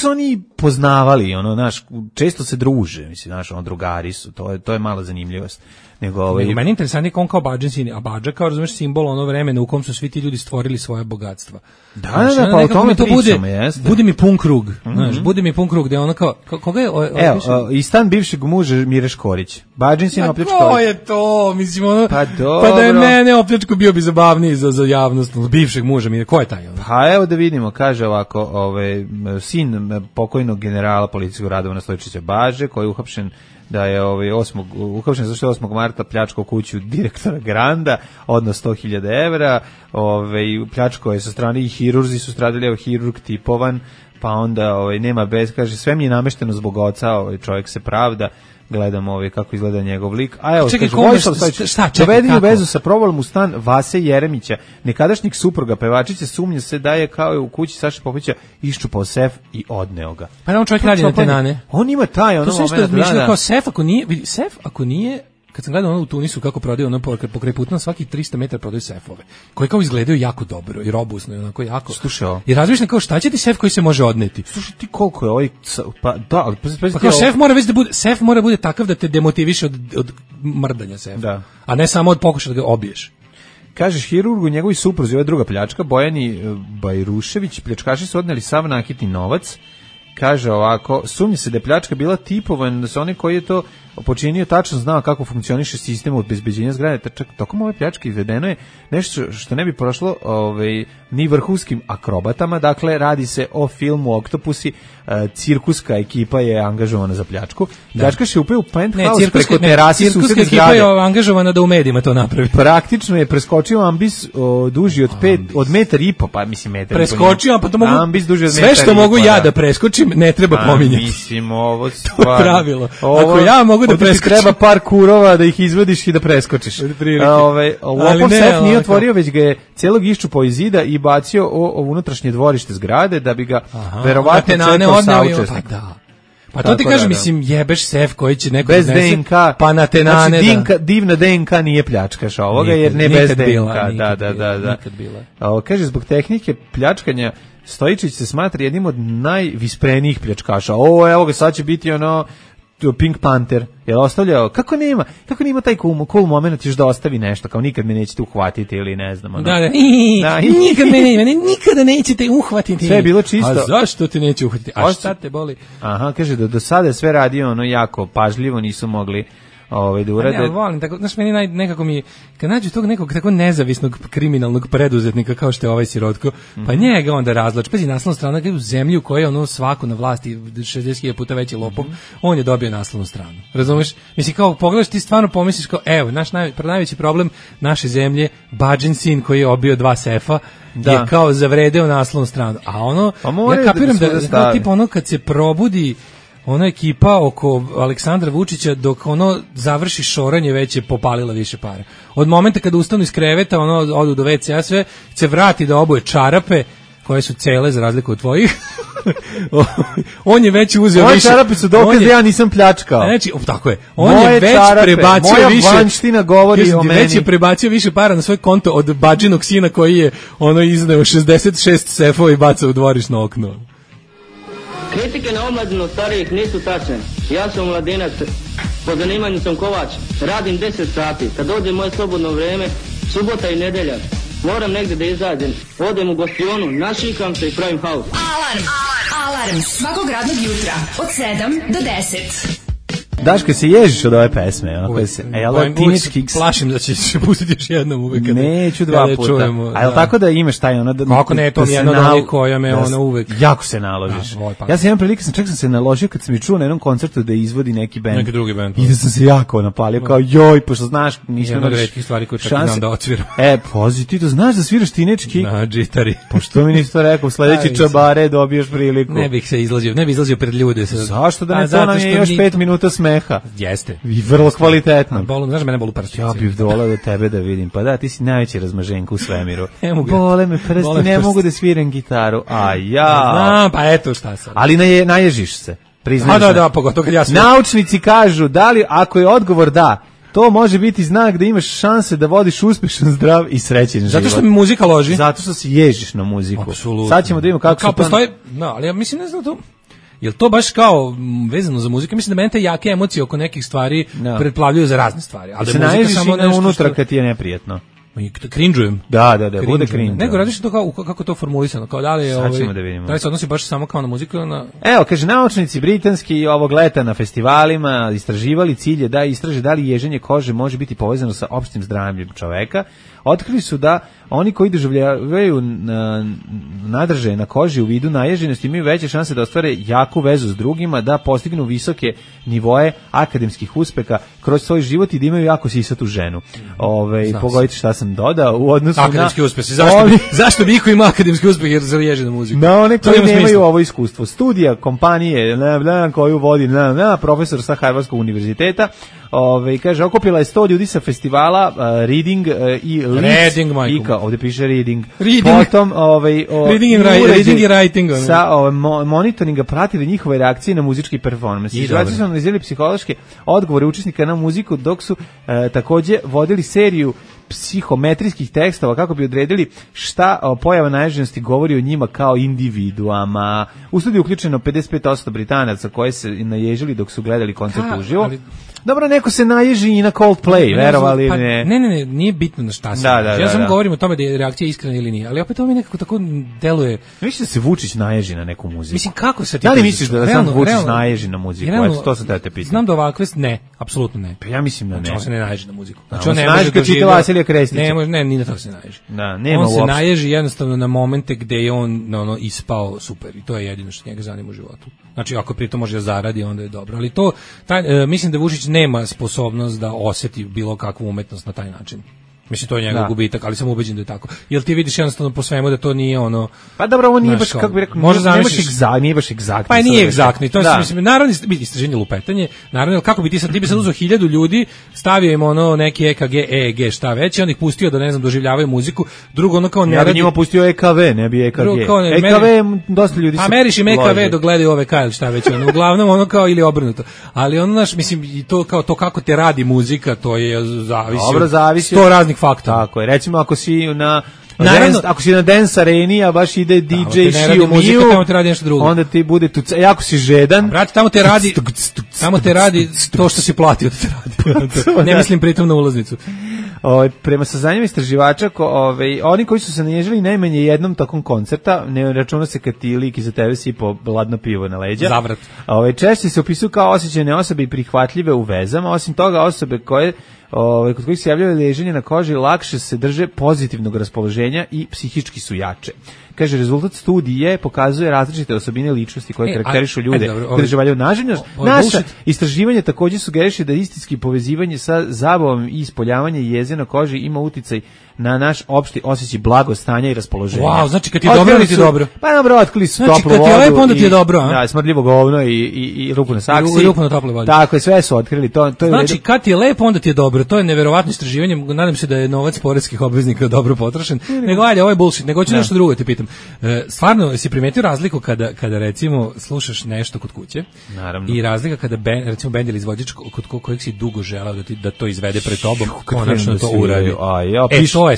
oni poznavali, znaš, često se druže, mislim, znaš, drugari su, to je mala zanimljivost. Nego, meni je interesantnije on kao Badžin sin, a Badža kao, razumeš, simbol ono vremena u kom su svi ti ljudi stvorili svoje bogatstva. Da, pa o tome pričamo, jeste. Bude mi pun krug, znaš, bude mi pun krug, gde ono kao, koga je... Evo, i stan bivšeg muža Mire Škorić. Badžin sin opljačkao. Pa ko je to, mislim, Pa dobro. Pa da je mene opljačko bio bi zabavniji za javnost, bivšeg muža Mire, ko je taj? Pa evo da vidimo, kaže ovako, sin pokojnog generala policijskog Radovana Stojičića Baže, koji je uhapšen da je uhapšen zašto je 8. marta pljačkao kuću direktora Granda, odnosno 100.000 evra, pljačkao je sa strane i hirurzi su stradali, evo hirurg tipovan, pa onda nema bez, kaže, sve mi je namešteno zbog oca, čovjek se pravda, gledam kako izgleda njegov lik. A evo, čekaj, kaže, Vojislav Stojičić, dovedeni u vezu sa provalom u stan Vase Jeremića, nekadašnjeg supruga pevačice, sumnja se da je kao u kući Saše Popovića iščupao sef i odneo ga. Pa on čovjek radi na tenane. On ima taj moment. To se nešto razmišljao kao sef ako nije, kad sam gledao u Tunisu kako prodaju pokraj puta na svaki 300 metara prodaju sefove, koji kao izgledaju jako dobro i robusno i onako jako. Slušaj, i razmišljam kao šta će ti sef koji se može odneti. Slušaj ti koliko je pa da, ali pa kao sef mora bude takav da te demotiviše od mrdanja sefa. Da. A ne samo od pokušaja da ga obiješ. Kažeš hirurgu, njegovi supruzi, ova druga pljačka, Bojani Bajrušević, pljačkaši su odneli sav nakitni novac. Kaže ovako, sumnja se da je pljačka bila tipovan, da se onaj koji je to počinio tačno znao kako funkcioniše sistem obezbeđenja zgrade. Čak tokom ove pljačke izvedeno je nešto što ne bi prošlo ni vrhunskim akrobatama, dakle radi se o filmu Oktopusi, cirkuska ekipa je angažovana za pljačku. Pljačkaš je upeo u penthouse preko terasi susedne zgrade. Cirkuska ekipa je angažovana da u medijima to napravi. Praktično je preskočio ambis duži od metar i po, pa mislim metar. Preskočio, pa to mogu, ambis duži od sve što mogu ja da preskočim, ne treba pominjati. Mislim, ovo stvar. To je pravilo. Ako ja mogu da preskočim, treba par kurova da ih izvadiš i da preskočiš. Lopov sef nije otvorio, već ga je celog iščupao iz zida i bacio u unutrašnje dvorište zgrade da bi ga verovatno čekao saučesnik. Pa da. Pa to ti kažem, mislim, jebeš sef koji će neko bez DNK, pa na tenane. Znači, divna DNK nije pljačkaš ovoga, jer ne bez DNK. Da. Kaže, zbog tehnike pljačkanja Stojičić se smatra jednim od najvisprenijih pljačkaša. Evo ga, sad će biti Pink Panther, je ostavljao, kako nema taj cool moment još da ostavi nešto, kao nikad me nećete uhvatiti ili ne znam. Nikada nećete uhvatiti. Sve je bilo čisto. A zašto te neće uhvatiti? A šta te boli? Aha, kaže da do sada je sve radio jako pažljivo, nisu mogli da urade. Ja volim, tako, znaš, meni nekako mi, kad nađu tog nekog tako nezavisnog kriminalnog preduzetnika kao što je ovaj Sirotko, pa njega onda razlač. Pazi, naslovna strana u zemlji u kojoj je svako na vlasti 60.000 puta veći lopov, on je dobio naslovnu stranu. Razumeš? Mislim, kao pogledaš, ti stvarno pomisliš kao, evo, naš najveći problem naše zemlje, Badžin sin koji je obio 2 sefa, je kao zavredeo naslovnu stranu. A ja kapiram da tipa kad se probudi ona ekipa oko Aleksandra Vučića, dok završi šoranje, već je popalila više para. Od momenta kada ustanu iz kreveta, odu do WC-a, sve se vrati da oboje čarape koje su cele za razliku od tvojih. On je već uzeo više. Moje čarape su dokaz da ja nisam pljačkao. Znači, tako je. On je već prebacio više. Moja vanština govori o meni. Već je prebacio više para na svoj konto od Badžinog sina koji je izneo 66 sefova i bacao u dvorišno okno. Kritike na omladinu starijih nisu tačne. Ja sam mladinac, po zanimanju sam kovač, radim 10 sati. Kad dođe moje slobodno vrijeme, subota i nedelja, moram negdje da izađem. Odem u gostionu, našikam se i pravim haus. Alarm svakog radnog jutra od 7 do 10. Daško, se ježiš od ove pesme? Plašim da će se pustiti još jednom uvek. Neću dva puta. A je li tako da imaš taj ono... Kako ne, to mi je jedna od onih koja me ona uvek... Jako se naložiš. Ja sam jedan prilike, čak sam se naložio kad sam mi čuo na jednom koncertu da izvodi neki bend. Neki drugi bend. I da sam se jako napalio, kao joj, pošto znaš, nisam jedna od retkih stvari koje čak znam da odsviram. Pozi, ti to znaš da sviraš tinečki? Na džitari. Pošto mi nisi to rekao, sledeći čabare dobiješ priliku. Ne bih izlazio pred ljude. Zašto da ne, to nam je još 5 minuta smeha. Jeste. I vrlo kvalitetno. Znaš, mene bolu prsti. Ja bih volao da tebe da vidim. Pa da, ti si najveći razmaženka u svemiru. Bole me prsti, ne mogu da sviram gitaru. A ja. Znam, pa eto šta sad. Ali naježiš se. Priznaš. Da, pogotovo kad ja sam. Naučnici kažu, da li, ako je odgovor da, to može biti znak da imaš šanse da vodiš uspešan, zdrav i srećen život. Zato što mi muzika loži. Zato što se ježiš na muziku. Apsolutno. Sad ćemo da vidimo kako se postoji, ali ja mislim, ne znam to. Jel to baš kao vezano za muziku? Mislim da mene te jake emocije oko nekih stvari pretplavljuju za razne stvari. Ali da se naježiš samo nešto unutra kad ti je neprijetno. Cringe-ujem. Da, bude cringe. Nego radiš to kako to formulisano, kao da li je sad ćemo da vidimo. Da li se odnosi baš samo kao na muziku ili na... Evo, kaže, naučnici britanski ovog leta na festivalima istraživali, cilj je da istraže da li ježenje kože može biti povezano sa opštim zdravljem čoveka. Otkrili su da oni koji doživljavaju nadržaje na koži u vidu naježenosti imaju veće šanse da ostvare jaku vezu s drugima, da postignu visoke nivoe akademskih uspeha kroz svoj život i da imaju jako sisatu ženu. Pogodite šta sam dodao u odnosu akademski uspesi. Zašto bi iko ima akademski uspeh jer zaliježe na muziku? Na one koji nemaju ovo iskustvo. Studija kompanije koju vodi profesor sa Harvardskog univerziteta, kaže, okupila je 100 ljudi sa festivala Reading i Leeds. Ovdje piše Reading. Potom Reading i writing. Sa monitoringa pratili njihove reakcije na muzički performans. Istraživači su analizirali psihološke odgovore učesnika na muziku, dok su takođe vodili seriju psihometrijskih tekstova kako bi odredili šta pojava naježenosti govori o njima kao individuama. U studiju uključeno 55% Britanaca koji se naježili dok su gledali koncert uživo. Dobro, neko se naježi i na Coldplay, verovali ili ne? Ne, nije bitno na šta se. Ja samo govorim o tome da je reakcija iskrena ili nije, ali opet to mi nekako tako deluje. Misliš da se Vučić naježi na neku muziku? Mislim, kako se ti... Da li misliš da sam Vučić naježi na muziku? To sam te pitao. Znam da ovakve... Ne, apsolutno ne. Pa ja mislim da ne. On se ne naježi na muziku. Znači, on se naježi kad čita Vasilija Krestića. Ne, ni na to se naježi. On se naježi jednostavno na momente gde je on ispao super i to je jedino što njega zanima u životu. Znači, ako pritom može da zaradi, onda je dobro. Ali to, mislim da Vučić nema sposobnost da osjeti bilo kakvu umetnost na taj način. Mislim, to je njegov gubitak, ali sam ubeđen da je tako. Jel ti vidiš jednostavno po svemu da to nije ono... Pa dobro, ovo nije baš, kako bi rekao, nije baš egzaktni. Pa nije egzaktni, to je, mislim, naravno, istraženje lupetanje, naravno, kako bi ti bi sad uzeo 1000 ljudi, stavio im ono neki EKG, EEG, šta već, i on ih pustio da, ne znam, doživljavaju muziku, drugo ono kao ne radi... Ja bi njima pustio EKV, ne bi EKG. EKV, dosta ljudi su... Pa meriš im EKV dok gledaju OVK ili šta već, uglavnom ono kao ili obrnuto. Ali ono, znaš, mislim, to kao to kako te radi muzika, to je zavisi od 100 raznih faktora. Tako je, recimo ako si ako si na dance areni, a baš ide DJ Shio Miju, onda ti bude tu, jako si žedan. Brate, tamo te radi to što si platio da te radi. Ne mislim pritom na ulaznicu. Prema saznanjima istraživača, oni koji su se naježili najmanje jednom tokom koncerta, ne računa se kad ti lik iza tebe sipo ladno pivo na leđa. Zavrat. Češće se opisuju kao osjećajne osobe i prihvatljive u vezama, osim toga osobe koje kod kojih se javljaju leženje na koži lakše se drže pozitivnog raspoloženja i psihički su jače. Kaže, rezultat studije pokazuje različite osobine ličnosti koje karakterišu ljude koji doživljavaju naželjnost. Naša istraživanje također sugeriše da istinski povezivanje sa zabavom i ispoljavanje jeze na koži ima uticaj na naš opšti osjećaj blagostanja i raspoloženja. Wow, znači kad ti je dobro ili ti je dobro? Pa dobro, otkrili su toplu vodu. Znači kad ti je lepo, onda ti je dobro, a? Da, smrdljivo govno i ruku na saksi. I ruku na tople vodi. Tako je, sve su otkrili. Znači kad ti je lepo, onda ti je dobro. To je neverovatno istraživanje. Nadam se da je novac poreskih obveznika dobro potrošen. Nego ajde, ovo je bullshit. Nego ću nešto drugo te pitam. Stvarno, si primetio razliku kada recimo slušaš nešto kod kuće? Naravno. I razlika kada recimo bend ili izvođač kod kojeg si dugo želao da to izvede pred tobom, konačno to uradi.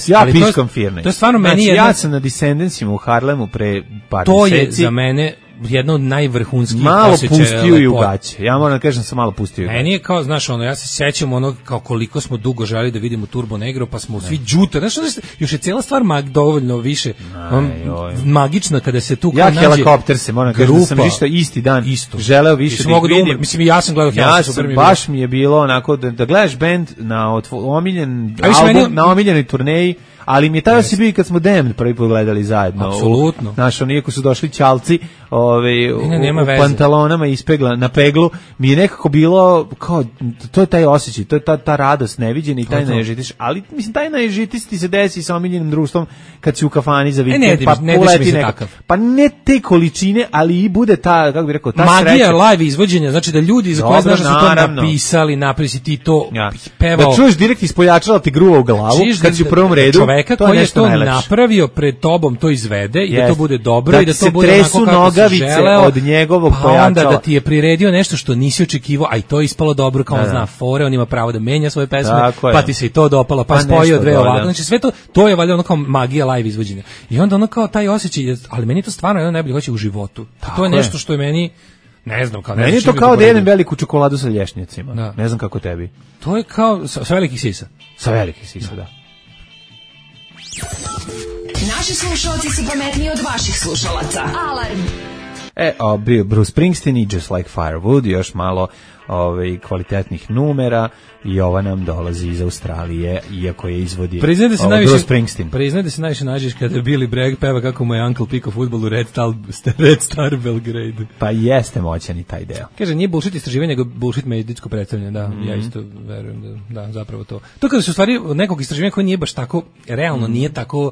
Ja piškam firne. To je stvarno meni ja sam na Descendantsima u Harlemu pre par mjeseci. To je za mene jedna od najvrhunskih malo osjećaja. pustio i u gaće. Ja moram da kažem sam malo pustio i u gaće. Meni je kao, znaš, ono, ja se sećam ono kao koliko smo dugo želeli da vidimo Turbo Negro, pa smo svi đuto. Znaš, još je cijela stvar dovoljno više magična kada se tu ja nađe helikopter se, moram kažem da sam isti dan želeo više da vidim. Mislim, ja sam gledao Helikopter. Baš mi je bilo onako da gledaš bend na omiljen album, na omiljenoj turneji, ali mi je tada si bio kad smo Damned prvi put gledali zajedno. Apsolutno. Znaš, iako su došli ćalci u pantalonama na peglu, mi je nekako bilo kao, to je taj osjećaj, to je ta radost neviđena i taj naježitiš, ali mislim taj naježitis ti se desi sa omiljenim društvom kad si u kafani za vikend, pa uleti nekako. Pa ne te količine, ali i bude ta, kako bih rekao, ta magija sreća. Magija live izvođenja, znači da ljudi za koje znaš da su to napisali, naprisi ti to pevao. Da čuješ direkt ispojačala ti gruva u glavu, kad si u prvom redu. Čoveka koji je to napravio pred tobom to izvede i da to bude dobro i da to bude onako kako si želeo od njegovog pojačala. Pa onda da ti je priredio nešto što nisi očekivao, a i to je ispalo dobro, kao on zna fore, on ima pravo da menja svoje pesme, pa ti se i to dopalo, pa spojio dve ovako. Znači sve to je valjda ono kao magija live izvođenja. I onda ono kao taj osjećaj, ali meni to stvarno jedno najbolje hoće u životu. To je nešto što je meni, ne znam, kao meni je to kao da jedem veliku čokoladu sa lješnjacima. Ne znam kako tebi. To je kao sa velikih sisa. Sa velikih sisa, da. Naši slušalci su pametniji od vaših slušalaca. Alarm. Bio Bruce Springsteen i Just Like Firewood, još malo kvalitetnih numera i ova nam dolazi iz Australije, iako je izvodi Bruce Springsteen. Priznaj da se najviše nađeš kada Billy Bragg peva kako mu je Uncle Pico fudbal u Red Star Belgrade. Pa jeste moćan i taj deo. Kaže, nije bullshit istraživanje, nego bullshit medicinsko predstavljanje, da, ja isto verujem da zapravo to. To kada se u stvari nekog istraživanja koje nije baš tako, realno nije tako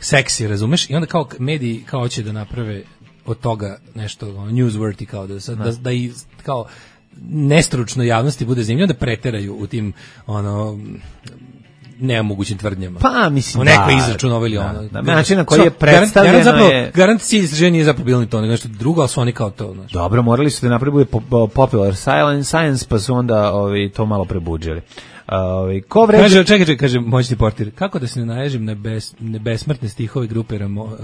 seksi, razumeš? I onda kao mediji kao hoće da naprave od toga nešto newsworthy, kao da i kao nestručno javnosti bude zanimljivo, da preteraju u tim nemogućim tvrdnjama. Pa mislim neko izračunao ili ono. Način na koji je predstavljeno garant cilj istraživanja nije zapravo bilo ni to, nego nešto drugo, ali su oni kao to. Znači. Dobro, morali su da napravi popular science, pa su onda to malo prebuđili. Kaže moćni portir, kako da se ne naježim na besmrtne stihove grupe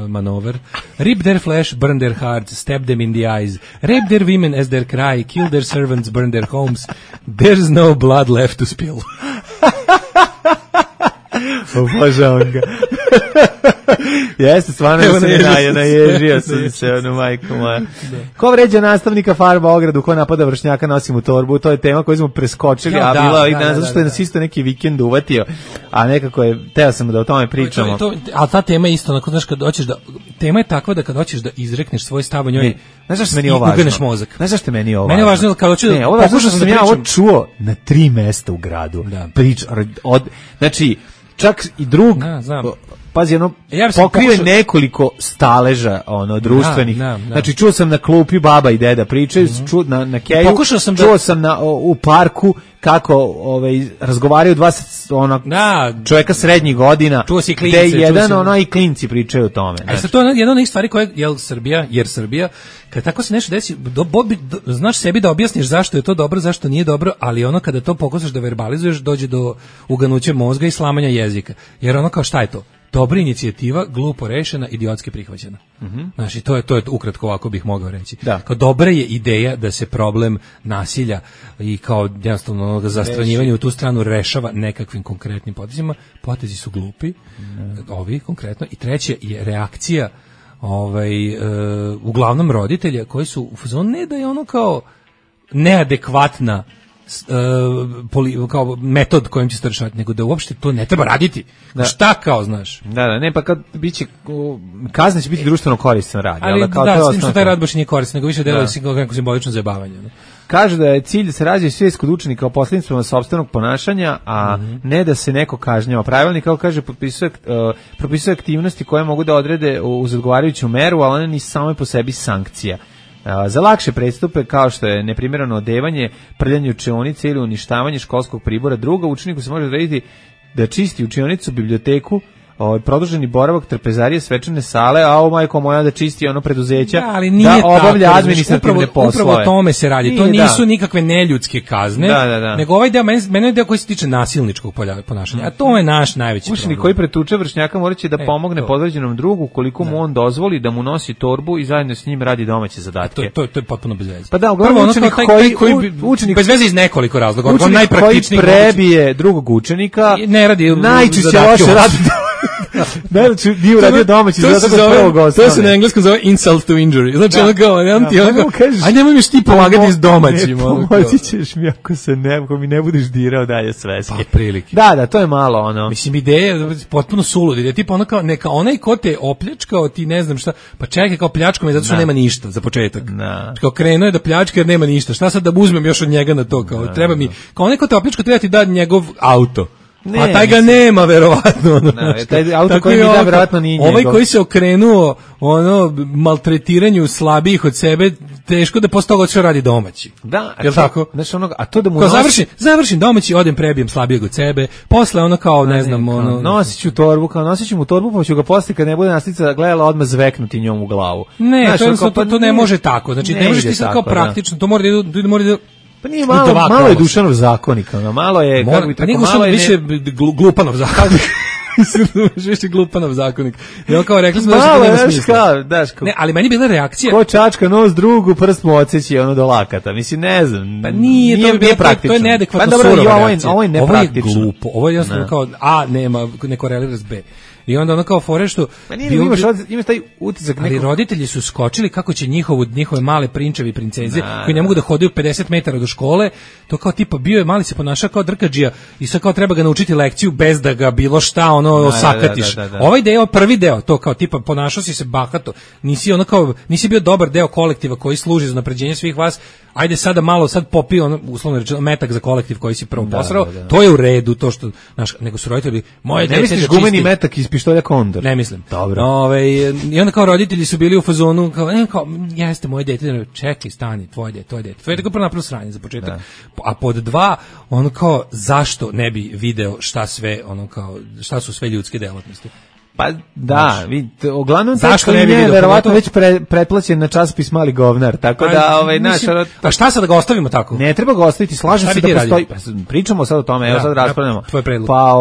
Manover? Rip their flesh, burn their hearts, stab them in the eyes, rape their women as their cry, kill their servants, burn their homes, there's no blood left to spill. Obožavam ga. Jeste, stvarno da se naježio sam se, majko moja. Ko vređa nastavnika farba ogradu, ko napada vršnjaka, nosi mu torbu, to je tema koju smo preskočili, a bila ovih dana, zato što je nas isto neki vikend uvatio, a nekako je, teo sam da o tome pričamo. Ali ta tema je isto, onako, znaš, kad hoćeš da, tema je takva da kad hoćeš da izrekneš svoj stav o njoj, znaš zašto meni je ovo važno? Uganeš mozak. Znaš zašto meni je ovo važno? Meni je važno kad hoću da pokušao sam ja ovo čuo na 3 mesta u gradu. Znači, čak i drug, pazi, pokrive nekoliko staleža društvenih. Znači, čuo sam na klupi baba i deda pričaju, čuo na keju, čuo sam u parku kako razgovaraju dva čovjeka srednjih godina, gde jedan i klinci pričaju o tome. To je jedna od njih stvari koje jer Srbija, kad tako se nešto desi, znaš sebi da objasniš zašto je to dobro, zašto nije dobro, ali kada to pokušaš da verbalizuješ, dođe do uganuća mozga i slamanja jezika. Jer kao šta je to? Dobra inicijativa, glupo rešena, idiotski prihvaćena. Znači, to je ukratko ovako bih mogao reći. Kao dobra je ideja da se problem nasilja i kao jednostavno zastranjivanje u tu stranu rešava nekakvim konkretnim potezima. Potezi su glupi, ovi konkretno. I treće je reakcija uglavnom roditelja koji su u fazonu, ne da je ono kao neadekvatna kao metod kojim će se to rešavati, nego da uopšte to ne treba raditi. Šta kao, znaš? Ne, pa kad biće kazna će biti društveno koristan rad. Ali da, s tim što taj rad baš nije koristan, nego više deluje kao neko simbolično zajebavanje. Kaže da je cilj da se razvije svijest kod učenika o posljedicama sopstvenog ponašanja, a ne da se neko kažnjava. Pravilnik, kao kaže, propisuje aktivnosti koje mogu da odrede uz odgovarajuću meru, ali one nisu samo po sebi sankcija. Za lakše prestupe, kao što je neprimjereno odevanje, prljanje učionice ili uništavanje školskog pribora, druga učeniku se može odrediti da čisti učionicu, biblioteku, produženi boravak, trpezarije, svečane sale, a ovo majko moja da čisti ono preduzeća, ali nije da obavlja tako, administrativne poslove. Upravo o tome se radi. To nisu nikakve neljudske kazne, nego ovaj deo, meni je deo koji se tiče nasilničkog ponašanja, a to je naš najveći problem. Učenik koji pretuče vršnjaka moraće da pomogne podređenom drugu koliko mu on dozvoli, da mu nosi torbu i zajedno s njim radi domaće zadatke. To je potpuno bez veze. Pa da, uglavnom učenik bez veze iz nekoliko razloga. Učenik koji prebije drugog učenika ne radi najčešće loše radi. Najveći dio radio domaći to se na engleskom zove insult to injury. Znači ono kao, aj nemoj mi ti pomagati iz domaćim. Pomoći ćeš mi ako mi ne budeš dirao dalje sveske. Pa prilike. Da, to je malo ono. Mislim, ideja je potpuno sulud. Ideja tipa ono kao, neka onaj ko te opljačkao, ti ne znam šta, pa čekaj kao pljačko me zato što nema ništa za početak. Kao krenuo je da pljačka jer nema ništa. Šta sad da uzmem još od njega na to? Kao treba mi, kao onaj ko te opljačkao treba ti da njegov auto. A taj ga nema, verovatno. Taj auto koji mi da, verovatno nije njegov. Ovaj koji se okrenuo maltretiranju slabijih od sebe, teško da posle toga odšao radi domaći. Da, jel tako? Znači a to da mu završim domaći, odem prebijem slabijeg od sebe, posle ono kao, ne znam, nosit ću mu torbu, pa ću ga posle kad ne bude nastica gledala odmah zveknuti njom u glavu. Ne, to ne može tako. Znači, ne može ti sad kao praktično, to mora da pa nije malo je Dušanov zakonik, malo je malo je više Glupanov zakonik. Više Glupanov zakonik. Ja kao rekli smo da nema smisla. Ne, ali meni bila reakcija. Ko čačka nos drugu, prst mu odseći ono do lakata. Mislim, ne znam. Pa nije praktično. To je neadekvatno surova reakcija. Ovo je nepraktično. Ovo je glupo. Ovo je jednostavno kao A nema, ne korelira s B. I onda ono kao fore što imaš taj utisak nekog. Ali roditelji su skočili kako će njihove male prinčevi i princeze koji ne mogu da hodaju 50 metara do škole, to kao tipa bio je mali se ponaša kao drkadžija i sad kao treba ga naučiti lekciju bez da ga bilo šta osakatiš. Ovaj deo, prvi deo, to kao tipa ponašao si se bahato, nisi bio dobar deo kolektiva koji služi za unapređenje svih vas. Ajde sada malo popio uslovno rečeno metak za kolektiv koji si prvo posrao. To je u redu, to što nego su roditelji moje dete. Ne misliš gumeni metak iz pištolja Kondor? Ne mislim. Dobro. I onda kao roditelji su bili u fazonu kao jeste moje dete, čekaj, stani, tvoje dete. To je tako prvo napravio sranje za početak. A pod dva, ono kao zašto ne bi video šta su sve ljudske delatnosti? Pa da, vidite, uglavnom zašto ne je verovatno već pretplaćen na časopis Mali govnar, tako da a šta sad da ga ostavimo tako? Ne treba ga ostaviti, slažem se da postoji. Pričamo sad o tome, evo sad raspravljamo. Pa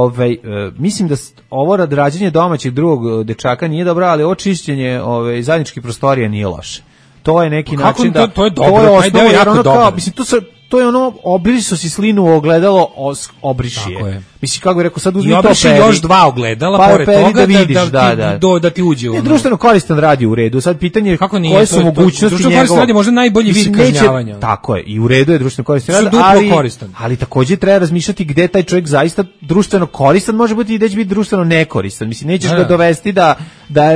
mislim da ovo rađenje domaćeg drugog dečaka nije dobro, ali ovo čišćenje zajedničkih prostorija nije loše. To je neki način da to je dobro, taj deo je jako dobro. Mislim to je ono, obrišao si slinu u ogledalo, obriši je. Mislim, kako bih rekao, sad uzmi to peri. I još dva ogledala, pored toga, da ti uđe. Ne, društveno koristan radi u redu. Sad pitanje je koje su mogućnosti njegova. Društveno koristan radi možda najbolji vid kažnjavanja. Tako je, i u redu je društveno koristan radi, ali također treba razmišljati gde taj čovjek zaista društveno koristan može biti i gde će biti društveno nekoristan. Mislim, nećeš ga dovesti da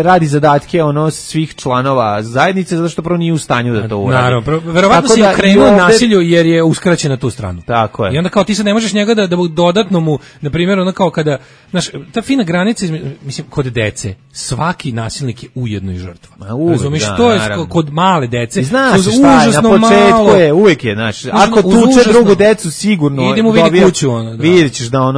radi zadatke svih članova zajednice, zato što prvo nije u stanju da to uradi. Naravno, verovatno si okrenuo nasilju jer je uskraćen na tu stranu. Tako je. I onda kao ti se ne možeš njega da dodatno mu, na primjer, ono kao kada, znaš, ta fina granica, mislim, kod dece, svaki nasilnik je ujedno i žrtva. Razumiješ, to je kod male dece. Znaš šta je, na početku je, uvijek je, znaš, ako tuče drugu decu, sigurno idemo vidi kuću, vidjet ćeš da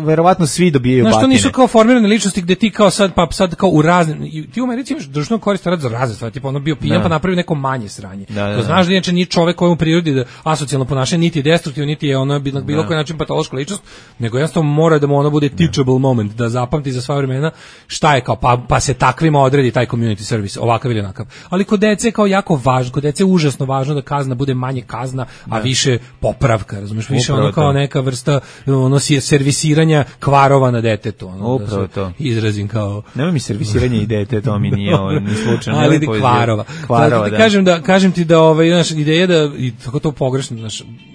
verovatno svi dobijaju batine. Znaš, to nisu kao formirane ličnosti gde ti kao sad kao u razne, ti u Americi imaš društveno koristan rad za razne stvari, tipa ono bio pijan pa napravi neko manje sranje. To znaš da inače nije čovek koji u prirodi da asocijalno ponašanje niti je destruktivno, niti je ono bilo koji način patološka ličnost, nego jednostavno mora da mu ono bude teachable moment, da zapamti za sva vremena šta je kao, pa se takvima odredi taj community service, ovakav ili onakav. Ali kod dece je kao jako važno, kod dece je užasno važno da kazna bude manje kazna, a više popravka, razumiješ, više ono kao neka vrsta servisiranja kvarova na detetu. Upravo to. Izrazim kao... Nema mi servisiranje i dete, to mi nije ni slučajno. Ali kvarova. Kažem ti da ideja da, i tako to pogrešno,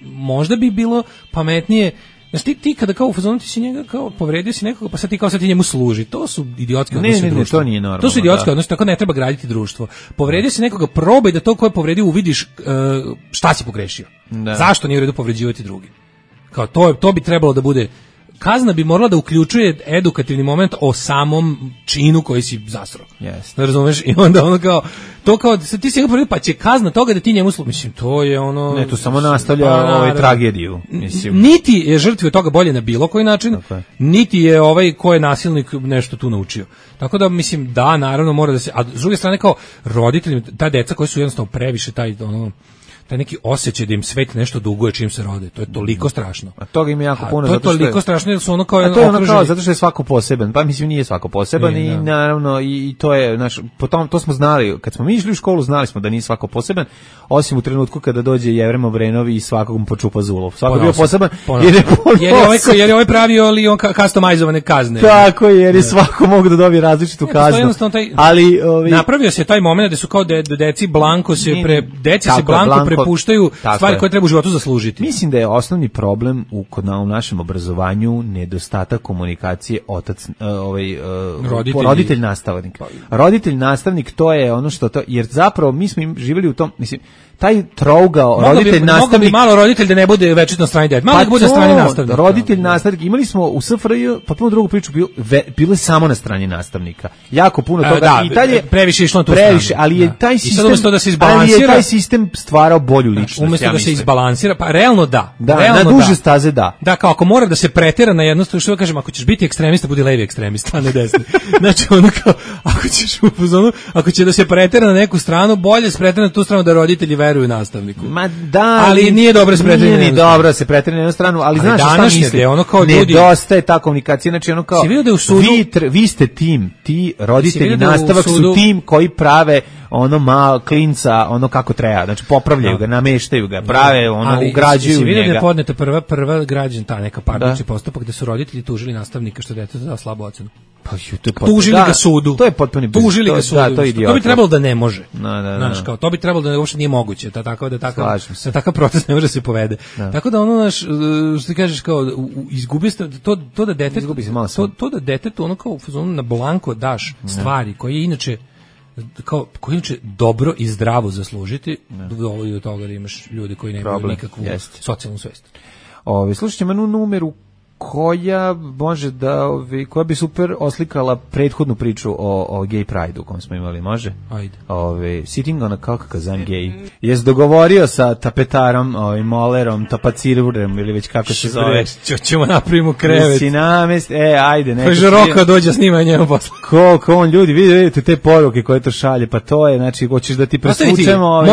možda bi bilo pametnije. Znaš, ti kada kao u fazonu ti si njega kao povredio si nekoga, pa sad ti kao sad ti njemu služi. To su idiotski odnosi društva. To nije normalno. To su idiotski odnosi, tako ne treba graditi društvo. Povredio si nekoga, probaj da to koje povredio uvidiš šta si pogrešio. Zašto nije u redu povređivati drugi. Kao to bi trebalo da bude kazna bi morala da uključuje edukativni moment o samom činu koji si zasrao. Jeste. Razumeš? I onda ono kao, to kao, ti si ga prvi, pa će kazna toga da ti njemu mislim, to je ono... Ne, to samo nastavlja tragediju. Mislim. Niti je žrtvi od toga bolje na bilo koji način, niti je ovaj ko je nasilnik nešto tu naučio. Tako da, mislim, da, naravno mora da se... A s druge strane, kao roditelji, ta deca koji su jednostavno previše taj neki osjećaj da im svet nešto duguje čim se rode. To je toliko strašno. A toga im je jako puno. To je toliko strašno jer su ono kao... A to je ono kao zato što je svako poseban. Pa mislim nije svako poseban i naravno i to je, potom to smo znali. Kad smo mi išli u školu znali smo da nije svako poseban, osim u trenutku kada dođe Jevrem Obrenovi i svakog mu počupa zulov. Svako je bio poseban jer je ovaj pravio ali on customizovane kazne. Tako je, jer je svako mogu da dobije različitu kaznu. Ali napravio se taj momenat da su kao deci blanko se prepuštaju stvari koje treba u životu zaslužiti. Mislim da je osnovni problem u našem obrazovanju nedostatak komunikacije roditelj nastavnik. Roditelj nastavnik to je ono što to, jer zapravo mi smo živjeli u tom, mislim, taj trougao roditelj nastavnik. Mogu bi malo roditelj da ne bude večito na strani dete. Malo da bude na strani nastavnika. Roditelj nastavnik. Imali smo u SFRJ potpuno drugu priču, bilo je samo na strani nastavnika. Jako puno toga. Da, i dalje previše išlo na tu stranu. Ali je taj sistem, da stvarao bolju ličnost. Umjesto da se izbalansira, pa realno da. Na duže staze da. Da, kao ako mora da se pretera na jednu stranu, što kažem, ako ćeš biti ekstremista, budi levi ekstremista, a ne desni. Znači ono kao, ako će da se pretera na neku stranu, bolje se pretera na tu stranu da roditelji veruju nastavniku. Ma da, ali nije dobro se pretera. Nije ni dobro se pretera na jednu stranu, ali znaš šta mislim? Ono kao ljudi, nedostaje ta komunikacija, znači ono kao vi ste tim, ti roditelji nastavak su tim koji prave ono malo klinca, ono kako treba, znači popravljaju ga, nameštaju ga, prave, ono ugrađuju njega. Vidio da je podneta prva građan ta neka parnični postupak gde su roditelji tužili nastavnika što dete dao slabu ocenu. Tužili ga sudu. To je potpuni biznis. Tužili ga sudu. To bi trebalo da ne može. Znaš, kao to bi trebalo da uopšte nije moguće, takav proces ne može se povede. Tako da ono što ti kažeš kao izgubi se to da dete to da detetu ono kao na blanko daš stvari koje inače dobro i zdravo zaslužiti, dovodi do toga da imaš ljude koji nemaju nikakvu socijalnu svest. Slušajte, imamo numeru koja može koja bi super oslikala prethodnu priču o gay pride-u kojem smo imali, može? Ajde. Sitting on a cock cause I'm gay. Jesi dogovorio sa tapetarom, molerom, tapacirurom ili već kako se zove? Ćemo napravimo krevet. Ajde. Kaže Roka dođe snima njemu posle. Koliko on ljudi, vidite te poruke koje to šalje, pa to je, znači, hoćeš da ti presvučemo...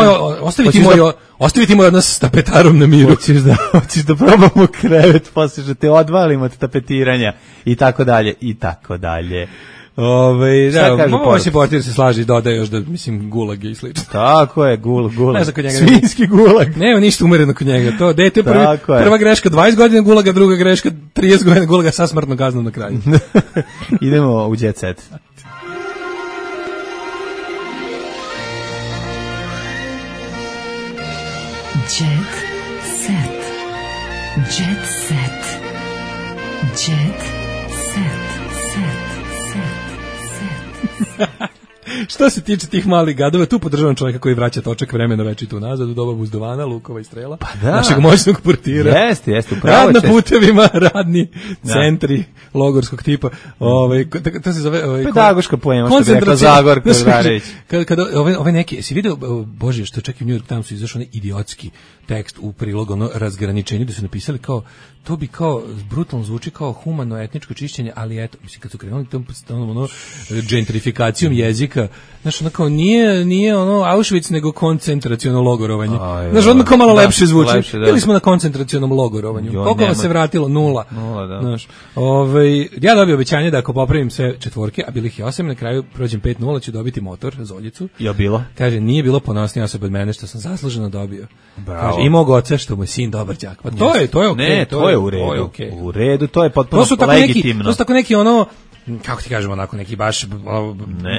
Ostaviti moj odnos s tapetarom na miru. Hoćeš da probamo krevet, posle što te odvalimo od tapetiranja i tako dalje, i tako dalje. Ovo se portir se slaži i dodaje još da, mislim, gulag je i slično. Tako je, gulag. Svinjski gulag. Nema ništa umereno kod njega. To dete prva greška 20 godina gulaga, druga greška 30 godina gulaga sa smrtnom kaznom na kraju. Idemo u Jet Set. Jet Set. Jet Set. Jet Set. Što se tiče tih malih gadova, tu podržavam čovjeka koji vraća točak vremena večitu nazad u doba Buzdovana, Lukova i Strela, našeg moćnog portira. Jeste, rad na putevima, radni centri logorskog tipa. To se zove... pedagoška poema, što bi rekla Zagorka Zvarević. Kada ove neke, si vidio, Bože, što čak i u New York Timesu izašao onaj idiotski tekst u prilog, ono razgraničenju, da su napisali kao, to bi kao, brutalno zvuči kao humano etničko čišćenje, ali eto, mislim, kad su krenuli tom gentrifikacijom jezika, znaš, ono kao, nije ono Auschwitz, nego koncentraciono logorovanje. Znaš, odmah kao malo lepše zvuči. Bili smo na koncentracionom logorovanju. Koliko vas se vratilo? Nula. Znaš, ja dobio obećanje da ako popravim sve četvorke, a bili ih 8, na kraju prođem 5-0, ću dobiti motor, Zoljicu. Je bilo? Kaže, nije bilo ponosnija osoba od mene što sam zasluženo dobio. Kaže, i mog oca što mu je sin dobar đak. Pa to je okej. Ne, to je u redu. U redu, to je potpuno legitimno. To su tako neki ono, kako ti kažemo, onako neki baš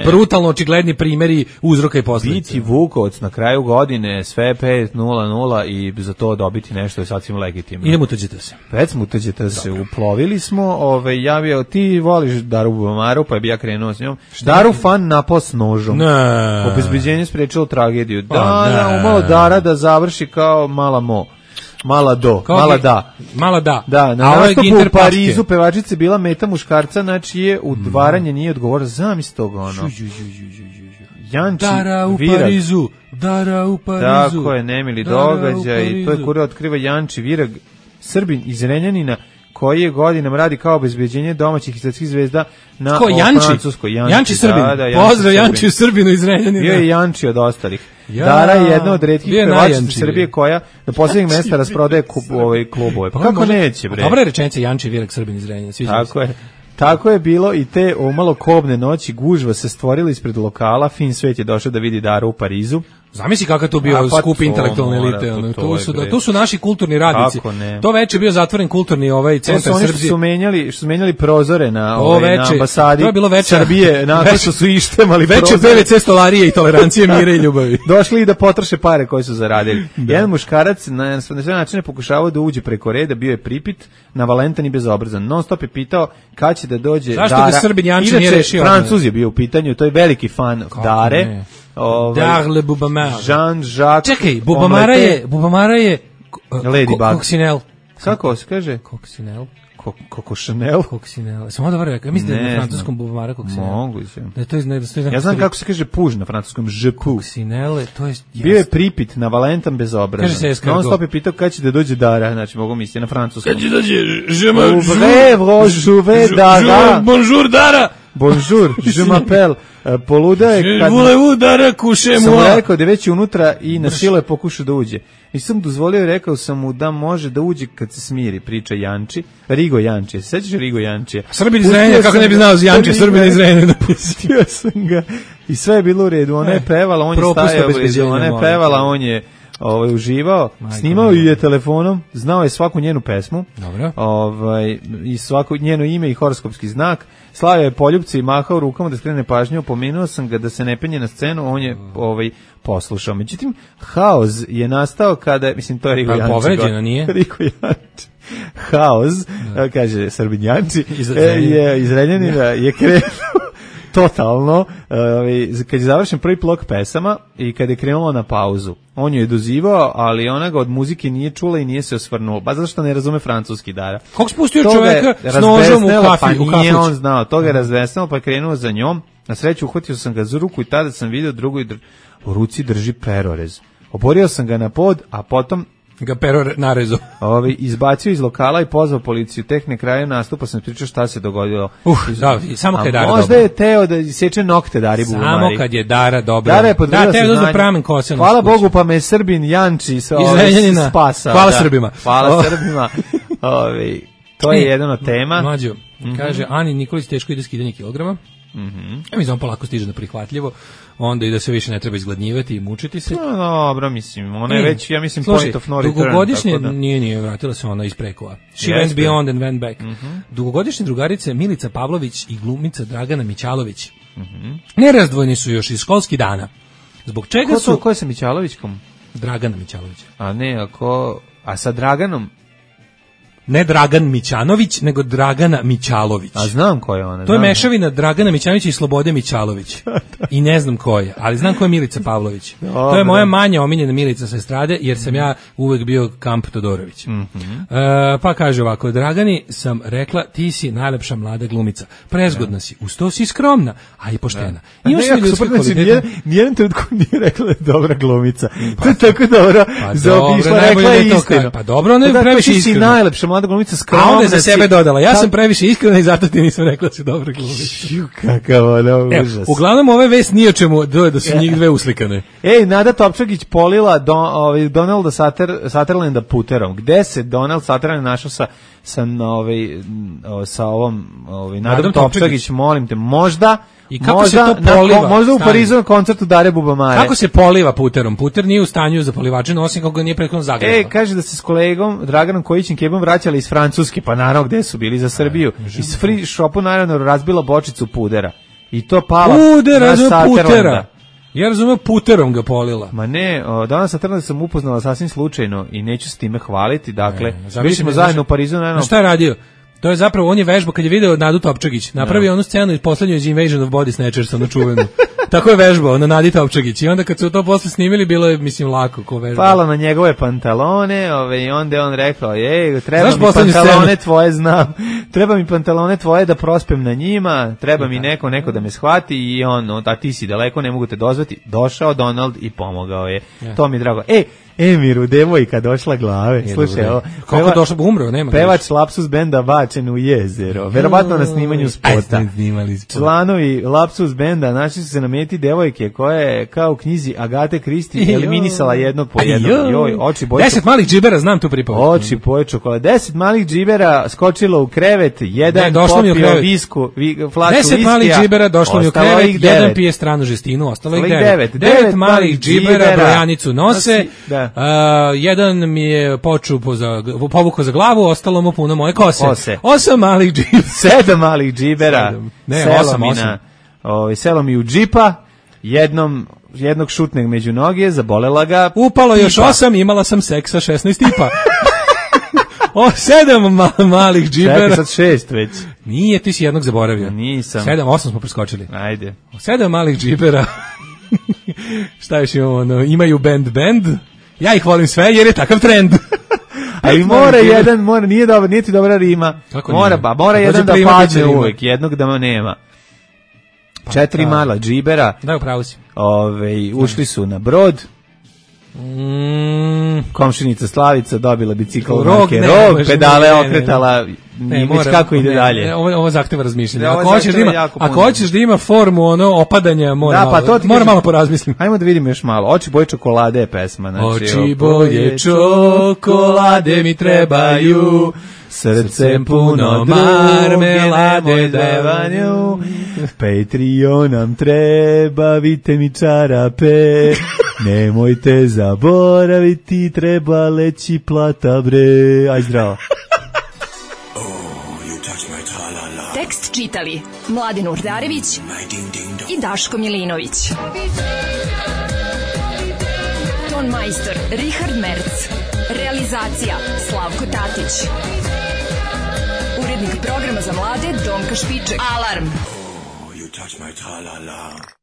brutalno očigledni primjeri uzroka i posljedica. Biti Vukovac na kraju godine, sve 5-0-0 i za to dobiti nešto je sasvim legitimno. Idemo utuđete se. Već smo utuđete se, uplovili smo, javio, ti voliš Daru Bubamaru, pa bi ja krenuo s njom. Daru fan napao s nožom. Ne. Obezbeđenje sprečilo tragediju. Umalo Dara da završi kao mala Mo. Mala do, Kao mala ge- da. Mala da. Da, na A ovo je nastupu Ginter u Parizu Pačke. pevačica je bila meta muškarca, znači je udvaranje nije odgovorila. Zamisli toga ono. Janči Dara u Virag. Parizu, Dara u Parizu. Tako je, nemili Dara u događaj. To je Parizu. kura otkriva Janči Virag, Srbin iz Renjanina, koji je godinama radi kao obezbeđenje domaćih i svetskih zvezda na Ko, Janči? Francuskoj. Janči Srbin. Pozdrav Janči Srbinu iz Renjanina. Bio je Janči od ostalih. Ja. Dara je jedna od retkih Bio je pevačica najjanči. Srbije koja na posljednjeg mesta rasprodaje klubove. Pa kako može- neće, bre? Dobra je rečenica Janči Virag Srbin iz Renjanina. Sviđa mi se. Tako je. Tako je bilo i te umalo kobne noći gužva se stvorila ispred lokala, fin svet je došao da vidi Daru u Parizu. Zamisli kakav to bio A, pa skup to intelektualne mora, elite. pa ono, to to je, su, bre. to su naši kulturni radnici. Kako ne? To veče je bio zatvoren kulturni To centar su oni što Srbije. su menjali prozore na, To na veče- ambasadi to je bilo veče- Srbije, nakon što su ištemali Veče prozore. PVC stolarije i tolerancije, mira i ljubavi. Došli i da potroše pare koje su zaradili. Jedan muškarac na sve načine pokušavao da uđe preko reda, bio je pripit, na Valentan i bezobrazan. Non stop je pitao kad će da dođe Zašto Dara. ga Srbin Janči Inače, nije rešio? Francuz je bio u pitanju, to je veliki fan Dare. ne? Ovaj, Darle Bubamar. Jean-Jacques. Čekaj, Bubamara je Ladybug. Koksinel. Kako se kaže? Koksinel. Coco Chanel. Koksinel. Samo dobro rekao. Ja mislim da je Ne na francuskom znam. Bubamara Koksinel. Moguće. Da je to iz Ja znam kako se kaže puž na francuskom, je pu. Koksinele, to je... Bio je pripit na Valentan bezobrazan. Kaže se escargot. Non stop je pitao kad će da dođe Dara, znači mogu misliti na francuskom. Kad će dođe... Ouvre, je Dara. Bonjour, Dara! Bonjour, je m'appelle. Poluda je kad... Voulez-vous, Dara, couchez Sam mu moi? rekao da je već unutra i na silu je pokušao da uđe. Nisam dozvolio i rekao sam mu da može da uđe kad se smiri, priča Janči. Rigo Janči, se sećaš Rigo Jančija? Srbin iz Renjanina, kako ne bi znao za Janči, Srbin iz Renjanina. Pustio sam ga i sve je bilo u redu. Ona je pevala, on je propust stajao blizu, obezbeđenja, ona je molim pevala, te. on je uživao, Majko snimao moja. ju je telefonom, znao je svaku njenu pesmu, Dobro. i svako njeno ime i horoskopski znak, slavio je poljupce i mahao rukama da skrene pažnju, opomenuo sam ga da se ne penje na scenu, on je poslušao. Međutim, haos je nastao kada, mislim, to je Rigo Pa, Janči. povređeno nije? Rigo Janči. Haos, kaže Srbin Janči, Iz Renjanina. je iz Renjanina, je krenuo totalno, kad je završen prvi blok pesama i kad je krenulo na pauzu. On ju je dozivao, ali ona ga od muzike nije čula i nije se osvrnuo. Ba zašto ne razume francuski, Dara. Kako spustio To ga je čoveka s nožom u razvesnelo, kafi, u pa nije kafić? on znao. To ga je razvesnelo, pa je krenuo za njom. Na sreću uhvatio sam ga za ruku i tada sam vidio drugoj u ruci drži perorez. Oborio sam ga na pod, a potom Ga pero narezo. izbacio iz lokala i pozvao policiju. Tek na kraju nastupa sam pričao šta se dogodilo. Da, samo kad je Dara možda dobra. je teo da seče nokte Dari Bubamari. Samo kad je Dara dobra. Dara je podvrgla da, teo da uzme saznanje. pramen kose. Hvala Bogu pa me Srbin Janči sa Iz Renjanina. spasa. Hvala Srbima. Hvala Srbima. To je jedan od tema. Mlađo, kaže, Ani Nikolić teško ide skidanje kilograma. Ja mislim, on polako stiže na prihvatljivo, onda i da se više ne treba izgladnjivati i mučiti se. No, dobro, mislim, ona je već, ja mislim, Slušaj, point of no return. dugogodišnje, tako da. nije, vratila se ona iz prekova. She Jeste. went beyond and went back. Dugogodišnje drugarice Milica Pavlović i glumica Dragana Mićalović nerazdvojni su još iz školskih dana. Zbog čega Ko je sa Mićalovićkom? Dragana Mićalović. A ne, a sa Draganom? Ne Dragan Mićanović, nego Dragana Mićalović. A znam ko je ona. To je znam. mešavina Dragana Mićanovića i Slobode Mićalović. I ne znam ko je, ali znam ko je Milica Pavlović. To je moja manja omiljena Milica sa estrade, jer sam ja uvek bio Kamp Todorović. Pa kaže ovako, Dragani sam rekla, ti si najlepša mlada glumica. Prezgodna si, uz to si skromna, a i poštena. A Imaš ne, li ako ljudske super, znači, kvalitete? nijedan trenutku nije rekla da je dobra glumica. To je tako dobro. Zaobišla, najbolje rekla da je je to istinu. kaže. Pa dobro, ona je Da, previše ti si iskrena. najlepša mlada glumica, skromna. A onda je za si. sebe dodala, ja sam previše iskrena i zato ti nisam rekla da si dobra glumica. Kakav ono užas. Uglavnom ove vest nije o čemu da su njih dve uslikane. Ej, Nada Topčagić polila Donalda Sutherlanda puterom. Gde se Donald Sutherland našao sa ovom Nadom Topčagić, molim te, možda I kako se to poliva? Možda u Stani. Parizu na koncertu Dare Bubamare. Kako se poliva puterom? Puter nije u stanju za polivačinu, osim kako ga nije prethodno zagreva. Kaže da se s kolegom Draganom Kojićem Kebom vraćali iz Francuske, pa naravno gde su bili za Srbiju. Iz free shopu naravno razbila bočicu pudera. I to pala na Sutherlanda. Ja razumem, puterom ga polila. Ma ne, danas Sutherlanda sam upoznala sasvim slučajno i neću s time hvaliti, dakle, Ne, bili smo zajedno u Parizu, naravno. Šta je radio? To je zapravo, on je vežbao kad je video Nadu Topčagić. Napravio onu scenu iz poslednjoj iz Invasion of Body Snatchers, onu čuvenu. Tako je vežbao na Nadi Topčagić. I onda kad su to posle snimili, bilo je, mislim, lako ko vežba. Palo na njegove pantalone, i onda je on rekao, treba mi pantalone tvoje, znam. Treba mi pantalone tvoje da prospem na njima, treba mi neko da me shvati i a ti si daleko, ne mogu te dozvati. Došao Donald i pomogao je. To mi je drago. Emiru, devojka došla glave. Slušaj, ovo. Kako došla, umro, nema. Pevač Lapsus benda bačen u jezero. Verovatno na snimanju spota. Članovi Lapsus benda našli su se na meti devojke koja je kao u knjizi Agate Kristi eliminisala jednog po jednog. Oči boje 10 malih džibera, znam tu pripovest. Oči boje čokolade. 10 malih džibera skočilo u krevet, jedan popio visku, flašu viskija. 10 malih džibera došlo mi u krevet, jedan pije stranu žestinu, ostalo ih 9. 9 malih džibera brojanicu nose. Jedan mi je povukao za glavu, ostalo mu puno moje kose. 8 malih džibera. 7 malih džibera. Ne, 8. Selo mi u džipa, jednog šutneg među noge, zabolela ga. Upalo još 8, imala sam seksa 16 tipa. 7 malih džibera. Čekaj, sad 6 već. Nije, ti si jednog zaboravio. Nisam. 7, 8 smo preskočili. Ajde. 7 malih džibera. Šta još imamo? Imaju band. Ja ih volim sve jer je takav trend. Ali nije ti dobra rima. Mora jedan da padne uvek, jednog da nema. 4 mala džibera. Da, upravo si. Ušli su na brod. Komšinica Slavica dobila bicikl u marke Rog, pedale okretala, već kako ide dalje. Ovo zahteva razmišljanje. Ako hoćeš da ima formu opadanja, mora malo porazmislim. Ajmo da vidimo još malo. Oči boje čokolade je pesma. Oči boje čokolade mi trebaju, srce puno marmelade davanju, Patreon nam treba, vidite mi čarape, nemojte zaboraviti, treba leći plata bre. Aj zdravo. Tekst čitali Mladin Urdarević i Daško Milinović. Ton majstor Richard Merc. Realizacija Slavko Tatić. Urednik programa za mlade Donka Špiček. Alarm! You touch my tra-la-la.